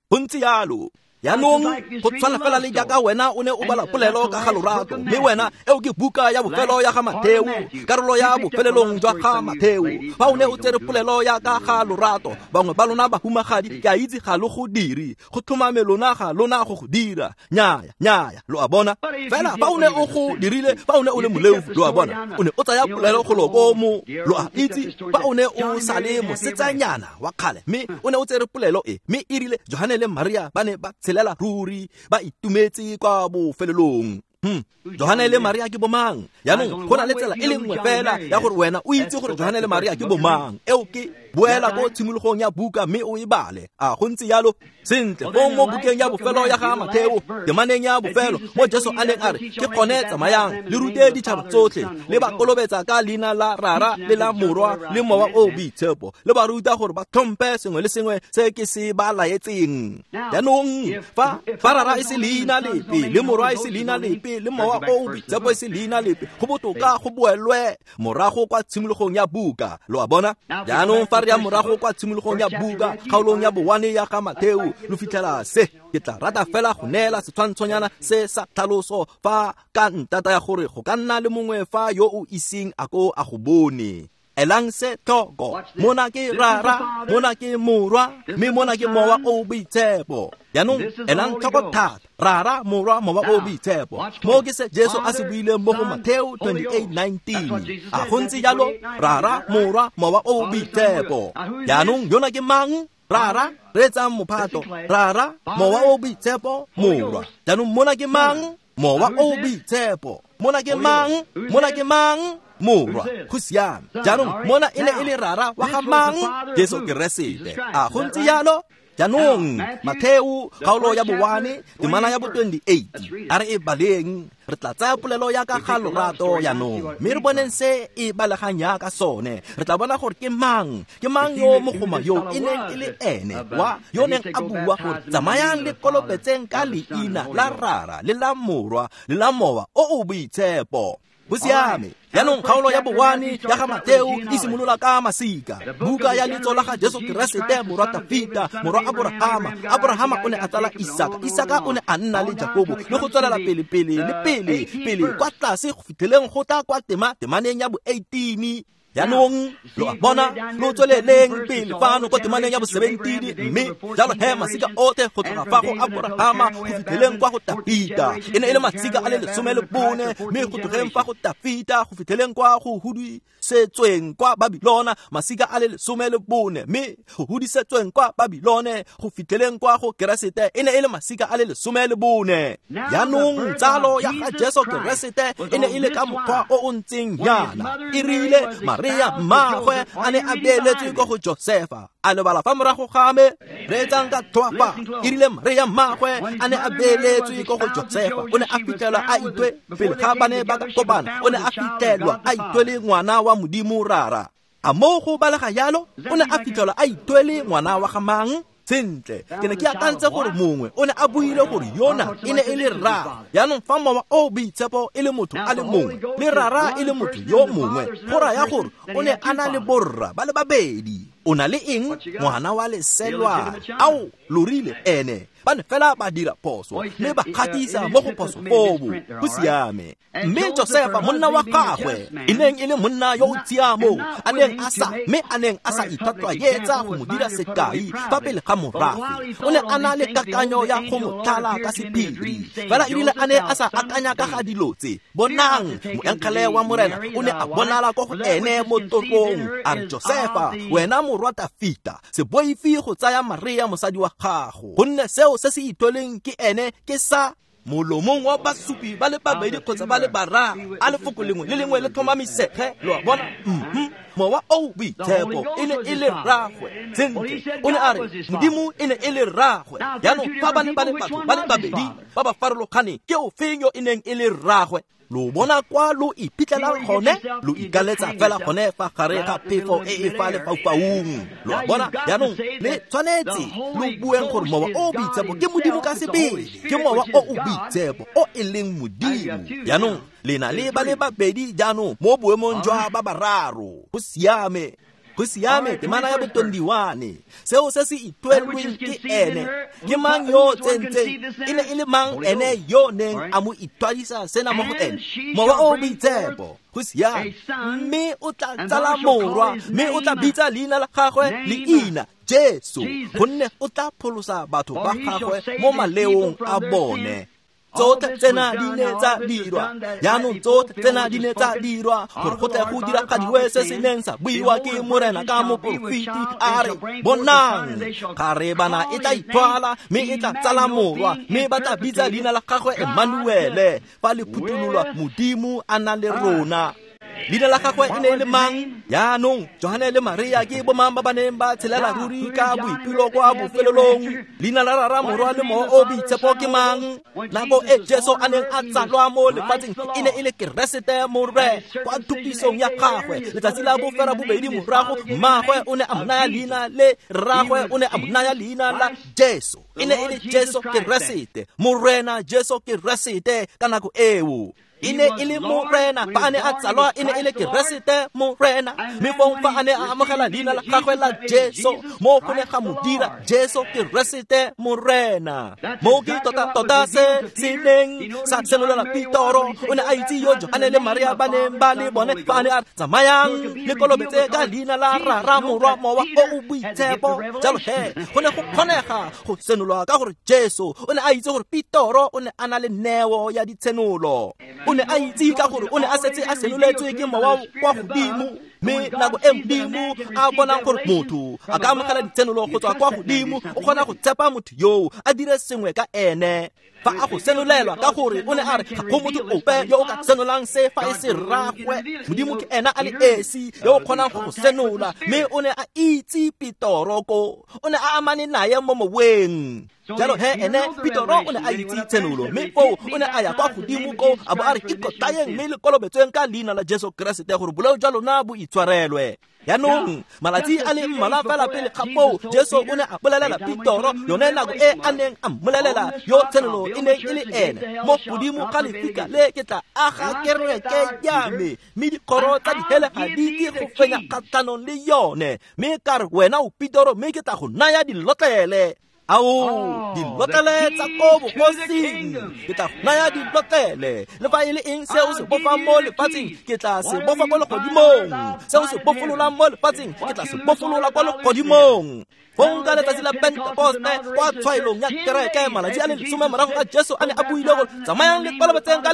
Go ntse jalo. Jaanong go tshwana fela le jaaka wena o ne o bala polelo ka ga lorato, mme wena eo ke buka ya bofelo ya ga Mateo, karolo ya bofelelong jwa ga Mateo. Fa o ne o tsere polelo ya ka ga lorato, bangwe ba lona bahumagadi ke a itse ga lo go dire, go tlhomame lona ga lona go go dira. Nnyaya, nnyaya, lo a bona. Fela fa o ne o go dirile, fa o ne o le moleofi, lo a bona, o ne o tsaya polelo go lo ko mo, lo a itse, fa o ne o sa le mosetsanyana wa kgale, mme o ne o tsere polelo e, mme e rile Johane le Maria ba ne ba tshelela ruri, ba itumetse kwa bofelelong. Johane le Maria ke bomang? Jaanong go na le tsela e le nngwe fela ya gore wena o itse gore Johane le Maria ke bomang, eo ke Boela ko tshimologong ya buka mme o e bale. A go ntse jalo? Sentle, fong mo bukeng ya bofelo ya ga Matheo, temaneng ya bofelo, mo Jesu a neng a re, ke gone tsamayang, le rute ditšhaba tsotlhe, le ba kolobetsa ka leina la Rara le la Morwa le Mowa o Boitshepo, le ba ruta gore ba tlhompe sengwe le sengwe se ke se ba laetseng. Jaanong fa Rara e se leina lepe, le Morwa e se leina lepe, le Mowa o Boitshepo e se leina lepe, go botoka go boelwe morago kwa tshimologong ya buka. Lo a bona? Jaanong fa re ya morago kwa tshimologong ya buka, kgaolong ya bowane ya ga Matheo, lo fitlhela se. Ke tla rata fela go neela setshwantshonyana se sa tlhaloso fa ka ntata ya gore go ka nna le mongwe fa yo o iseng a ko a go bone. Elang se tlhoko, mona ke Rara, mona ke Morwa, mme mona ke Mowa o Boitshepo. Jaanong elang tlhoko thata, Rara, Morwa, Mowa o Boitshepo. Mo ke se Jesu a se buileng mo go Matheo 28:19. A go ntse jalo? Rara, Morwa, Mowa o Boitshepo. Jaanong yona ke mang? Rara, reetsang mophato. Rara, Mowa o Boitshepo, Morwa. Jaanong mona ke mang? Mowa o Boitshepo. Mona ke mang? Mona ke mang? Morwa. Go siame. Jaanong mona e ne e le Rara wa ga mang? Jesu Keresete. A go ntse jalo? Jaanong Matheo kgaolo ya bowane, temana ya bo 28, a re e baleng. Re tla tsaya polelo ya ka ga lorato jaanong, mme re boneng se e balegang yaka sone. Re tla bona gore ke mang yo mogoma yo e neng e le ene wa yo neng a bua gore tsamayang le kolobetseng ka leina la Rara le la Morwa le la Mowa o o Boitshepo. Go siame. Jaanong kgaolo ya bowane ya ga Matheo e simolola ka masika. Buka ya letso la ga Jesu Keresete, morwa Tafita, morwa Aborahama. Aborahama o ne a tsala Isaka, Isaka o ne a nna le Jakobo, le go tswelela pele pele le pele pele kwa tlase go fitlheleng go tla kwa temaneng ya bo 18. Jaanong lo a bona, lo tsweleleng pele fano kwa temaneng ya bo 17, mme jalo he masika otlhe go tloga fa go Aborahama go fitlheleng kwa go Tafita e ne e le masika a le 14, mme go tlogeng fa go Tafita go fitlheleng kwa go hudisetsweng kwa Babilona masika a le 14, mme go hudisetsweng kwa Babilone go fitlheleng kwa go Keresete e ne e le masika a le 14. Jaanong tsalo ya ga Jesu Keresete e ne e le ka mokgwa o o ntseng jaana. E rile Maria mmagwe a ne a beeletswe ko go Josefa, a lebala fa morago ga me. Reetsang ka tlhoafa. E rile Maria mmagwe a ne a beeletswe ko go Josefa, o ne a fitlhelwa a itwe pele ga ba ne ba ka kopana, o ne a fitlhelwa a itwele ngwana wa Modimo Rara. A mo go balega jalo? O ne a fitlhelwa a itwele ngwana wa ga mang? Sentle, ke ne ke akantse gore mongwe o ne a buile gore yona e ne e le Rara. Jaanong fa Mowa o Boitshepo e le motho a le mongwe, le Rara e le motho yo mongwe, go raya gore o ne a na le borra ba le babedi. O na le eng? Ngwana wa leselwa. Ao, lo rile ene. Ba ne fela ba dira phoso, mme ba gatisa mo go phoso foo. Go siame. Mme Josefa monna wa gagwe, e neng e le monna yo o tshiamo, a neng a sa, mme a neng a sa ithatwayetsa go mo dira sekai fa pele ga morafe, o ne a na le kakanyo ya go mo tlala ka sephiri. Fela e rile a ne a sa akanya ka ga dilo tse, bonang, moengele wa Morena o ne a bonala ko go ene mo torong, a re, Josefa, wena morwa Tafita, se boife go tsaya Maria mosadi wa gago, gonne seo se se itweleng ke ene ke sa molomong wa basupi ba le babedi kgotsa ba le bararo, a lefoko lengwe le lengwe le tlhomamisege. Lo a bona? Mowa o Boitshepo e ne e le rragwe. Sentle, o ne a re Modimo e ne e le rragwe. Jaanong fa ba ne ba le batho ba le babedi ba ba farologaneng, ke ofeng yo e neng e le rragwe? Lo bona kwa lo iphitlhelang gone? Lo ikaletsa fela gone fa gare ga phefo e e fa lefaufaung. Lo a bona? Jaanong le tshwanetse lo bueng gore Mowa o Boitshepo ke Modimo ka sebele, ke Mowa o o Boitshepo o e leng Modimo. Jaanong le na le ba le babedi jaanong mo boemong jwa ba bararo. Go siame. Go siame. Temana ya bo 21, seo se se itwelweng ke ene ke mang yo tsentseng? E ne e le mang ene yo neng a mo itwadisa sena mo go ene? Mowa o Boitshepo. Go siame. Mme o tla tsala morwa, mme o tla bitsa leina la gagwe leina Jesu, gonne o tla pholosa batho ba gagwe mo maleong a bone. Tsotlhe tsena di ne tsa dirwa. Jaanong tsotlhe tsena di ne tsa dirwa gore go tle go diragadiwe se se neng sa buiwa ke Morena ka moporofeti, a re, bonang, kgarebana e tla ithwala, mme e tla tsala morwa, mme ba tla bitsa leina la gagwe Emmanuele, fa le phuthololwa Modimo a na le rona. Leina la gagwe e ne e le mang? Jaanong Johane le Maria ke bomang ba ba neng ba tshelela ruri ka boipelo kwa bofelelong? Leina la Rara, Morwa le Mowa o Boitshepo ke mang? Nako e Jesu a neng a tsalwa mo lefatsheng e ne e le Keresete Morre kwa thupisong ya gagwe. Letsatsi la bofera bobedi morago, mmagwe o ne a mo naya leina le rragwe o ne a mo naya leina la Jesu. E ne e le Jesu Keresete, Morena Jesu Keresete ka nako eo. E ne e le Morena fa a ne a tsalwa, e ne e le Keresete Morena. Mme fong fa a ne a amogela leina la gagwe la Jesu, mo go ne ga mo dira Jesu Keresete Morena. Mo ke tota-tota se se neng sa senolela Petoro. O ne a itse yo Johane le Maria ba neng ba le bone fa a ne a re, tsamayang le kolobetse ka leina la Rara, Morwa, Mowa o o Boitshepo. Jalo he go ne go kgonega go senolwa ka gore Jesu o ne a itse gore Petoro o ne a na le neo ya ditshenolo. O ne a itse ka gore o ne a setse a senoletswe ke mowa kwa godimo. Mme nako e Modimo a bonang gore motho a ka amogela ditshenolo go tswa kwa godimo, o kgona go tshepa motho yoo a dire sengwe ka ene. Fa a go senolelwa ka gore o ne a re ga go motho ope yo o ka senolang se fa e se rragwe. Modimo ke ena a le esi yo o kgonang go go senola. Mme o ne a itse Petoro ko, o ne a amane naye mo moweng. Jalo he ene Petoro o ne a itse tshenolo, mme foo o ne a ya kwa godimo ko a bo a re ikotlayeng mme le kolobetsweng ka leina la Jesu Keresete gore boleo jwa lona bo itshwarelwe. Jaanong malatsi a le mmalwa fela pele ga foo, Jesu o ne a bolelela Petoro yone nako e a neng a mmolelela yo tshenolo e neng e le ene, mo godimo ga lefika le ke tla aga kereke ya me, mme dikgoro tsa dihele ga di ke go fenya kgatlhanong le yone. Mme ka re wena o Petoro, mme ke tla go naya dilotlele. Ao, dilotlele tsa ko bogosing, ke tla go naya dilotlele. Le fa e le eng se o se bofang mo lefatsheng, ke tla se bofa ko legodimong. Se o se bofololang mo lefatsheng, ke tla se bofolola kwa legodimong. Fong ka letsatsi la Pentekoste kwa tshwaelong ya kereke, malatsi a le 10 morago ga Jesu a ne a buile gore tsamayang le kolobetseng ka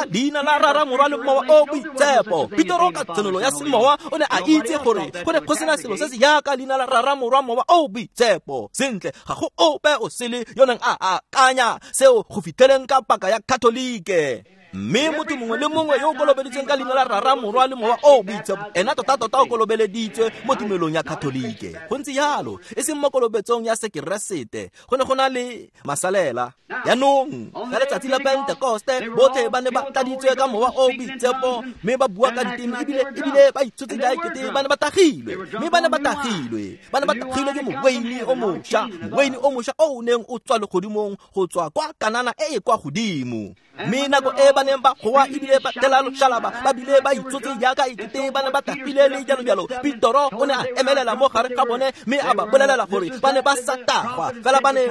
leina la Rara, Morwa le Mowa o Boitshepo. Petoro ka tsenolo ya semowa o ne a itse gore go ne go sena selo se se yaka leina la Rara, Morwa, Mowa o Boitshepo. Sentle, ga go ope o sele yo neng a akanya seo go fitlheleng ka paka ya Katolike. Mme motho mongwe le mongwe yo o kolobeditsweng ka leina la Rara, Morwa le Mowa o Boitshepo, ena tota-tota o kolobeleditswe mo tumelong ya Katolike. Go ntse jalo, e seng mo kolobetsong ya Sekeresete. Go ne go na le masalela. Jaanong ka letsatsi la Pentekoste botlhe ba ne ba tladitswe ka Mowa o Boitshepo, mme ba bua ka diteme ebile ba itshotse jaaka ba ne ba tagilwe. Mme ba ne ba tagilwe, ba ne ba tagilwe ke moweine o mošwa, moweine o mošwa o o neng o tswa legodimong go tswa kwa Kanana e e kwa godimo. Mme nako e ba neng ba goa ebile ba tela loshalaba, ba bile ba itsotse jaaka ekete ba ne ba tagile le jalo jalo, Petoro o ne a emelela mo gare ga bone mme a ba bolelela gore ba ne ba sa tagwa, fela ba ne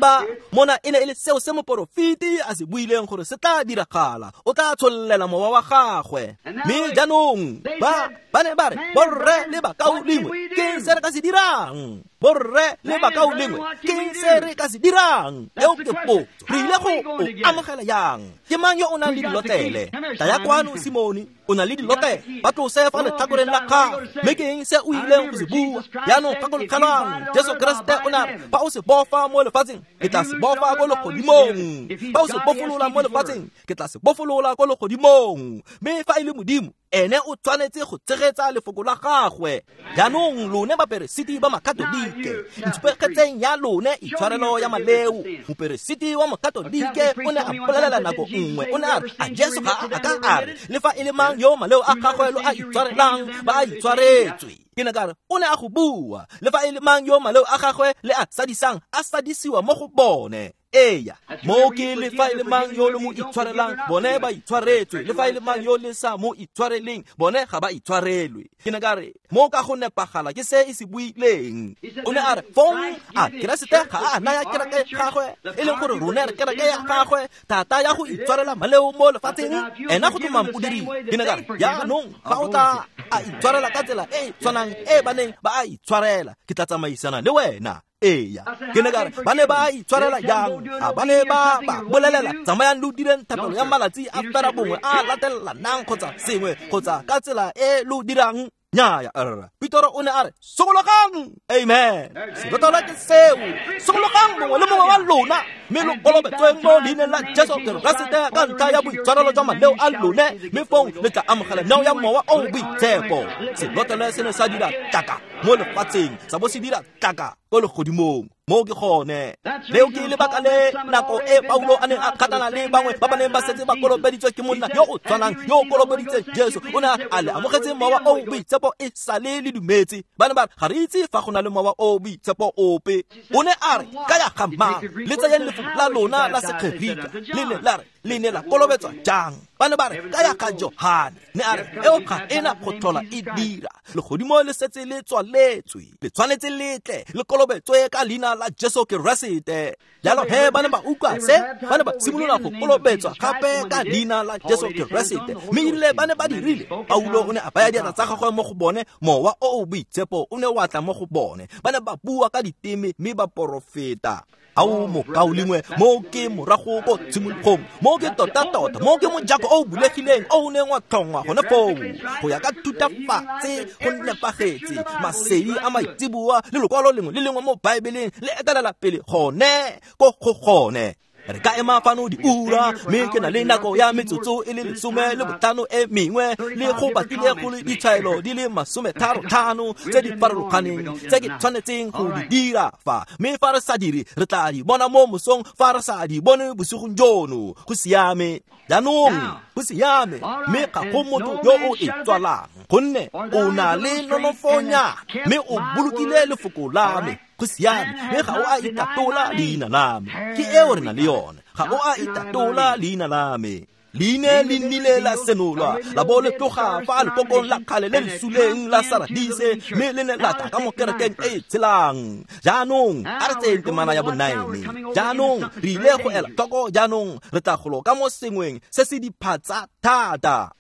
ba mona e ne e le seo se moporofeti a se buileng gore se tla diragala, o tla tshollela mowa wa gagwe. Mme jaanong ba ne ba re, borre le bakaulengwe, ke se re ka se dirang? Borre le bakaulengwe, ke se re ka se dirang? Eo ke potso. Re ile go o amogela yang? Ke mang yo o nang le dilotlele? Tlaya kwano, Simone, o na le dilotlele. Ba tlose fa letlhakoreng la gago. Mme ke eng se o ileng go se bua? Jaanong gakologelwang, Jesu Keresete o ne a re, fa o se bofa mo lefatsheng, ke tla se bofa ko legodimong. Fa o se bofolola mo lefatsheng, ke tla se bofolola ko legodimong. Mme fa e le Modimo, ene o tshwanetse go tshegetsa lefoko la gagwe. Jaanong lone baperesiti ba Makatolike, ntshupegetseng ya lone itshwarelo ya maleo. Moperesiti wa Mokatolike o ne a bolelela nako nngwe, o ne a re, a Jesu ga a ka a re, le fa e le mang yo maleo a gagwe lo a itshwarelang, ba a itshwaretswe. Ke ne ka re, o ne a go bua, le fa e le mang yo maleo a gagwe le a sadisang, a sadisiwa mo go bone. Eya, mo ke le fa e le mang yo le mo itshwarelang, bone ba itshwaretswe. Le fa e le mang yo le sa mo itshwareleng, bone ga ba itshwarelwe. Ke ne ka re, mo ka go nepagala ke se e se buileng. O ne a re, fong a Keresete ga a naya kereke gagwe, e leng gore rone re kereke ya gagwe, thata ya go itshwarela maleo mo lefatsheng, ena go tlhomang o dirile. Ke ne ka re, jaanong fa o tla a itshwarela ka tsela e e tshwanang e ba neng ba a itshwarela, ke tla tsamaisana le wena. Eya, ke ne ka re, ba ne ba itshwarela jang? A ba ne ba ba bolelela, tsamayang lo direng thapelo ya malatsi a fera bongwe a latelelanang kgotsa sengwe, kgotsa ka tsela e lo dirang? Nnyaya rra, Petoro o ne a re sokologang. Amen. Selotlolo ke seo. Sokologang mongwe le mongwe wa lona, mme lo kolobetsweng mo leineng la Jesu Keresete ka ntlha ya boitshwarelo jwa maleo a lone, mme fong le tla amogela neo ya Mowa o o Boitshepo. Selotlolo se ne sa dira tlaka mo lefatsheng, sa bo se dira tlaka ko legodimong. Mo ke gone. Leo ke lebaka le nako e Paulo a neng a kgatlhana le bangwe ba ba neng ba setse ba kolobeditswe ke monna yo o tshwanang yo o kolobeditseng Jesu. O ne a le amogetse Mowa o o Boitshepo e sale le dumetse. Ba ne ba re, ga re itse fa go na le Mowa o o Boitshepo ope. O ne a re, ka ya ga mang? Le tseyeng lefoko la lona la Segerika. Le ne la re, le ne la kolobetswa jang? Ba ne ba re, ka ya ga Johane. Ne a re, eo ga ena go tlhola e dira. Legodimo le setse le tswaletswe. Le tshwanetse le tle le kolobetswe ka leina la Jesu Keresete. Jalo he ba ne ba utlwa se, ba ne ba simolola go kolobetswa gape ka leina la Jesu Keresete. Mme erile ba ne ba dirile, Paulo o ne a baya diatla tsa gagwe mo go bone, Mowa o o Boitshepo o ne wa tla mo go bone. Ba ne ba bua ka diteme mme ba porofeta. Ao mokaulengwe, mo ke morago ko tshimologong, mo ke tota-tota, mo ke mojako o o bulegileng o o neng wa tlhongwa gone foo. Go ya ka thutafatse go nepagetse, masedi a maitseboa le lokwalo lengwe le lengwe mo Baebeleng le etelela pele gone ko go gone. Re ka ema fano diura, mme ke na le nako ya metsotso e le 15 e mengwe, le go batlile go le ditshwaelo di le 35 tse di farologaneng tse ke tshwanetseng go di dira fa. Mme fa re sa dire, re tla di bona mo mosong, fa re sa di bone bosigong jono. Go siame. Jaanong, go siame, mme ga go motho yo o e tswalang, gonne o na le nonofonyana, mme o bolokile lefoko la me. Go siame, mme ga o a itatola leina la me. Ke eo re na le yone. Ga o a itatola leina la me. Leine le nnile la senolwa, la bo le tloga fa lekokong la kgale le le suleng la Saradise, mme le ne la tla ka mo kerekeng e e tshelang. Jaanong, a re tseyeng temana ya bo-9. Jaanong, re ile go ela tlhoko jaanong, re tla golo ka mo sengweng se se diphatsa thata.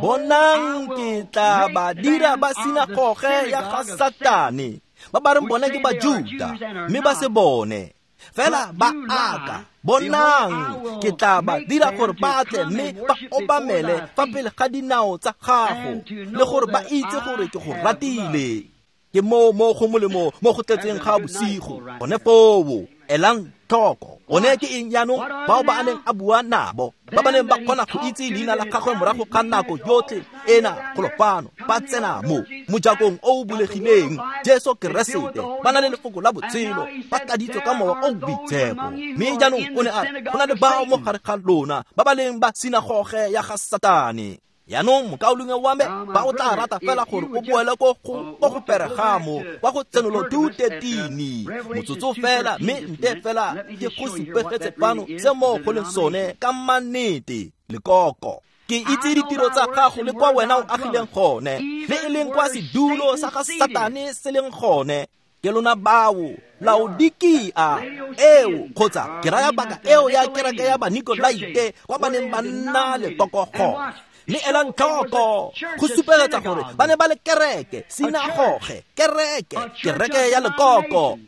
Bonang, ke tla ba dira ba sinagoge ya ga Satane, ba ba reng bone ke Bajuda, mme ba se bone. Fela ba aka. Bonang, ke tla ba dira gore ba tle mme ba obamele fa pele ga dinao tsa gago, le gore ba itse gore ke go ratile. Ke moo mo go molemo mo go tletseng ga bosigo. Gone foo, elang tlhoko. One ke eng jaanong? Bao ba a neng a bua nabo, ba ba neng ba kgona go itse leina la gagwe morago ga nako yotlhe ena golo fano, ba tsena mo mojakong o o bulegileng, Jesu Keresete, ba na le lefoko la botshelo, ba tladitswe ka Mowa o o Boitshepo. Mme jaanong o ne a re, go na le bao mo gare ga lona ba ba leng ba sinagoge ya ga Satane. Jaanong mokaulengwe wa me, ba o tla rata fela gore o boele ko go Peregamo, kwa go Tsenolo 2:13, motsotso fela, mme nte fela ke go supegetse fano se mo go leng sone ka mannete, lekoko. Ke itse ditiro tsa gago le kwa wena o agileng gone, le e leng kwa sedulo sa ga Satane se leng gone. Ke lona bao, Laodikia eo, kgotsa ke raya paka eo ya kereke ya Banikolaite, kwa ba neng ba nna lekoko gone. Mme elang tlhoko, go supegetsa gore ba ne ba le kereke, sinagoge, kereke, kereke ya lekoko.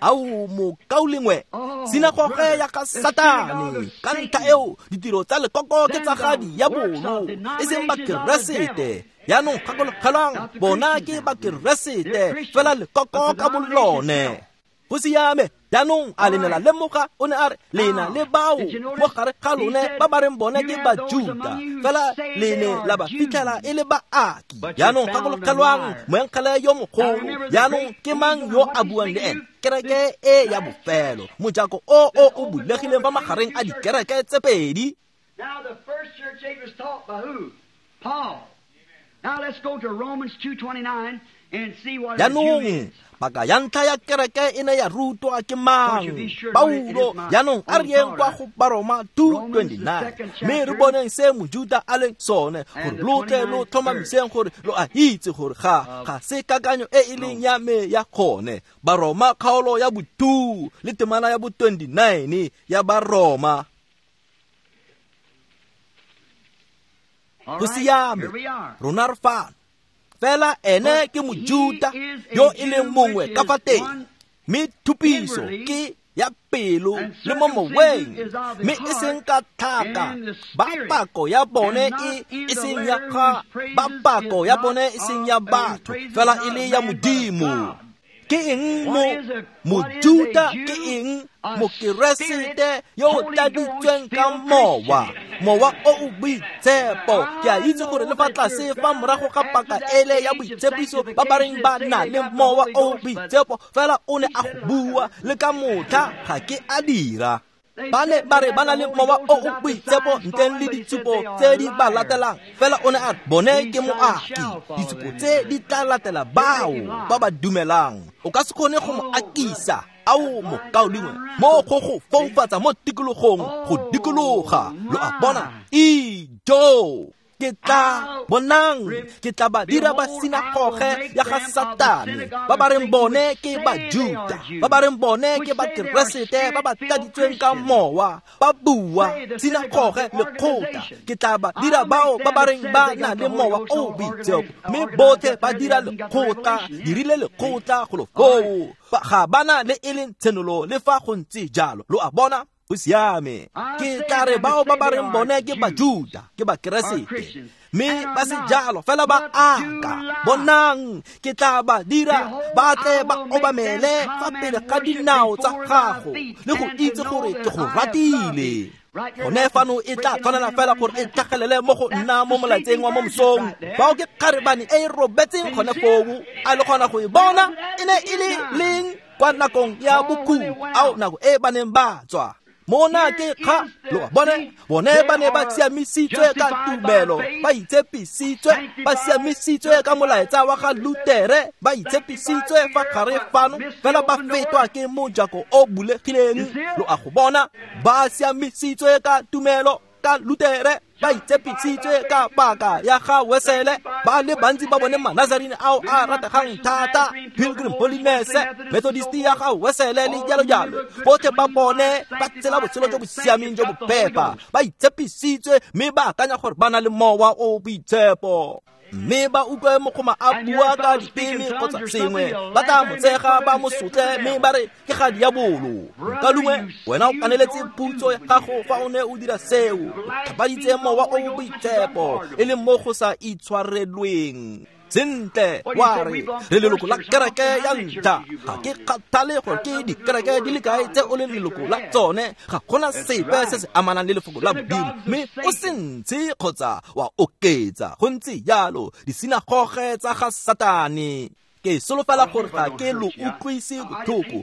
Ao mokaulengwe, sinagoge ya ga Satane. Ka ntlha eo, ditiro tsa lekoko ke tsa ga diabolo, e seng Bakeresete. Jaanong gakologelwang, bona ke Bakeresete, fela lekoko ka bolone. Go siame. Jaanong a le ne la lemoga, o ne a re, lena le bao mo gare ga lone ba ba reng bone ke Bajuda, fela le ne la ba fitlhela e le baaki. Jaanong gakologelwang, moengele yo mogolo. Jaanong ke mang yo a buang le ene? Kereke e ya bofelo, mojako o o o bulegileng fa magareng a dikereke tse pedi. Now the first church age was taught by who? Paul. Now let's go to Romans 2:29 and see what a Jew Jaanong is. paka ya ntlha ya kereke e ne ya rutwa ke mang? Paulo. Jaanong a re yeng kwa go Baroma 2:29, mme re boneng se Mojuda a leng sone, gore lo tle lo tlhomamiseng gore lo a itse gore ga se kakanyo e e leng ya me ya gone. Baroma kgaolo ya bo-2 le temana ya bo-29 ya Baroma. Go siame, rona re fano. Fela ene ke Mojuda yo e leng mongwe ka fa teng, mme thupiso ke ya pelo le mo moweng, mme e seng ka tlhaka. Ba pako ya bone e seng ya ga, ba pako ya bone e seng ya batho, fela e le ya Modimo. Ke eng mo Mojuta, ke eng Mokeresete yo o tladitsweng ka mowa, mowa o o boitshepo. Ke a itse gore le fa tlase fa morago ga paka ele ya boitshepiso ba ba reng ba na le mowa o o boitshepo, fela o ne a go bua le ka motlha ga ke a dira. Ba ne ba re ba na le mowa o o boitshepo ntleng le ditshupo tse di ba latelang, fela o ne a bone ke moaki. Ditshupo tse di tla latela bao ba ba dumelang. O ka se kgone go mo akisa. Ao mokaulengwe, mo go go foufatsa mo tikologong, go dikologa. Lo a bona? Ijo! Ke tla bonang, ke tla ba dira ba sinagoge ya ga Satane, ba ba reng bone ke Bajuta, ba ba reng bone ke Bakeresete ba ba tladitsweng ka mowa, ba bua sinagoge lekgotla. Ke tla ba dira bao ba ba reng ba na le mowa o boitshepo, mme botlhe ba dira lekgotla, dirile lekgotla golo foo, ga bana le e leng tshenolo le fa go ntse jalo. Lo a bona? Go siame. Ke tla re bao ba ba reng bone ke Bajuta, ke Bakeresete, mme ba se jalo, fela ba aka. Bonang, ke tla ba dira ba tle ba obamele fa pele ga dinao tsa gago, le go itse gore ke go ratile. Gone fano e tla tshwanela fela gore e tlhagelele mo go nna mo molaetseng wa mo mosong. Bao ke kgarebane e e robetseng gone foo, a le kgona go e bona? E ne e le leng kwa nakong ya bokhutlo, ao nako e ba neng ba tswa. Mona ke kga, lo a bone, bone ba ne ba siamisitswe ka tumelo, ba itshepisitswe, ba siamisitswe ka molaetsa wa ga Lutere, ba itshepisitswe fa gare fano, fela ba fetwa ke mojako o bulegileng. Lo a go bona? Ba siamisitswe ka tumelo, ka Lutere, ba itshepisitswe ka paka ya ga Wesele. Ba le bantsi ba bone Manazarene ao a rategang thata, Pilgrim Holiness, Methodist ya ga Wesele le jalo jalo. Botlhe ba bone ba tsela botshelo jo bo siameng jo bo phepa, ba itshepisitswe, mme ba akanya gore ba na le mowa o boitshepo. Mme ba utlwe mogoma a bua ka diteme kgotsa sengwe, ba tla mo tshega, ba mo sotle, mme ba re ke ga diabolo. Ka longwe wena o kaneletse phutso ya gago fa o ne o dira seo, tlhapaditse mowa o boitshepo, e leng mo go sa itshwarelweng. Sentle, wa re re leloko la kereke ya ntlha. Ga ke kgathale gore ke dikereke di le kae tse o leng leloko la tsone, ga gona sepe se se amanang le lefoko la Modimo, mme o se ntshe kgotsa wa oketsa. Go ntse jalo, disinagoge tsa ga Satane. Ke solofela gore ga ke lo utlwise botlhoko.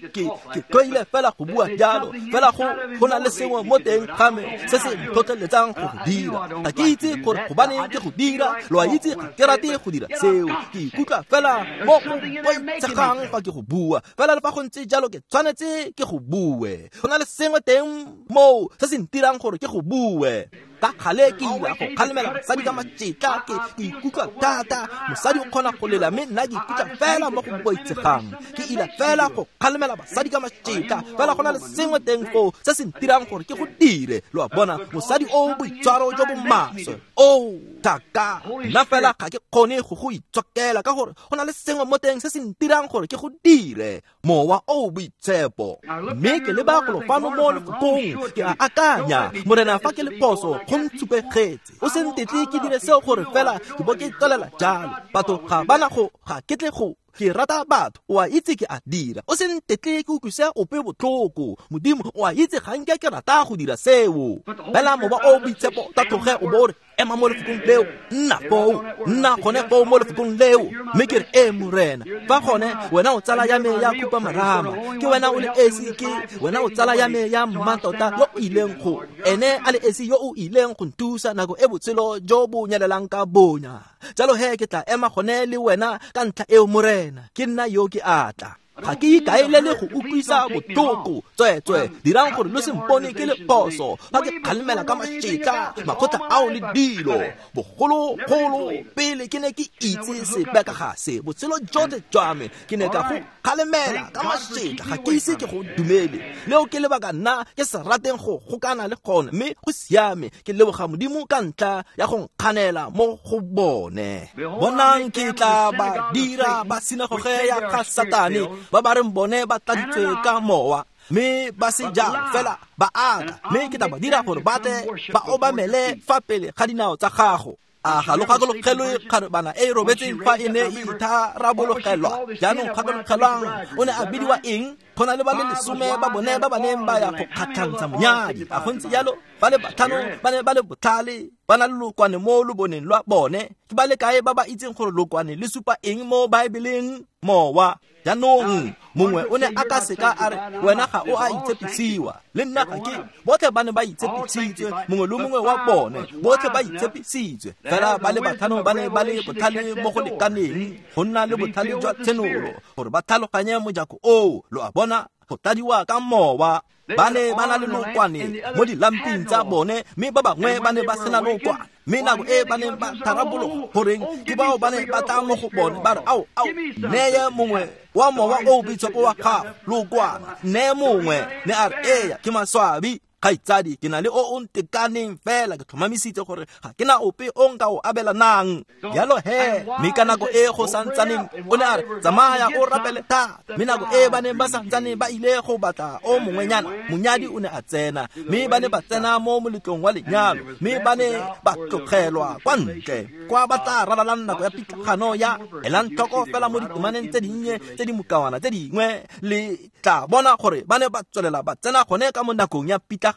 Ke tlwaile fela go bua jalo, fela go na le sengwe mo teng ga me se se ntlhotlheletsang go go dira. Ga ke itse gore gobaneng ke go dira, lo a itse ga ke rate go dira seo. Ke ikutlwa fela mo go boitshegang fa ke go bua, fela le fa go ntse jalo ke tshwanetse ke go bue. Go na le sengwe teng moo se se ntirang gore ke go bue. Ka kgale ke ila go kgalemela mosadi ka matšetla, ke ikutlwa thata. Mosadi o kgona go lela, mme nna ke ikutlwa fela mo go boitshegang. Ke ila fela go kgalemela basadi ka matšetla, fela go na le sengwe teng foo se se ntirang gore ke go dire. Lo a bona? Mosadi o boitshwaro jo bo maswe o thaka, nna fela ga ke kgone go go itshokela, ka gore go na le sengwe mo teng se se ntirang gore ke go dire. Mowa o boitshepo. Mme ke leba golo fano mo lefokong, ke a akanya, Morena, fa ke le phoso, go ntshupegetse. O se ntetle ke dire seo gore fela ke bo ke tswelela jalo. Batho ga bana go, ga ke tle go. Ke rata batho, o a itse ke a dira. O se ntetle ke utlwise ope botlhoko. Modimo, o a itse ga nke ke rata go dira seo. Fela mowa o boitshepo ta tloge o bo re, ema mo lefokong leo, nna foo, nna gone foo mo lefokong leo. Mme ke re, ee Morena, fa gone wena o tsala ya me ya khupamarama, ke wena o le esi, ke wena o tsala ya me ya mmatota yo o ileng go, ene a le esi yo o ileng go nthusa nako e botshelo jo bo nyelelang ka bonya. Jalo he ke tla ema gone le wena ka ntlha eo Morena, ke nna yo ke atla. Ga ke ikaelele go utlwisa botlhoko. Tsweetswe, dirang gore lo se mpone ke le phoso fa ke kgalemela ka mašetla makgotla ao le dilo. Bogologolo pele ke ne ke itse sepe ka ga se, botshelo jotlhe jwa me ke ne ka go kgalemela ka mašetla, ga ke ise ke go dumele. Leo ke lebaka nna ke se rateng go gokana le gone, mme go siame. Ke leboga Modimo ka ntlha ya go nkganela mo go bone. Bonang, ke tla ba dira ba sinagoge ya ga Satane, ba ba reng bone ba tladitswe ka mowa, Mme ba se jalo fela ba aka, mme ke tla ba dira gore ba tle ba obamele fa pele ga dinao tsa gago. A ga lo gakologelwe kgarebana e e robetseng fa e ne e itharabologelwa? Jaanong gakologelwang, o ne a bidiwa eng? Go na le ba le 10 ba bone ba ba neng ba ya go kgatlhantsha monyadi. A go ntse jalo? Ba le 5 ba ne ba le botlhale, ba na le lokwane mo loboneng lwa bone. Ke ba le kae ba ba itseng gore lokwane le supa eng mo Baebeleng? Mowa. Jaanong mongwe o ne a ka seka a re, wena ga o a itshepisiwa, le nna ga ke. Botlhe ba ne ba itshepisitswe, mongwe le mongwe wa bone, botlhe ba itshepisitswe. Fela ba le 5 ba ne ba le botlhale mo go lekaneng go nna le botlhale jwa tshenolo gore ba tlhaloganye mojako oo. Lo a bona, go tladiwa ka mowa. Ba ne ba na le lokwane mo dilamping tsa bone, mme ba bangwe ba ne ba sena lokwane. Mme nako e ba neng ba tharabologa, goreng ke bao ba ne ba tla mo go bone ba re, ao, ao, neye mongwe wa mowa o boitshepo wa gago lokwana, neye mongwe. Ne a re, eya, ke maswabi kgaitsadi, ke na le o o ntekaneng fela, ke tlhomamisitse gore ga ke na ope o nka o abelanang. Jalo he, mme ka nako e go santsaneng o ne a re, tsamaya o rapele thata. Mme nako e ba neng ba santsane ba ile go batla o mongwenyana, monyadi o ne a tsena, mme ba ne ba tsena mo moletlong wa lenyalo, mme ba ne ba tlogelwa kwa ntle kwa ba tla ralalang nako ya pitlagano ya. Elang tlhoko fela mo ditemaneng tse dinnye tse di mokawana tse dingwe, le tla bona gore ba ne ba tswelela ba tsena gone ka mo nakong ya pitlagano.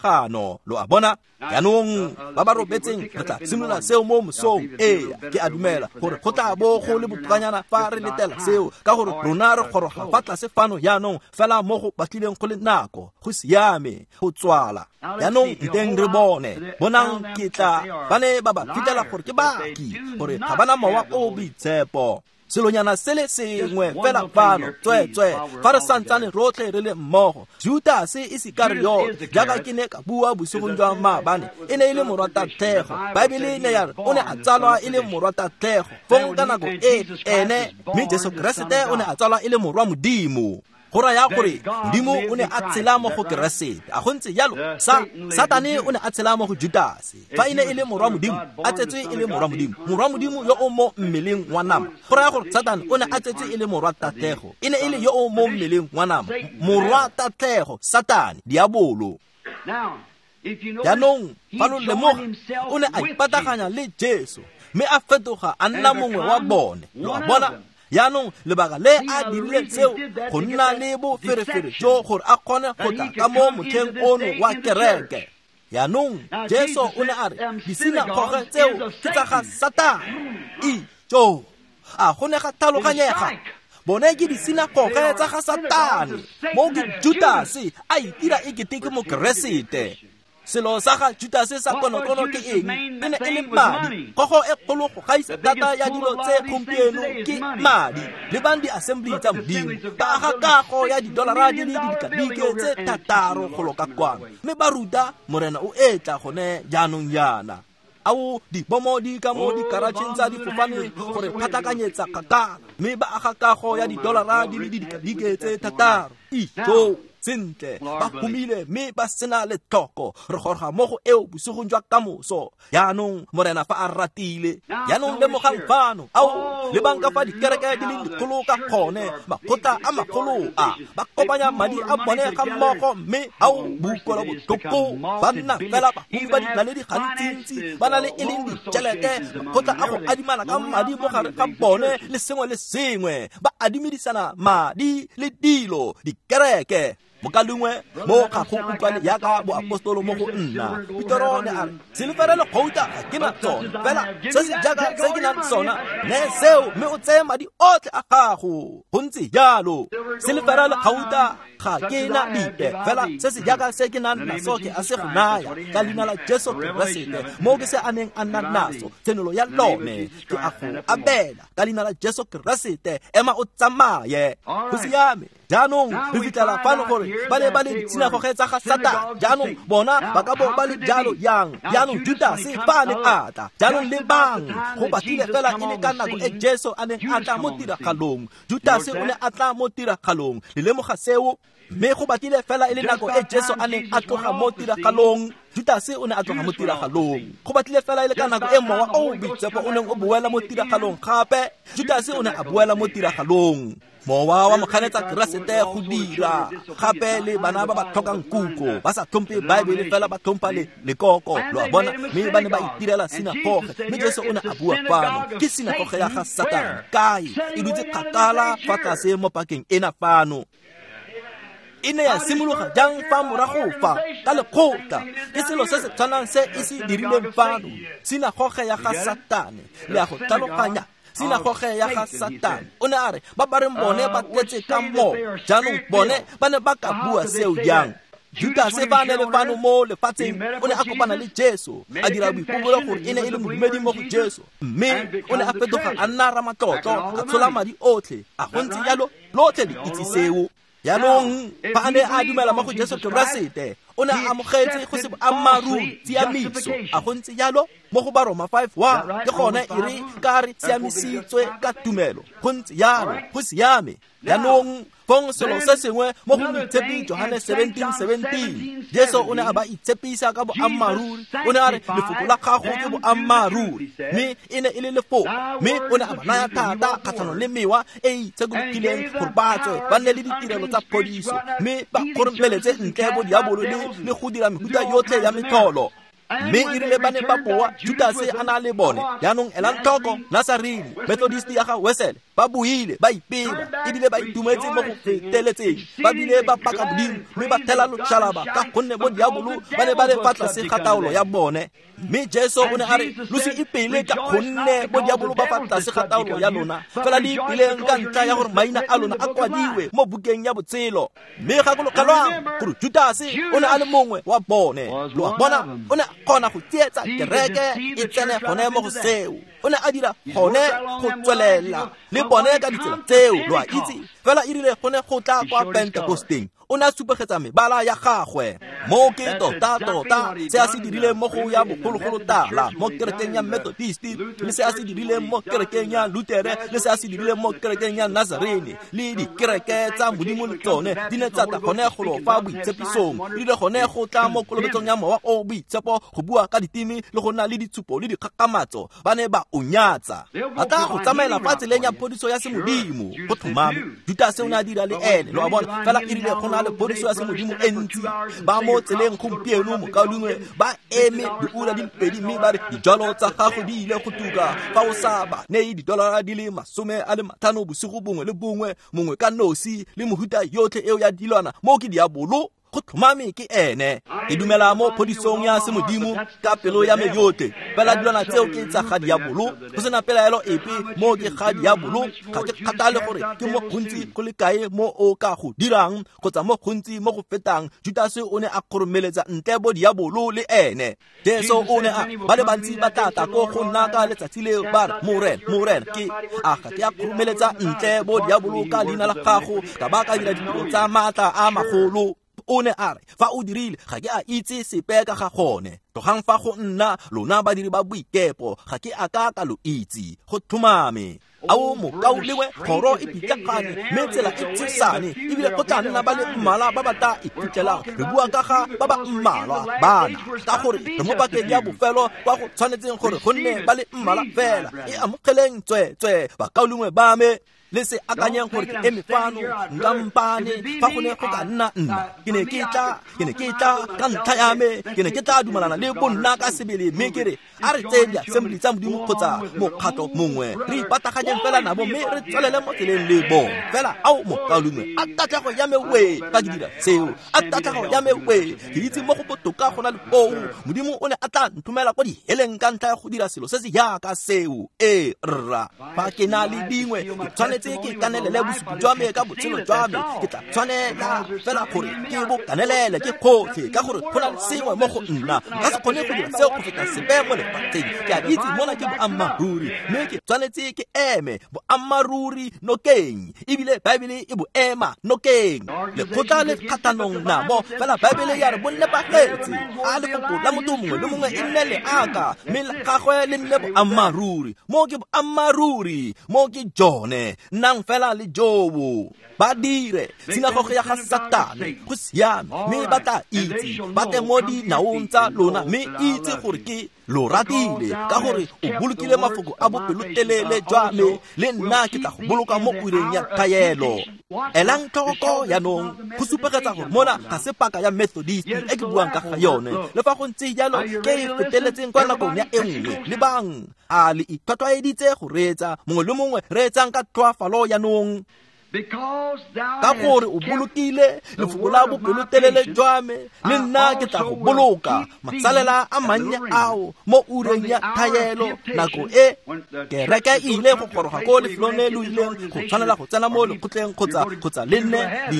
Lo a bona? Jaanong ba ba robetseng, re tla simolola seo mo mosong. Ee, ke a dumela gore go tla bo go le botokanyana fa re letela seo, ka gore rona re goroga fa tlase fano jaanong fela mo go batlileng go le nako. Go siame go tswala jaanong, nteng re bone. Bonang, ke tla ba ne ba ba fitlhela gore ke baaki, gore ga ba na mowa o boitshepo. Selonyana se le sengwe fela fano, tsweetswe, fa re santsane rotlhe re le mmogo. Judase Isikariota, jaaka ke ne ka bua bosigong jwa maabane, e ne e le morwa tatlhego. Baebele ne ya re o ne a tsalwa e le morwa tatlhego. Fong ka nako e ene, mme Jesu Keresete o ne a tsalwa e le morwa Modimo. Go raya gore Modimo o ne a tshela mo go Keresete. A go ntse jalo? Satane o ne a tshela mo go Judase. Fa e ne e le morwa Modimo, a tsetswe e le morwa Modimo, morwa Modimo yo o mo mmeleng wa nama. Go raya gore Satane o ne a tsetswe e le morwa tatlhego, e ne e le yo o mo mmeleng wa nama, morwa tatlhego, Satane, diabolo. Jaanong fa lo lemoga, o ne a ipataganya le Jesu, mme a fetoga a nna mongwe wa bone. Lo a bona? Jaanong lebaka le a dirile seo go nna le boferefere jo gore a kgone go tla ka mo motlheng ono wa kereke. Jaanong Jesu o ne a re disinagoge tseo ke tsa ga Satane. Ijo, a go ne ga tlhaloganyega? Bone ke disinagoge tsa ga Satane, mo ke Judase a itira e kete ke Mokeresete. Selo sa ga Judase sa konokono ke eng? E ne e le madi. Kgogo e kgolo go gaisa thata ya dilo tse gompieno ke madi. Lebang di-assembly tsa Modimo, ba aga kago ya didolara di le didikadike tse 6 go loka kwano, mme ba ruta Morena o etla gone jaanong jaana. Ao, dibomo di ka mo dikaratšheng tsa difofane gore phatlakanyetsa kgakala, mme ba aga kago ya didolara di le didikadike tse 6. Ijo, sentle, ba humile mme ba sena letlhoko. Re goroga mo go eo bosigong jwa kamoso. Jaanong Morena fa a ratile. Jaanong lemogang fano, ao, lebang ka fa dikereke di leng dikgolo ka gone, makgotla a magolo a ba kopanya madi a bone ga mmogo, mme ao, boutlwelo botlhoko, ba nna fela bahumi ba dinaledi gantsintsi, ba na le e leng ditšhelete, makgotla a go adimana ka madi mo gare ga bone le sengwe le sengwe, ba adimedisana madi le dilo, dikereke. Mokalengwe mo ga go utlwane jaaka boapostolo mo go nna. Petero ne a re, silefere le gouta ga ke na tsone, fela se se jaaka se ke nang sona, ne seo, mme o tseye madi otlhe a gago. Go ntse jalo, silefere le gouta ga ke na dipe, fela se se jaaka se ke nang naso ke a se go naya ka leina la Jesu Keresete. Mo ke se a neng a nna naso, tshenolo ya lone ke a go abela ka leina la Jesu Keresete. Ema o tsamaye. Go siame. Jaanong re fitlhela fano gore ba ne ba le disinagoge tsa ga Satane. Jaanong bona ba ka bo ba le jalo yang? Jaanong Judase fa a ne a tla, jaanong lebang, go batlile fela e le ka nako e Jesu a neng a tla mo tiragalong. Judase o ne a tla mo tiragalong. Le lemoga seo? Mme go batlile fela e le nako e Jesu a neng a tloga mo tiragalong. Judase o ne a tloga mo tiragalong. Go batlile fela e le ka nako e Mowa o o Boitshepo o neng o boela mo tiragalong gape, Judase o ne a boela mo tiragalong. Mowa wa moganetsa Keresete go dira gape le bana ba ba tlhokang kutlo, ba sa tlhomphe Baebele fela ba tlhompha le lekoko, lo a bona, mme ba ne ba itirela sinagoge. Mme Jesu o ne a bua fano, ke sinagoge ya ga Satane kae? E dutse kgakala fa tlase mo pakeng ena fano. E ne ya simologa jang fa morago fa ka lekgotla? Ke selo se se tshwanang se e se dirileng fano, sinagoge ya ga Satane. Le a go tlhaloganya? Sinagoge ya ga Satane. O ne a re ba ba reng bone ba tletse ka moo. Jaanong bone ba ne ba ka bua seo jang? Judase fa a ne le fano mo lefatsheng o ne a kopana le Jesu, a dira boipobolo gore e ne e le modumedi mo go Jesu, mme o ne a fetoga a nna ramatlotlo, a tshola madi otlhe. A go ntse jalo? Lotlhe le itse seo. Jaanong fa a ne a dumela mo go Jesu Keresete, o ne a amogetse go se boammaaruri tshiamiso. A go ntse jalo? Mo go Baroma 5:1 ke gone e re ka re siamisitswe ka tumelo. Go ntse jalo, go siame. Jaanong fong selo se sengwe mo go Moitshepi Johane 17:17, Jesu o ne a ba itshepisa ka boammaaruri. O ne a re lefoko la gago ke boammaaruri, mme e ne e le lefoko. Mme o ne a ba naya thata kgatlhanong le mewa e e itshekologileng gore ba tswe ba nne le ditirelo tsa phodiso, mme ba kgoromeletse ntle bo diabolo le go dira mehuta yotlhe ya metlholo. Mme e rile ba ne ba boa, Judase a na le bone. Jaanong elang tlhoko, Nazarene, Methodist ya ga Wesele, ba buile, ba ipela, ebile ba itumetse mo go feteletseng. Ba bile ba paka Modimo, mme ba thela loshalaba ka gonne bo diabolo ba ne ba le fa tlase ga taolo ya bone. Mme Jesu o ne a re, lo se ipele ka gonne bo diabolo ba fa tlase ga taolo ya lona, fela le ipeleng ka ntlha ya gore maina a lona a kwadiwe mo bukeng ya botshelo. Mme gakologelwang gore Judase o ne a le mongwe wa bone. Lo a bona, o ne a kgona go tsietsa kereke e tsene gone mo go seo. O ne a dira gone go tswelela le bone ka ditsela tseo, lo a itse. Fela e rile go ne go tla kwa Pentekosteng, o ne a supegetsa mebala ya gagwe. Mo ke tota-tota se a se dirileng mo go ya bogologolo tala mo kerekeng ya Methodist, le se a se dirileng mo kerekeng ya Lutere, le se a se dirileng mo kerekeng ya Nazarene, le dikereke tsa Modimo le tsone di ne tsa tla gone golo fa boitshepisong. E rile gone go tla mo kolobetsong ya Mowa o Boitshepo, go bua ka diteme le go nna le ditshupo le dikgakgamatso, ba ne ba o nyatsa. Ba tla go tsamaela fa tseleng ya phodiso ya semodimo, go tlhomame. Judase o ne a dira le ene, lo a bona. Fela e rile go na le phodiso ya semodimo e ntsi, ba mo tseleng gompieno, mokaulengwe, ba eme diura di le pedi mme ba re dijalo tsa gago di ile go tuka fa o sa ba neye didolara di le 50 bosigo bongwe le bongwe, mongwe ka nosi, le mohuta yotlhe eo ya dilwana. Mo ke diabolo, go tlhomame ke ene. Ke dumela mo phodisong ya semodimo ka pelo ya me yotlhe, fela dilwana tseo ke tsa ga diabolo, go sena pelaelo epe. Mo ke ga diabolo. Ga ke kgathale gore ke mo gontsi go le kae mo o ka go dirang kgotsa mo gontsi mo go fetang. Judase o ne a kgoromeletsa ntle bo diabolo le ene. Jesu o ne a ba le bantsi ba tla tla ko go nna ka letsatsi leo, ba re, Morena, Morena, ke a ga ke a kgoromeletsa ntle bo diabolo ka leina la gago, ka ba ka dira ditiro tsa maatla a magolo. O ne a re, fa o dirile, ga ke a itse sepe ka ga gone. Tlogang fa go nna, lona badiri ba boikepo, ga ke a ka ka lo itse. Go tlhomame. Ao mokaulengwe, kgoro e pitlagane, mme tsela e tshesane, ebile go tla nna ba le mmalwa ba ba tla iphitlhelang. Re bua ka ga ba ba mmalwa bana, ka gore re mo pakeng ya bofelo kwa go tshwanetseng gore go nne ba le mmalwa fela. E amogeleng tsweetswee, bakaulengwe ba me. Le se akanyeng gore ke eme fano nka mpane fa go ne go ka nna nna, ke ne ke tla ka ntlha ya me, ke ne ke tla dumalana le bonna ka sebele, mme ke re a re tseye diasembli tsa Modimo kgotsa mokgatlho mongwe, re ipataganyeng fela nabo mme re tswelele mo tseleng le bone fela. Ao mokaulengwe, a tatlhego ya me wee fa ke dira seo, a tatlhego ya me wee. Ke itse mo go botoka go na le oo. Modimo o ne a tla nthomela kwa diheleng ka ntlha ya go dira selo se se jaaka seo. Ee rra, fa ke na le dingwe, ke tshwanetse ke kanelele bosupi jwa me ka botshelo jwa me. Ke tla tshwanela fela gore ke bo kanelele ke gotlhe, ka gore go na le sengwe mo go nna. Nka se kgone go dira seo go feta sepe mo lefatsheng. Ke a itse mona ke boammaaruri, mme ke tshwanetse ke eme boammaaruri nokeng, ebile Baebele e bo ema nokeng. Lekgotla le kgatlhanong nabo, fela Baebele ya re bo nepagetse. A lefoko la motho mongwe le mongwe e nne leaka, mme la gagwe le nne boammaaruri. Mo ke boammaaruri, mo ke jone. Nnang fela le Jobo. Ba dire sinagoge ya ga Satane, go siame, mme ba tla itse, ba tle mo dinaong tsa lona, mme itse gore ke lo ratile, ka gore o bolokile mafoko a bopelotelele jwa me, le nna ke tla go boloka mo ureng ya thaelo. Elang tlhoko jaanong, go supegetsa gore mona ga se paka ya Methodist e ke buang ka ga yone. Le fa go ntse jalo, ke e feteletseng kwa nakong ya e nngwe. Lebang, a le itlhwatlhwaeditse go reetsa, mongwe le mongwe reetsang ka tlhoafalo jaanong. Ka gore o bolokile lefoko la bopelotelele jwa me, le nna ke tla go boloka masalela a mannye ao mo ureng ya thaelo. Nako e kereke e ile go goroga ko lefelong le lo ileng go tshwanela go tsena mo lekgotleng kgotsa le nne le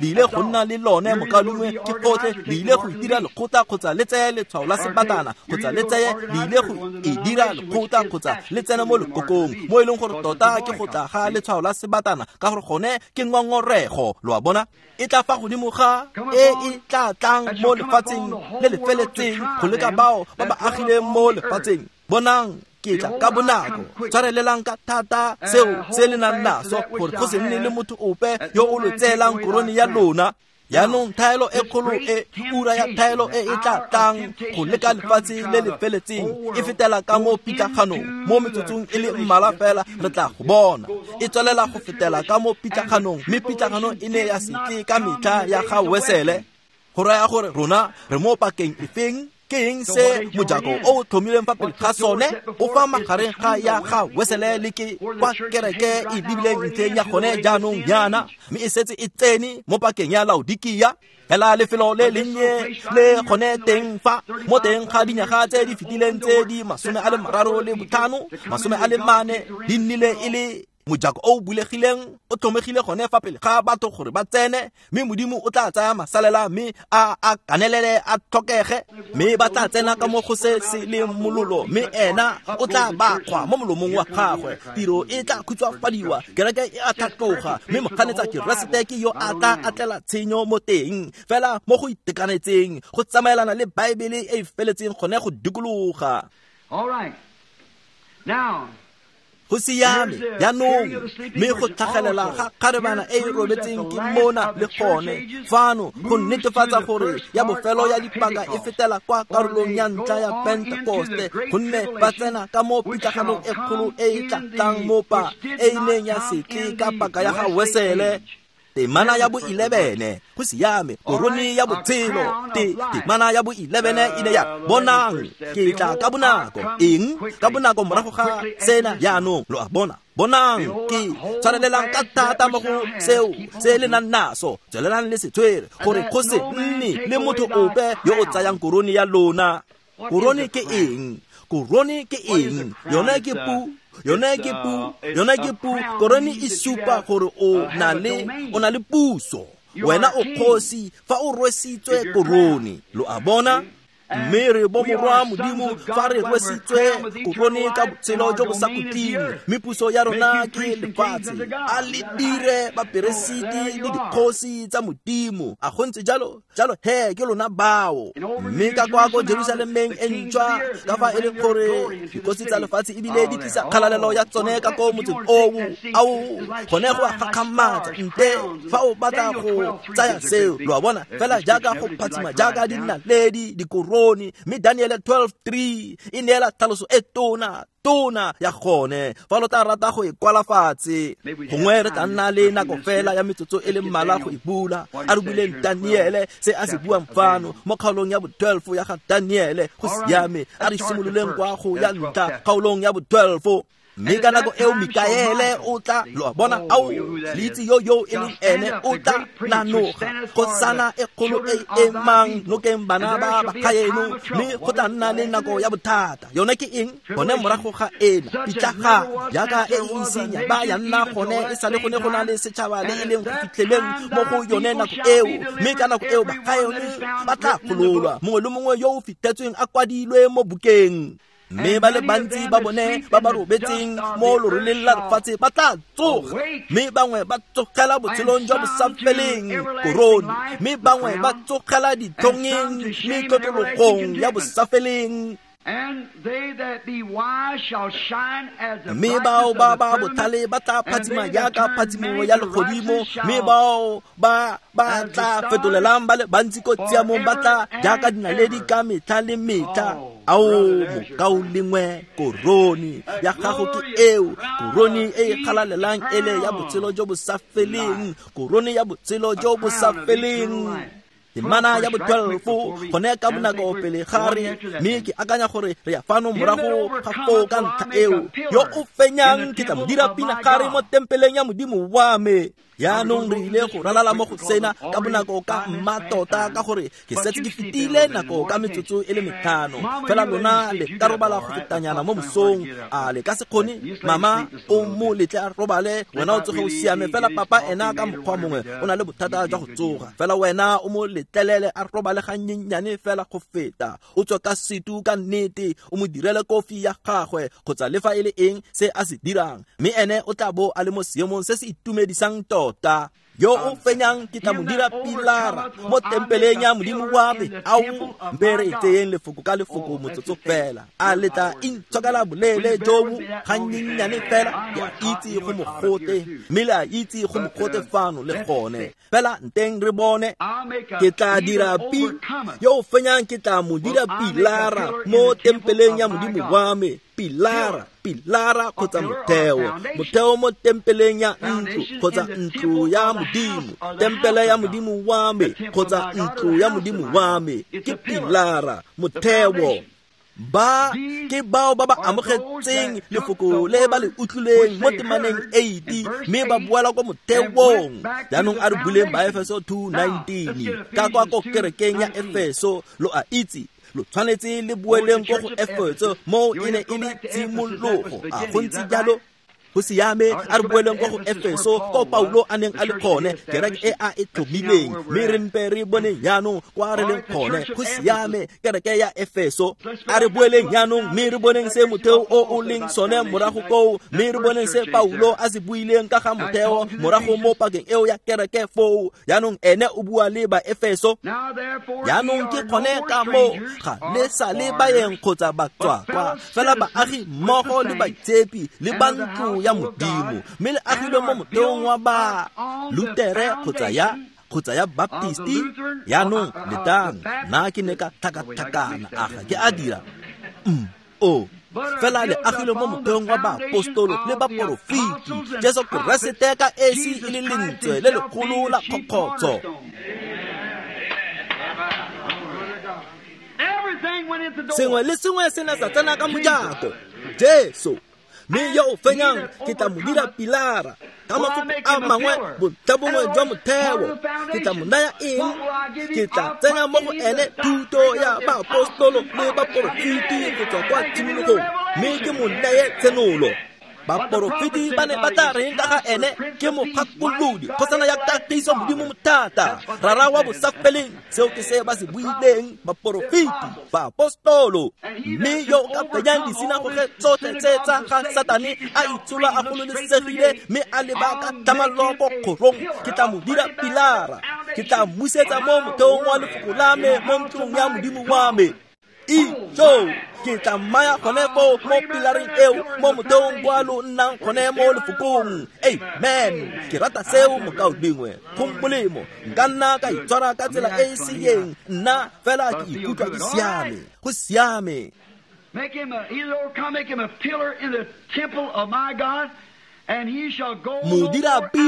ile go nna le lone mokalongwe ke gotlhe, le ile go itira lekgotla kgotsa le tseye letshwao la sebatana kgotsa le tseye le ile go e dira lekgotla kgotsa le tsene mo lekokong, mo e leng gore tota ke go tla ga letshwao la sebatana, ka gore gone ke ngongorego. Lo a bona, e tla fa godimo ga e e tla tlang mo lefatsheng le le feletseng go leka bao ba ba agileng mo lefatsheng. Bonang, ke tla ka bonako. Tshwarelelang ka thata seo se le nang naso, gore go se nne le motho ope yo o lo tseelang korone ya lona. Jaanong thaelo e kgolo e, ura ya thaelo e e tla tlang go leka lefatshe le le feletseng, e fetela ka mo pitlaganong. Mo metsotsong e le mmalwa fela re tla go bona e tswelela go fetela ka mo pitlaganong, mme pitlaganong e ne ya se tle ka metlha ya ga Wesele. Go raya gore rona re mo pakeng efeng? Ke eng se mojako o tlhomilweng fa pele ga sone? O fa magareng ga ya ga Wesele le ke kwa kereke e lebileng ntlheng ya gone jaanong jaana, mme e setse e tsene mo pakeng ya Laodikia. Fela lefelo le lennye le gone teng fa mo teng ga dinyaga tse di fetileng tse di 35, 44 di nnile e le mojako o bulegileng, o tlhomegile gone fa pele ga batho gore ba tsene, mme Modimo o tla tsaya masalela mme a kanelele a tlhokege, mme ba tla tsena ka mo go se se leng mololo, mme ena o tla ba kgwa mo molomong wa gagwe. Tiro e tla khutswafadiwa, kereke e a tlhatloga, mme moganetsa Keresete ke yo a tla atlela tshenyo mo teng, fela mo go itekanetseng, go tsamaelana le Baebele e e feletseng gone go dikologa. All right. Now, Go siame jaanong, mme go tlhagelela ga kgarebana e e robetseng ke mona le gone fano go netefatsa gore ya bofelo ya dipaka e fetela kwa karolong ya ntlha ya Pentekoste, gonne ba tsena ka mo pitlaganong e kgolo e e tla tlang mo pa e e neng ya se tle ka paka ya ga Wesele. Temana ya bo 11, go siame, korone ya botshelo. Temana ya bo 11 e ne ya bonang, ke tla ka bonako. Eng? Ka bonako morago ga sena jaanong, lo a bona. Bonang, ke tshwarelelang ka thata mo go seo se le nang naso, tswelelang le se tshwere, gore go se nne le motho ope yo o tsayang korone ya lona. Korone ke eng? Korone ke eng? Yone ke pu, yone ke pu, yone ke pu. Korone e supa gore o na le puso, wena o kgosi fa o rwesitswe korone. Lo a bona? Mme re bo morwa Modimo fa re rwesitswe korone ka botshelo jo bo sa khutleng, mme puso ya rona ke lefatshe. A le dire baperesiti le dikgosi tsa Modimo. A go ntse jalo? Jalo he ke lona bao. Mme ka kwa ko Jerusalemeng e ntšhwa, ka fa e le gore dikgosi tsa lefatshe ebile di tlisa kgalalelo ya tsone ka ko motseng oo, ao gone go a gakgamatsa. Nte fa o batla go tsaya seo, lo a bona, fela jaaka go phatsima jaaka dinaledi, dikorone. Mme Daniel 12:3 e neela tlhaloso e tona ya gone. Fa lo tla rata go e kwala fatshe, gongwe re tla nna le nako fela ya metsotso e le mmalwa go e bula. A re buleng Daniele se a se buang fano mo kgaolong ya bo 12 ya ga Daniele. Go siame, a re simololeng kwa go ya ntlha kgaolong ya bo 12. Mme ka nako eo Mikaele o tla, lo a bona, ao le itse yo e leng ene, o tla nanoga kgosana e kgolo e emang nokeng bana ba bagaeno, mme go tla nna le nako ya bothata. Yone ke eng? Gone morago ga ena pitlagano jaaka e e iseng ya ba ya nna gone e sale gone go na le setšhaba le e leng go fitlheleng mo go yone nako eo. Mme ka nako eo bagaeno ba tla gololwa, mongwe le mongwe yo o fitlhetsweng a kwadilwe mo bukeng. Mme ba le bantsi ba bone ba ba robetseng mo loroleng la lefatshe ba tla tsoga, mme bangwe ba tsogela botshelong jwa bosafeleng, korone, mme bangwe ba tsogela ditlhongeng le tlotlologong ya bosafeleng. Mme bao ba ba botlhale ba tla phatsima jaaka phatsimo ya legodimo, mme bao ba ba tla fetolelang ba le bantsi ko tshiamong ba tla jaaka dinaledi ka metlha le metlha. Ao mokaulengwe, korone ya gago ke eo, korone e e galalelang ele ya botshelo jo bo sa feleng, korone ya botshelo jo bo sa feleng. Temana ya bo-12 gone ka bonako pele ga re, mme ke akanya gore re ya fano morago ga foo ka ntlha eo. Yo o fenyang ke tla mo dira pinagare mo tempeleng ya Modimo wa me. Jaanong re ile go ralala mo go sena ka bonako ka mmatota, ka gore ke setse ke fetile nako ka metsotso e le 5. Fela lona le ka robala go fetanyana mo mosong, a le ka se kgone? Mama o mo letle a robale, wena o tsoge o siame. Fela papa ena ka mokgwa mongwe o na le bothata jwa go tsoga, fela wena o mo letlelele a robale gannyenyane fela go feta. O tswe ka setu ka nnete, o mo direle kofi ya gagwe kgotsa le fa e le eng se a se dirang, mme ene o tla bo a le mo seemong se se itumedisang tota. Yo o fenyang ke tla mo dira pilara mo tempeleng ya Modimo wa me. Ao, mpe re tseyeng lefoko ka lefoko motsotso fela. A le tla intshokela boleele jo bo gannyenyane fela? Ke a itse go mogote, mme le a itse go mogote fano le gone. Fela nteng re bone. Ke tla dira pi yo o fenyang ke tla mo dira pilara mo tempeleng ya Modimo wa me. Pilara, pilara kgotsa motheo, motheo mo tempeleng ya ntlo kgotsa ntlo ya Modimo, tempele ya Modimo wa me kgotsa ntlo ya Modimo wa me, ke pilara, motheo. Ba ke bao ba ba amogetseng lefoko le ba le utlwileng mo temaneng 8, mme ba boela kwa motheong. Jaanong a re buleng Baefeso 2:19 ka kwa ko kerekeng ya Efeso. Lo a itse, lo tshwanetse le boeleng ko go Efeso, mo e ne e le tshimologo. A go ntse jalo? Go siame, a re boeleng ko go Efeso ko Paulo a neng a le gone, kereke e a e tlhomileng, mme re mpe re boneng jaanong kwa re leng gone. Go siame, kereke ya Efeso. A re boeleng jaanong mme re boneng se motheo o o leng sone morago koo, mme re boneng se Paulo a se buileng ka ga motheo morago mo pakeng eo ya kereke foo. Jaanong ene o bua le ba Efeso. Jaanong ke gone ka moo ga le sa le baeng kgotsa batswakwa, fela baagi mmogo le baitshepi le ba ntlo ya Modimo, mme le agilwe mo motheong wa ba Lutere kgotsa ya Baptisti. Jaanong letang, nna ke ne ka tlhakatlhakana, a ga ke a dira? O fela le agilwe mo motheong wa baapostolo le baporofeti, Jesu Keresete ka esi e le lentswe le legolo la kgokgotsho. Sengwe le sengwe se ne sa tsena ka mojako, Jesu. Mme yo o fenyang ke tla mo dira pilara, ka mafoko a mangwe bontlhabongwe jwa motheo. Ke tla mo naya eng? Ke tla tsenya mo go ene thuto ya baapostolo le baporofeti go tswa kwa tshimologong, mme ke mo neye tshenolo. Baporofeti ba ne ba tla reng ka ga ene? Ke mogakolodi, kgosana ya kagiso, Modimo mothata, rara wa bosafeleng. Seo ke se ba se buileng baporofeti, baapostolo. Mme yo o ka fenyang disinagoge tsotlhe tse tsa ga Satane, a itshola a gololesegile mme a leba ka tlhamallo ko kgorong, ke tla mo dira pilara, ke tla mmusetsa mo motheong wa lefoko la me mo ntlong ya Modimo wa me. Ijo, ke tla mmaya gone foo mo pilareng eo, mo motheong kwa lo nnang gone mo lefokong. Amen. Ke rata seo, mokaulengwe. Go molemo, nka nna ka itshwara ka tsela e e seyeng, nna fela ke ikutlwa ke siame. Go siame. Make him a, make him a pillar in the temple of my God. Modira pi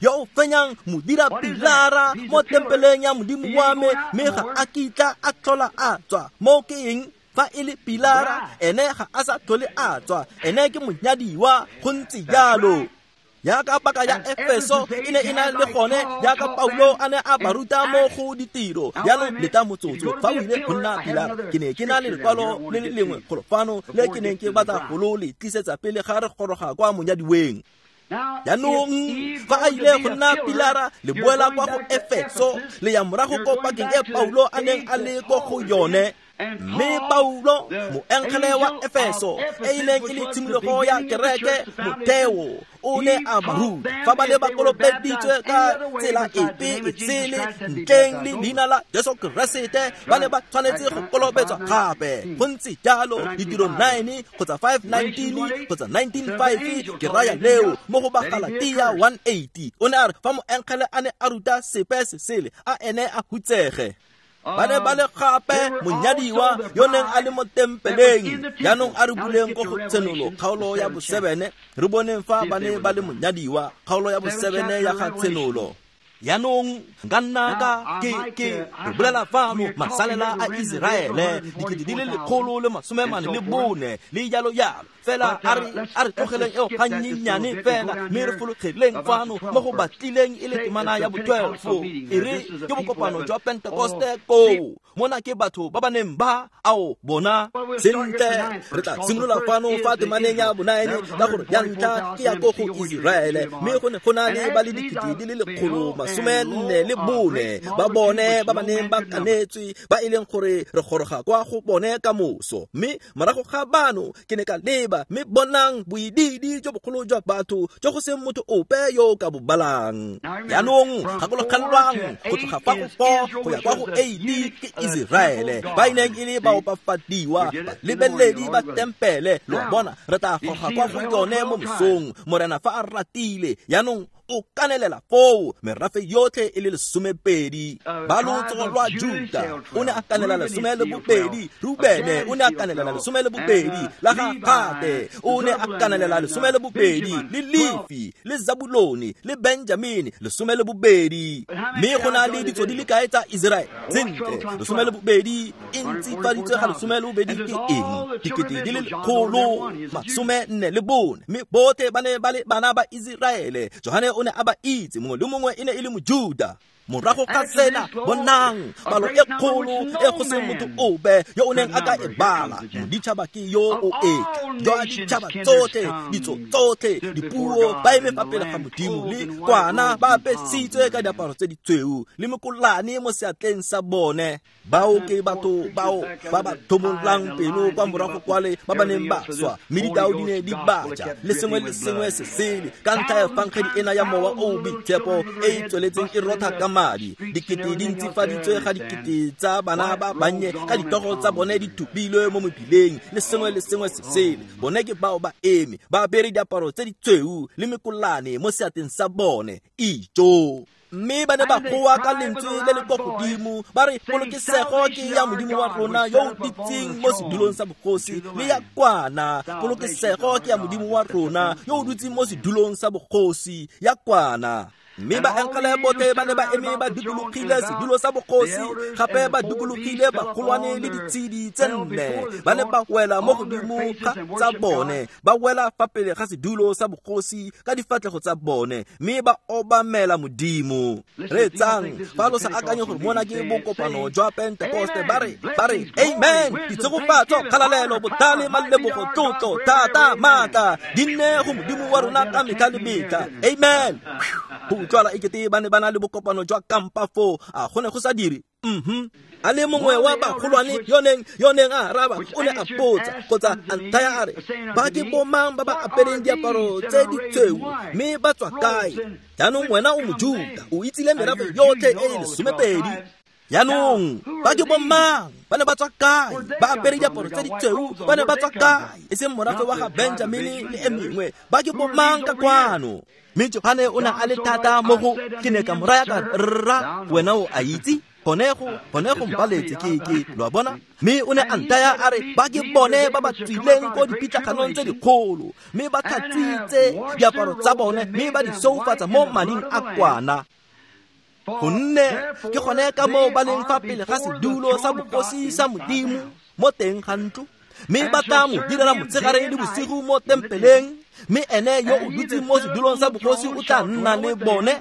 yo o fenyang, modira pilara mo tempeleng ya Modimo wa me, mme ga a kitla a tlhola a tswa. Mo ke eng? Fa e le pilara, ene ga a sa tlhole a tswa, ene ke monyadiwa. Go ntse jalo. Jaaka paka ya Efeso e ne e na le gone, jaaka Paulo a ne a ba ruta mo go ditiro. Jaanong leta motsotso, fa o ile go nna pilara, ke ne ke na le lekwalo le le lengwe golo fano le ke neng ke batla go lo le tlisetsa pele ga re goroga kwa monyadiweng. Jaanong fa a ile go nna pilara, le boela kwa go Efeso, le ya morago ko pakeng e Paulo a neng a le ko go yone. Mme Paulo, moengele wa Efeso, e ileng e le tshimologo ya kereke motheo, o ne a ba ruta fa ba ne ba kolobeditswe ka tsela epe e sele ntleng le leina la Jesu Keresete, ba ne ba tshwanetse go kolobetswa gape. Go ntse jalo, Ditiro 9 kgotsa 5:19 kgotsa 19:5, ke raya leo mo go Bagalatia 1:80. O ne a re fa moengele a ne a ruta sepe se sele, a ene a hutsege. Ba ne ba le gape monyadiwa yo neng a le mo tempeleng. Jaanong a re buleng ko go Tshenolo kgaolo ya bo-7, re boneng fa ba ne ba le monyadiwa, kgaolo ya bo-7 ya ga Tshenolo. Jaanong nka nna ka ke re bolela fano masalela a Iseraele 144,000 le jalo jalo. Fela a re tlogeleng eo gannyenyane fela, mme re fologeleng fano mo go batlileng e le temana ya bo-12. E re ke bokopano jwa Pentekoste koo, mona ke batho ba ba neng ba ao bona sentle. Re tla simolola fano fa temaneng ya bo-9, ka gore ya ntlha ke ya ko go Iseraele, mme go ne go na le ba le 144,000 ba bone ba ba neng ba kanetswe, ba e leng gore re goroga kwa go bone ka moso. Mme morago ga bano ke ne ka leba, mme bonang boidiidi jo bogolo jwa batho jo go seng motho ope yo o ka bo balang. Jaanong gakologelwang, go tloga fa go 4 go ya kwa go 8 ke Iseraele, ba e neng e le baopafadiwa, balebeledi ba tempele. Lo a bona, re tla goroga kwa go yone mo mosong, Morena fa a ratile. Jaanong o kanelela foo merafe yotlhe e le 12. Ba lotso lwa Juta o ne a kanelela 12, Rubene o ne a kanelela 12, la ga Gade o ne a kanelela 12, le Lefi le Zabulone le Benjamini 12. Mme go na le ditso di le kae tsa Iseraele? Sentle, 12 e ntsifaditswe ga 12 ke eng? 144,000. Mme botlhe ba ne ba le bana ba Iseraele. Johane o ne a ba itse, mongwe le mongwe e ne e le Mojuda. Morago ga sena, bonang palo e kgolo e go seng motho ope yo o neng a ka e bala. Moditšhaba ke yo o etla, jwa ditšhaba tsotlhe, ditso tsotlhe, dipuo, ba eme fa pele ga Modimo le kwana, ba apesitswe ka diaparo tse ditshweu le mekolane mo seatleng sa bone. Bao ke batho bao ba ba thomolang pelo kwa morago kwale ba ba neng ba swa, mme ditao di ne di baja le sengwe le sengwe se sele ka ntlha ya efangedi ena ya mowa o o boitshepo e e tsweletseng e rotha ka madi. Dikete di ntsifaditswe ga dikete tsa bana ba bannye ka ditoro tsa bone di thupilwe mo mebileng le sengwe le sengwe se sele. Bone ke bao ba eme ba apere diaparo tse ditshweu le mekolane mo seatleng sa bone. Ijo! Mme ba ne ba goa ka lentswe le le kwa godimo ba re, polokesego ke ya Modimo wa rona yo o dutseng mo sedulong sa bogosi le ya kwana. Polokesego ke ya Modimo wa rona yo o dutseng mo sedulong sa bogosi ya kwana. Mme baengele botlhe ba ne ba eme ba dikologile sedulo sa bogosi, gape ba dikologile bagolwane le ditshedi tse nne. Ba ne ba wela mo godimo ga tsa bone, ba wela fa pele ga sedulo sa bogosi ka difatlhego tsa bone, mme ba obamela Modimo. Reetsang, fa lo sa akanye gore mona ke bokopano jwa Pentekoste, ba re amen, ditshegofatso, kgalalelo, botlhale, malebogo, tlotlo, thata, maatla di nne go Modimo wa rona ka metlha le metlha. Amen. Go utlwala ekete ba ne ba na le bokopano jwa kampa foo, a go ne go sa dire? A le mongwe wa bagolwane yo neng a araba o ne a botsa kgotsa a nthaya a re, ba ke bomang ba ba apereng diaparo tse ditshweu mme ba tswa kae? Jaanong wena o Mojuta, o itsile merafe yotlhe e e 12. Jaanong ba ke bomang ba ne ba tswa kae? Ba apere diaparo tse ditshweu ba ne ba tswa kae? E seng morafe wa ga Benjamini le e mengwe. Ba ke bomang ka kwano? Mme Johane o ne a le thata mo go, ke ne ka mo raya ka rra, wena o a itse, gone go mpaletse ke lo a bona. Mme o ne a nthaya a re, ba ke bone ba ba tswileng ko dipitlaganong tse dikgolo, mme ba tlhatswitse diaparo tsa bone mme ba di soufatsa mo mading a kwana. Gonne ke gone ka moo ba leng fa pele ga sedulo sa bogosi sa Modimo mo teng ga ntlo, mme ba tla mo direla motshegare le bosigo mo tempeleng, mme ene yo o dutseng mo sedulong sa bogosi o tla nna le bone.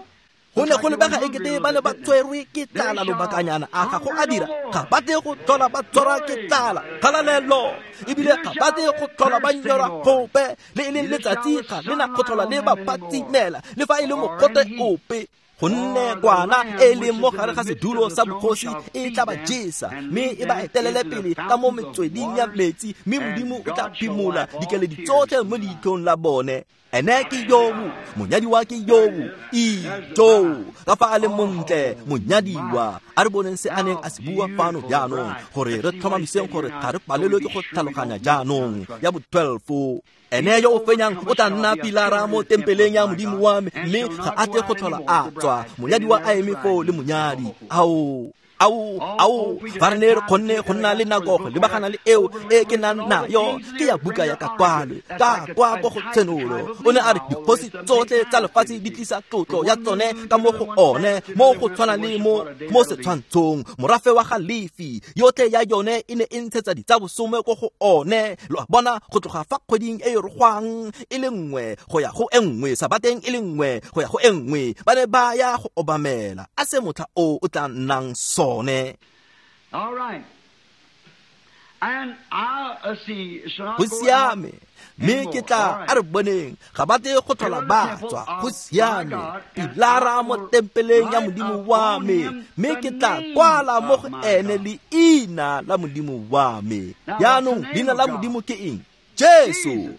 Go ne go lebega ekete ba ne ba tshwerwe ke tlala lobakanyana, a ga go a dira? Ga ba tle go tlhola ba tshwarwa ke tlala, kgalalelo, ebile ga ba tle go tlhola ba nyorwa gope, le e leng letsatsi ga le na go tlhola le ba phatsimela, le fa e le mogote ope. Gonne kwana e leng mo gare ga sedulo sa bogosi e tla ba jesa, mme e ba etelele pele ka mo metsweding ya metsi, mme Modimo o tla phimola dikeledi tsotlhe mo leitlhong la bone. Ene ke yobu, monyadiwa ke yobu, ijo, ka fa a le montle, monyadiwa. A re boneng se a neng a se bua fano jaanong, gore re tlhomamiseng gore ga re palelwe ke go tlhaloganya jaanong. Ya bo 12. Ene yo o fenyang o tla nna pilara mo tempeleng ya Modimo wa me, mme ga a tle go tlhola a tswa. Monyadiwa a eme foo le monyadi. Ao, ao, ao, fa re ne re kgonne go nna le nako go lebagana le eo e ke nang nayo, ke ya buka ya ka kwalo, ka kwa ko go Tshenolo. O ne a re dikgosi tsotlhe tsa lefatshe di tlisa tlotlo ya tsone ka mo go one, mo go tshwana le mo setshwantshong. Morafe wa ga Lefi, yotlhe ya yone e ne e ntshetsa ditsabosome ko go one. Lo a bona, go tloga fa kgweding e e rogwang e le nngwe go ya go e nngwe, sabateng e le nngwe go ya go e nngwe, ba ne ba ya go obamela. A se motlha o o tla nnang sone. All right. And I see, go siame, mme ke tla a re boneng ga ba tle go tlhola ba tswa. Go siame, pilara mo tempeleng ya Modimo wa me, mme ke tla kwala mo go ene leina la Modimo wa me. Jaanong leina la Modimo ke eng? Jesu.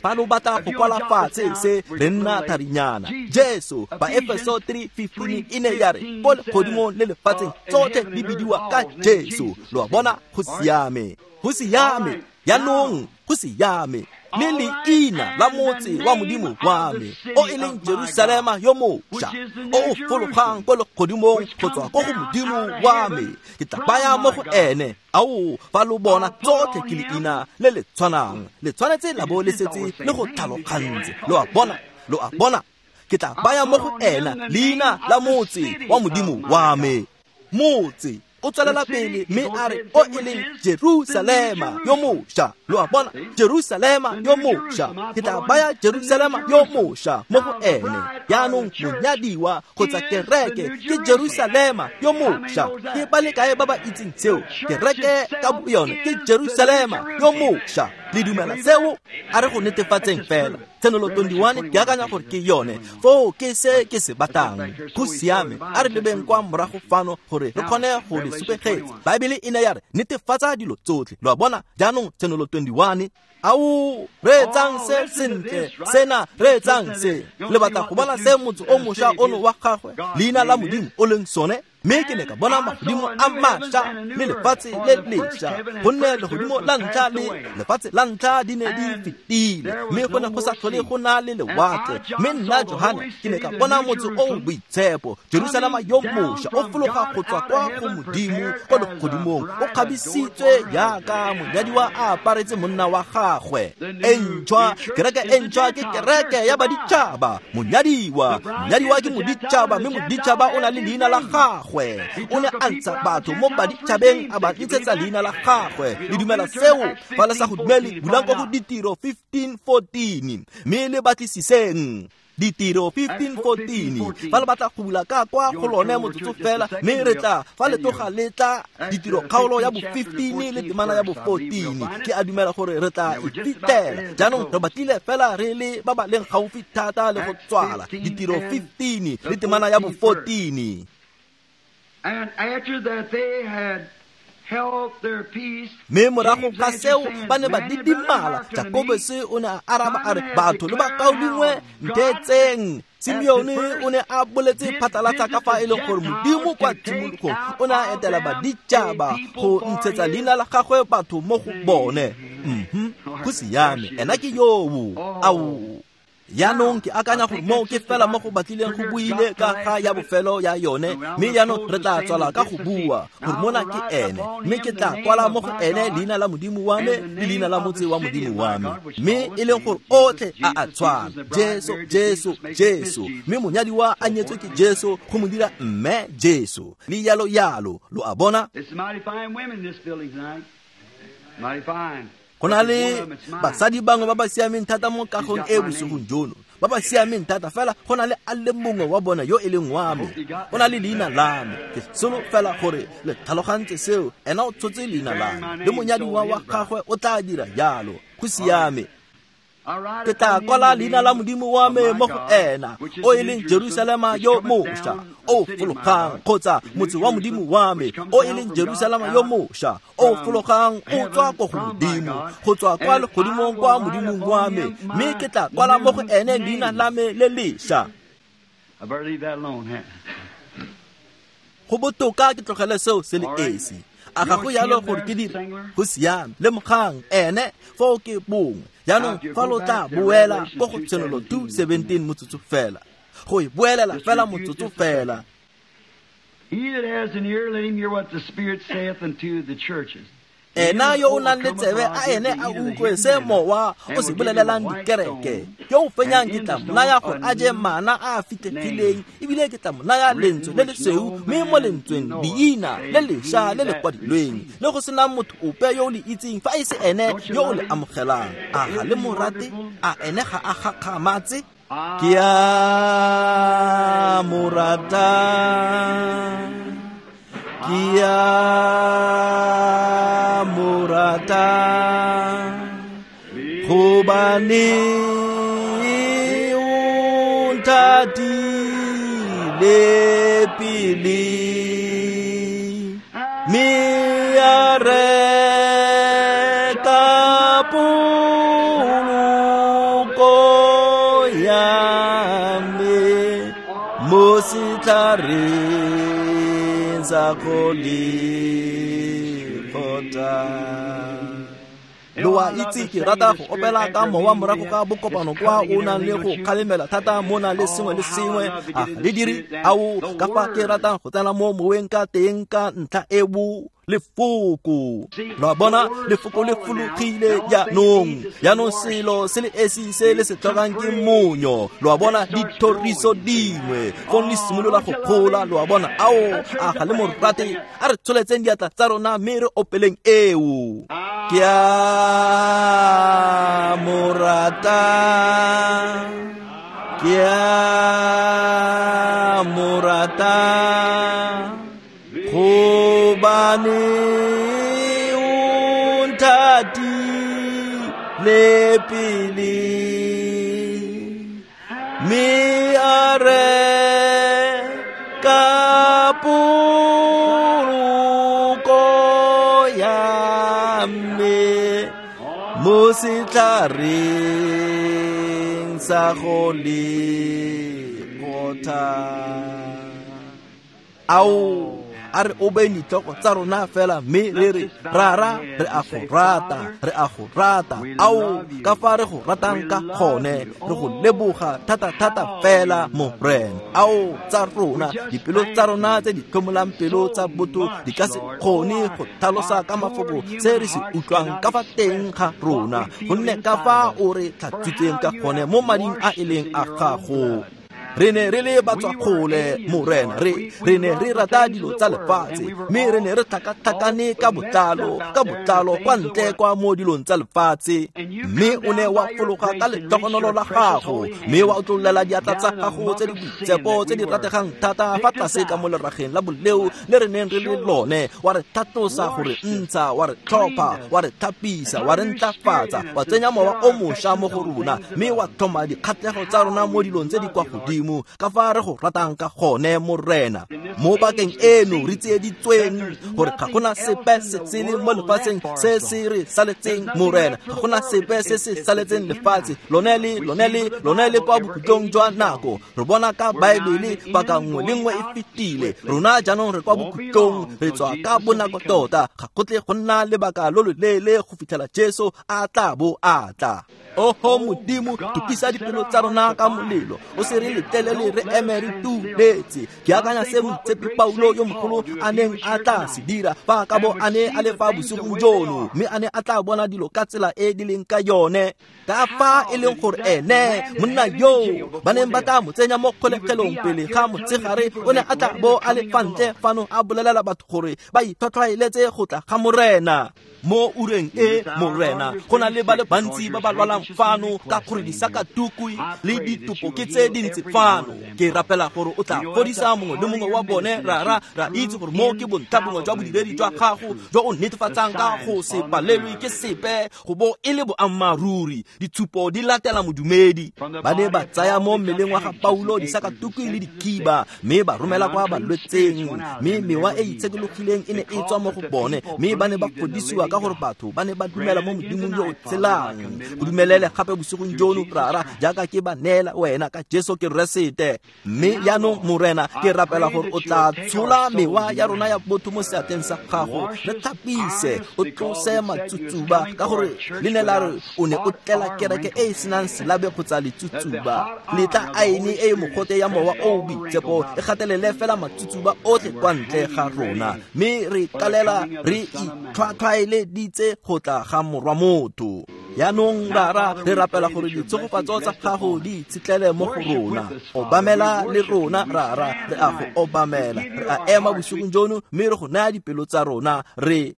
Fa lo batla go kwala fatshe se re nna tharinyana. Jesu, ba Efeso 3:15 e ne ya re ko legodimong le lefatsheng tsotlhe di bidiwa ka Jesu. Lo a bona, go siame, go siame, jaanong go siame. Le leina la motse wa Modimo wa me, o e leng Jerusalema yo mošwa, o o fologang ko legodimong go tswa ko go Modimo wa me, ke tla baya mo go ene. Ao, fa lo bona tsotlhe ke leina le le tshwanang, le tshwanetse la bo le setse le go tlhalogantse. Lo a bona, lo a bona, ke tla baya mo go ena leina la motse wa Modimo wa me. Motse o tswelela pele mme a re o e leng Jerusalema yo mošwa. Lo a bona, Jerusalema yo mošwa, ke tla baya Jerusalema yo mošwa mo go ene. Jaanong monyadiwa kgotsa kereke ke Jerusalema yo mošwa. Ke ba le kae ba ba itseng seo? Kereke ka boyone ke Jerusalema yo mošwa. Le dumela seo? A re go netefatseng fela. Tshenolo 21 ke akanya gore ke yone. Foo ke se ke se batlang. Go siame, a re lebeng kwa morago fano gore re kgone go le supegetsa. Baebele e ne ya re netefatsa dilo tsotlhe. Lo a bona, jaanong Tshenolo 21. Ao, reetsang se sentle, sena reetsang se. Le batla go bona se motse o mošwa ono wa gagwe, leina la Modimo o leng sone? Mme ke ne ka bona magodimo a mašwa le lefatshe le lešwa, gonne legodimo la ntlha le lefatshe la ntlha di ne di fetile, mme go ne go sa tlhole go na le lewatle. Mme nna Johane ke ne ka bona motse o o boitshepo, Jerusalema yo mošwa, o fologa go tswa kwa go Modimo kwa legodimong, o kgabisitswe jaaka monyadiwa a aparetse monna wa gagwe. E ntšhwa, kereke e ntšhwa ke kereke ya baditšhaba. Monyadiwa, monyadiwa ke moditšhaba, mme moditšhaba o na le leina la gagwe. O ne a ntsha batho mo baditšhabeng a ba ntshetsa leina la gagwe. Le dumela seo? Fa le sa go dumele, bulang ko go Ditiro 15:14, mme le batlisiseng. Ditiro 15:14. Fa le batla go bula ka kwa go lone motsotso fela, mme re tla fa le tloga le tla Ditiro kgaolo ya bo 15 le temana ya bo 14. Ke a dumela gore re tla e fitlhela. Jaanong re batlile fela re le ba ba leng gaufi thata le go tswala. Ditiro 15 le temana ya bo 14. And after that they had held their peace, mme morago ga seo ba ne ba didimala. Jakobose o ne a araba a re, batho le bakaulengwe, ntheetseng. Simeone o ne a boletse phatlalatsa ka fa e leng gore Modimo kwa tshimologong o ne a etela baditšhaba go ntshetsa leina la gagwe batho mo go bone. Go siame, ena ke yoo. Ao, Jaanong ke akanya gore moo ke fela mo go batlileng go buile ka ga ya bofelo ya yone, mme jaanong re tla tswala ka go bua gore mona ke ene, mme ke tla kwala mo go ene leina la Modimo wa me le leina la motse wa Modimo wa me, mme e leng gore otlhe a a tshwana. Jesu, Jesu, Jesu, mme monyadiwa a nyetswe ke Jesu go mo dira mme Jesu, le yalo yalo. Lo a bona? Go na le basadi bangwe ba ba siameng thata mo kagong e bosigong jono, ba ba siameng thata fela go na le a le mongwe wa bona yo e leng wa me, o na le leina la me. Ke solo fela gore le tlhalogantse seo, ena o tshotse leina la me, le monyadiwa wa gagwe o tla dira jalo. Go siame. Ke tla kwala leina la Modimo wa me mo go ena, o e leng Jerusalema yo mošwa, o fologang, kgotsa motse wa Modimo wa me, o e leng Jerusalema yo mošwa, o fologang o tswa ko go Modimo, go tswa kwa legodimong kwa Modimong wa me, mme ke tla kwala mo go ene leina la me le lešwa. Go botoka ke tlogele seo se le esi. A ga go yalo gore ke dire? Go siame. Lemogang ene foo ke bongwe. Jaanong fa lo tla boela ko go Tshenolo 2:17 motsotso fela, go e boelela fela motsotso fela. Ena yo o nang le tsebe a ene a utlwe se mowa o se bolelelang dikereke. Yo o fenyang ke tla mo naya gore a je mana a a fitlhegileng, ebile ke tla mo naya lentswe le lesweu, mme mo lentsweng leina le lešwa le le kwadilweng, le go senang motho ope yo o le itseng fa e se ene yo o le amogelang. A ga le mo rate? A ene ga a gakgamatse? Ke a mo rata, ke a mo rata, gobane o nthatile pele, mme a reka poloko ya me mo setlhareng sa Golgotha. Lo a itse ke rata go opela ka mowa morago ga bokopano kwa o nang le go kgalemela thata mo nang le sengwe le sengwe. A le dire ao ka fa ke ratang go tsena mo moweng ka teng ka ntlha eo. Lefoko, lo a bona, lefoko le fologile jaanong. Jaanong selo se le esi se le se tlhokang ke monyo. Lo a bona, dithoriso dingwe fong le simolola go gola. Lo a bona, ao a ga le mo rate? A re tsholetseng diatla tsa rona mme re opeleng eo. Ke a mo rata, ke a mo rata, gobane o nthatile pele, mme a reka poloko ya me mo setlhareng sa Golgotha. Ao, a re obeng ditlhoko tsa rona fela mme re re, Rara, re a go rata, re a go rata. Ao, ka fa re go ratang ka gone, re go leboga thata-thata fela, Morena. Ao, tsa rona, dipelo tsa rona tse di tlhomolang pelo tsa botho di ka se kgone go tlhalosa ka mafoko se re se utlwang ka fa teng ga rona, gonne ka fa o re tlhatswitseng ka gone mo mading a e leng a gago. Re ne re le batswakgole, Morena, re ne re rata dilo tsa lefatshe, mme re ne re tlhakatlhakane ka botlalo kwa ntle kwa mo dilong tsa lefatshe. Mme o ne wa fologa ka letlhogonolo la gago, mme wa otlololela diatla tsa gago tse di boitshepo tse di rategang thata fa tlase ka mo lerageng la boleo le re neng re le lone, wa re tlhatlosa go re ntsha, wa re tlhopha, wa re thapisa, wa re ntlafatsa, wa tsenya mowa o mošwa mo go rona, mme wa tlhoma dikgatlhego tsa rona mo dilong tse di kwa godimo. Ka fa re go ratang ka gone, Morena. Mo bakeng eno re tsieditsweng gore ga gona sepe se se le mo lefatsheng se se re saletseng, Morena. Ga gona sepe se se saletseng lefatshe lone le kwa bokhutlong jwa nako. Re bona ka Baebele paka nngwe le nngwe e fetile. Rona jaanong re kwa bokhutlong, re tswa ka bonako tota. Ga go tle go nna lebaka lo loleele go fitlhela Jesu a tla bo a tla. Oho Modimo, tukisa dipelo tsa rona ka molelo, o se re letlelele re eme re tuletse. Ke akanya se moitshepi Paulo yo mogolo a neng a tla se dira fa ka bo a ne a le fa bosigong jono, mme a ne a tla bona dilo ka tsela e di leng ka yone. Ka fa e leng gore ene monna yo ba neng ba tla mo tsenya mo kgolegelong pele ga motshegare, o ne a tla bo a le fa ntle fano a bolelela batho gore ba itlhwatlhwaeletse go tla ga Morena. Mo ureng e, Morena, go na le ba le bantsi ba ba lwalang fano ka gore disakatukwi le ditopo ke tse dintsi fano. kwano. Ke rapela gore o tla fodisa mongwe le mongwe wa bone, Rara. Ra itse gore mo ke bontlhabongwe jwa bodiredi jwa gago jo o netefatsang ka go se palelwe ke sepe go bo e le boammaaruri. Ditshupo di latela modumedi. Ba ne ba tsaya mo mmeleng wa ga Paulo disakatukwi le dikiba, mme ba romela kwa balwetseng, mme mewa e itshekologileng e ne e tswa mo go bone, mme ba ne ba fodisiwa ka gore batho ba ne ba dumela mo Modimong yo o tshelang. Go dumelele gape bosigong jono, Rara, jaaka ke ba neela wena ka Jesu Keresete. Mme jaanong, Morena, ke rapela gore o tla tshola mewa ya rona ya botho mo seatleng sa gago, re tlhapise, o tlose matsutsuba, ka gore le ne la re o ne o tlela kereke e e senang selabe kgotsa letsutsuba. Letla aene e e mogote ya mowa o o boitshepo e gatelele fela matsutsuba otlhe kwa ntle ga rona, mme re kalela re itlhwatlhwaeleditse go tla ga Morwa motho. Jaanong, Rara, re rapela gore ditshegofatso tsa gago di itshetlele mo go rona. Obamela le rona, Rara, re a go obamela. Re a ema bosigong jono mme re go naya dipelo tsa rona. Re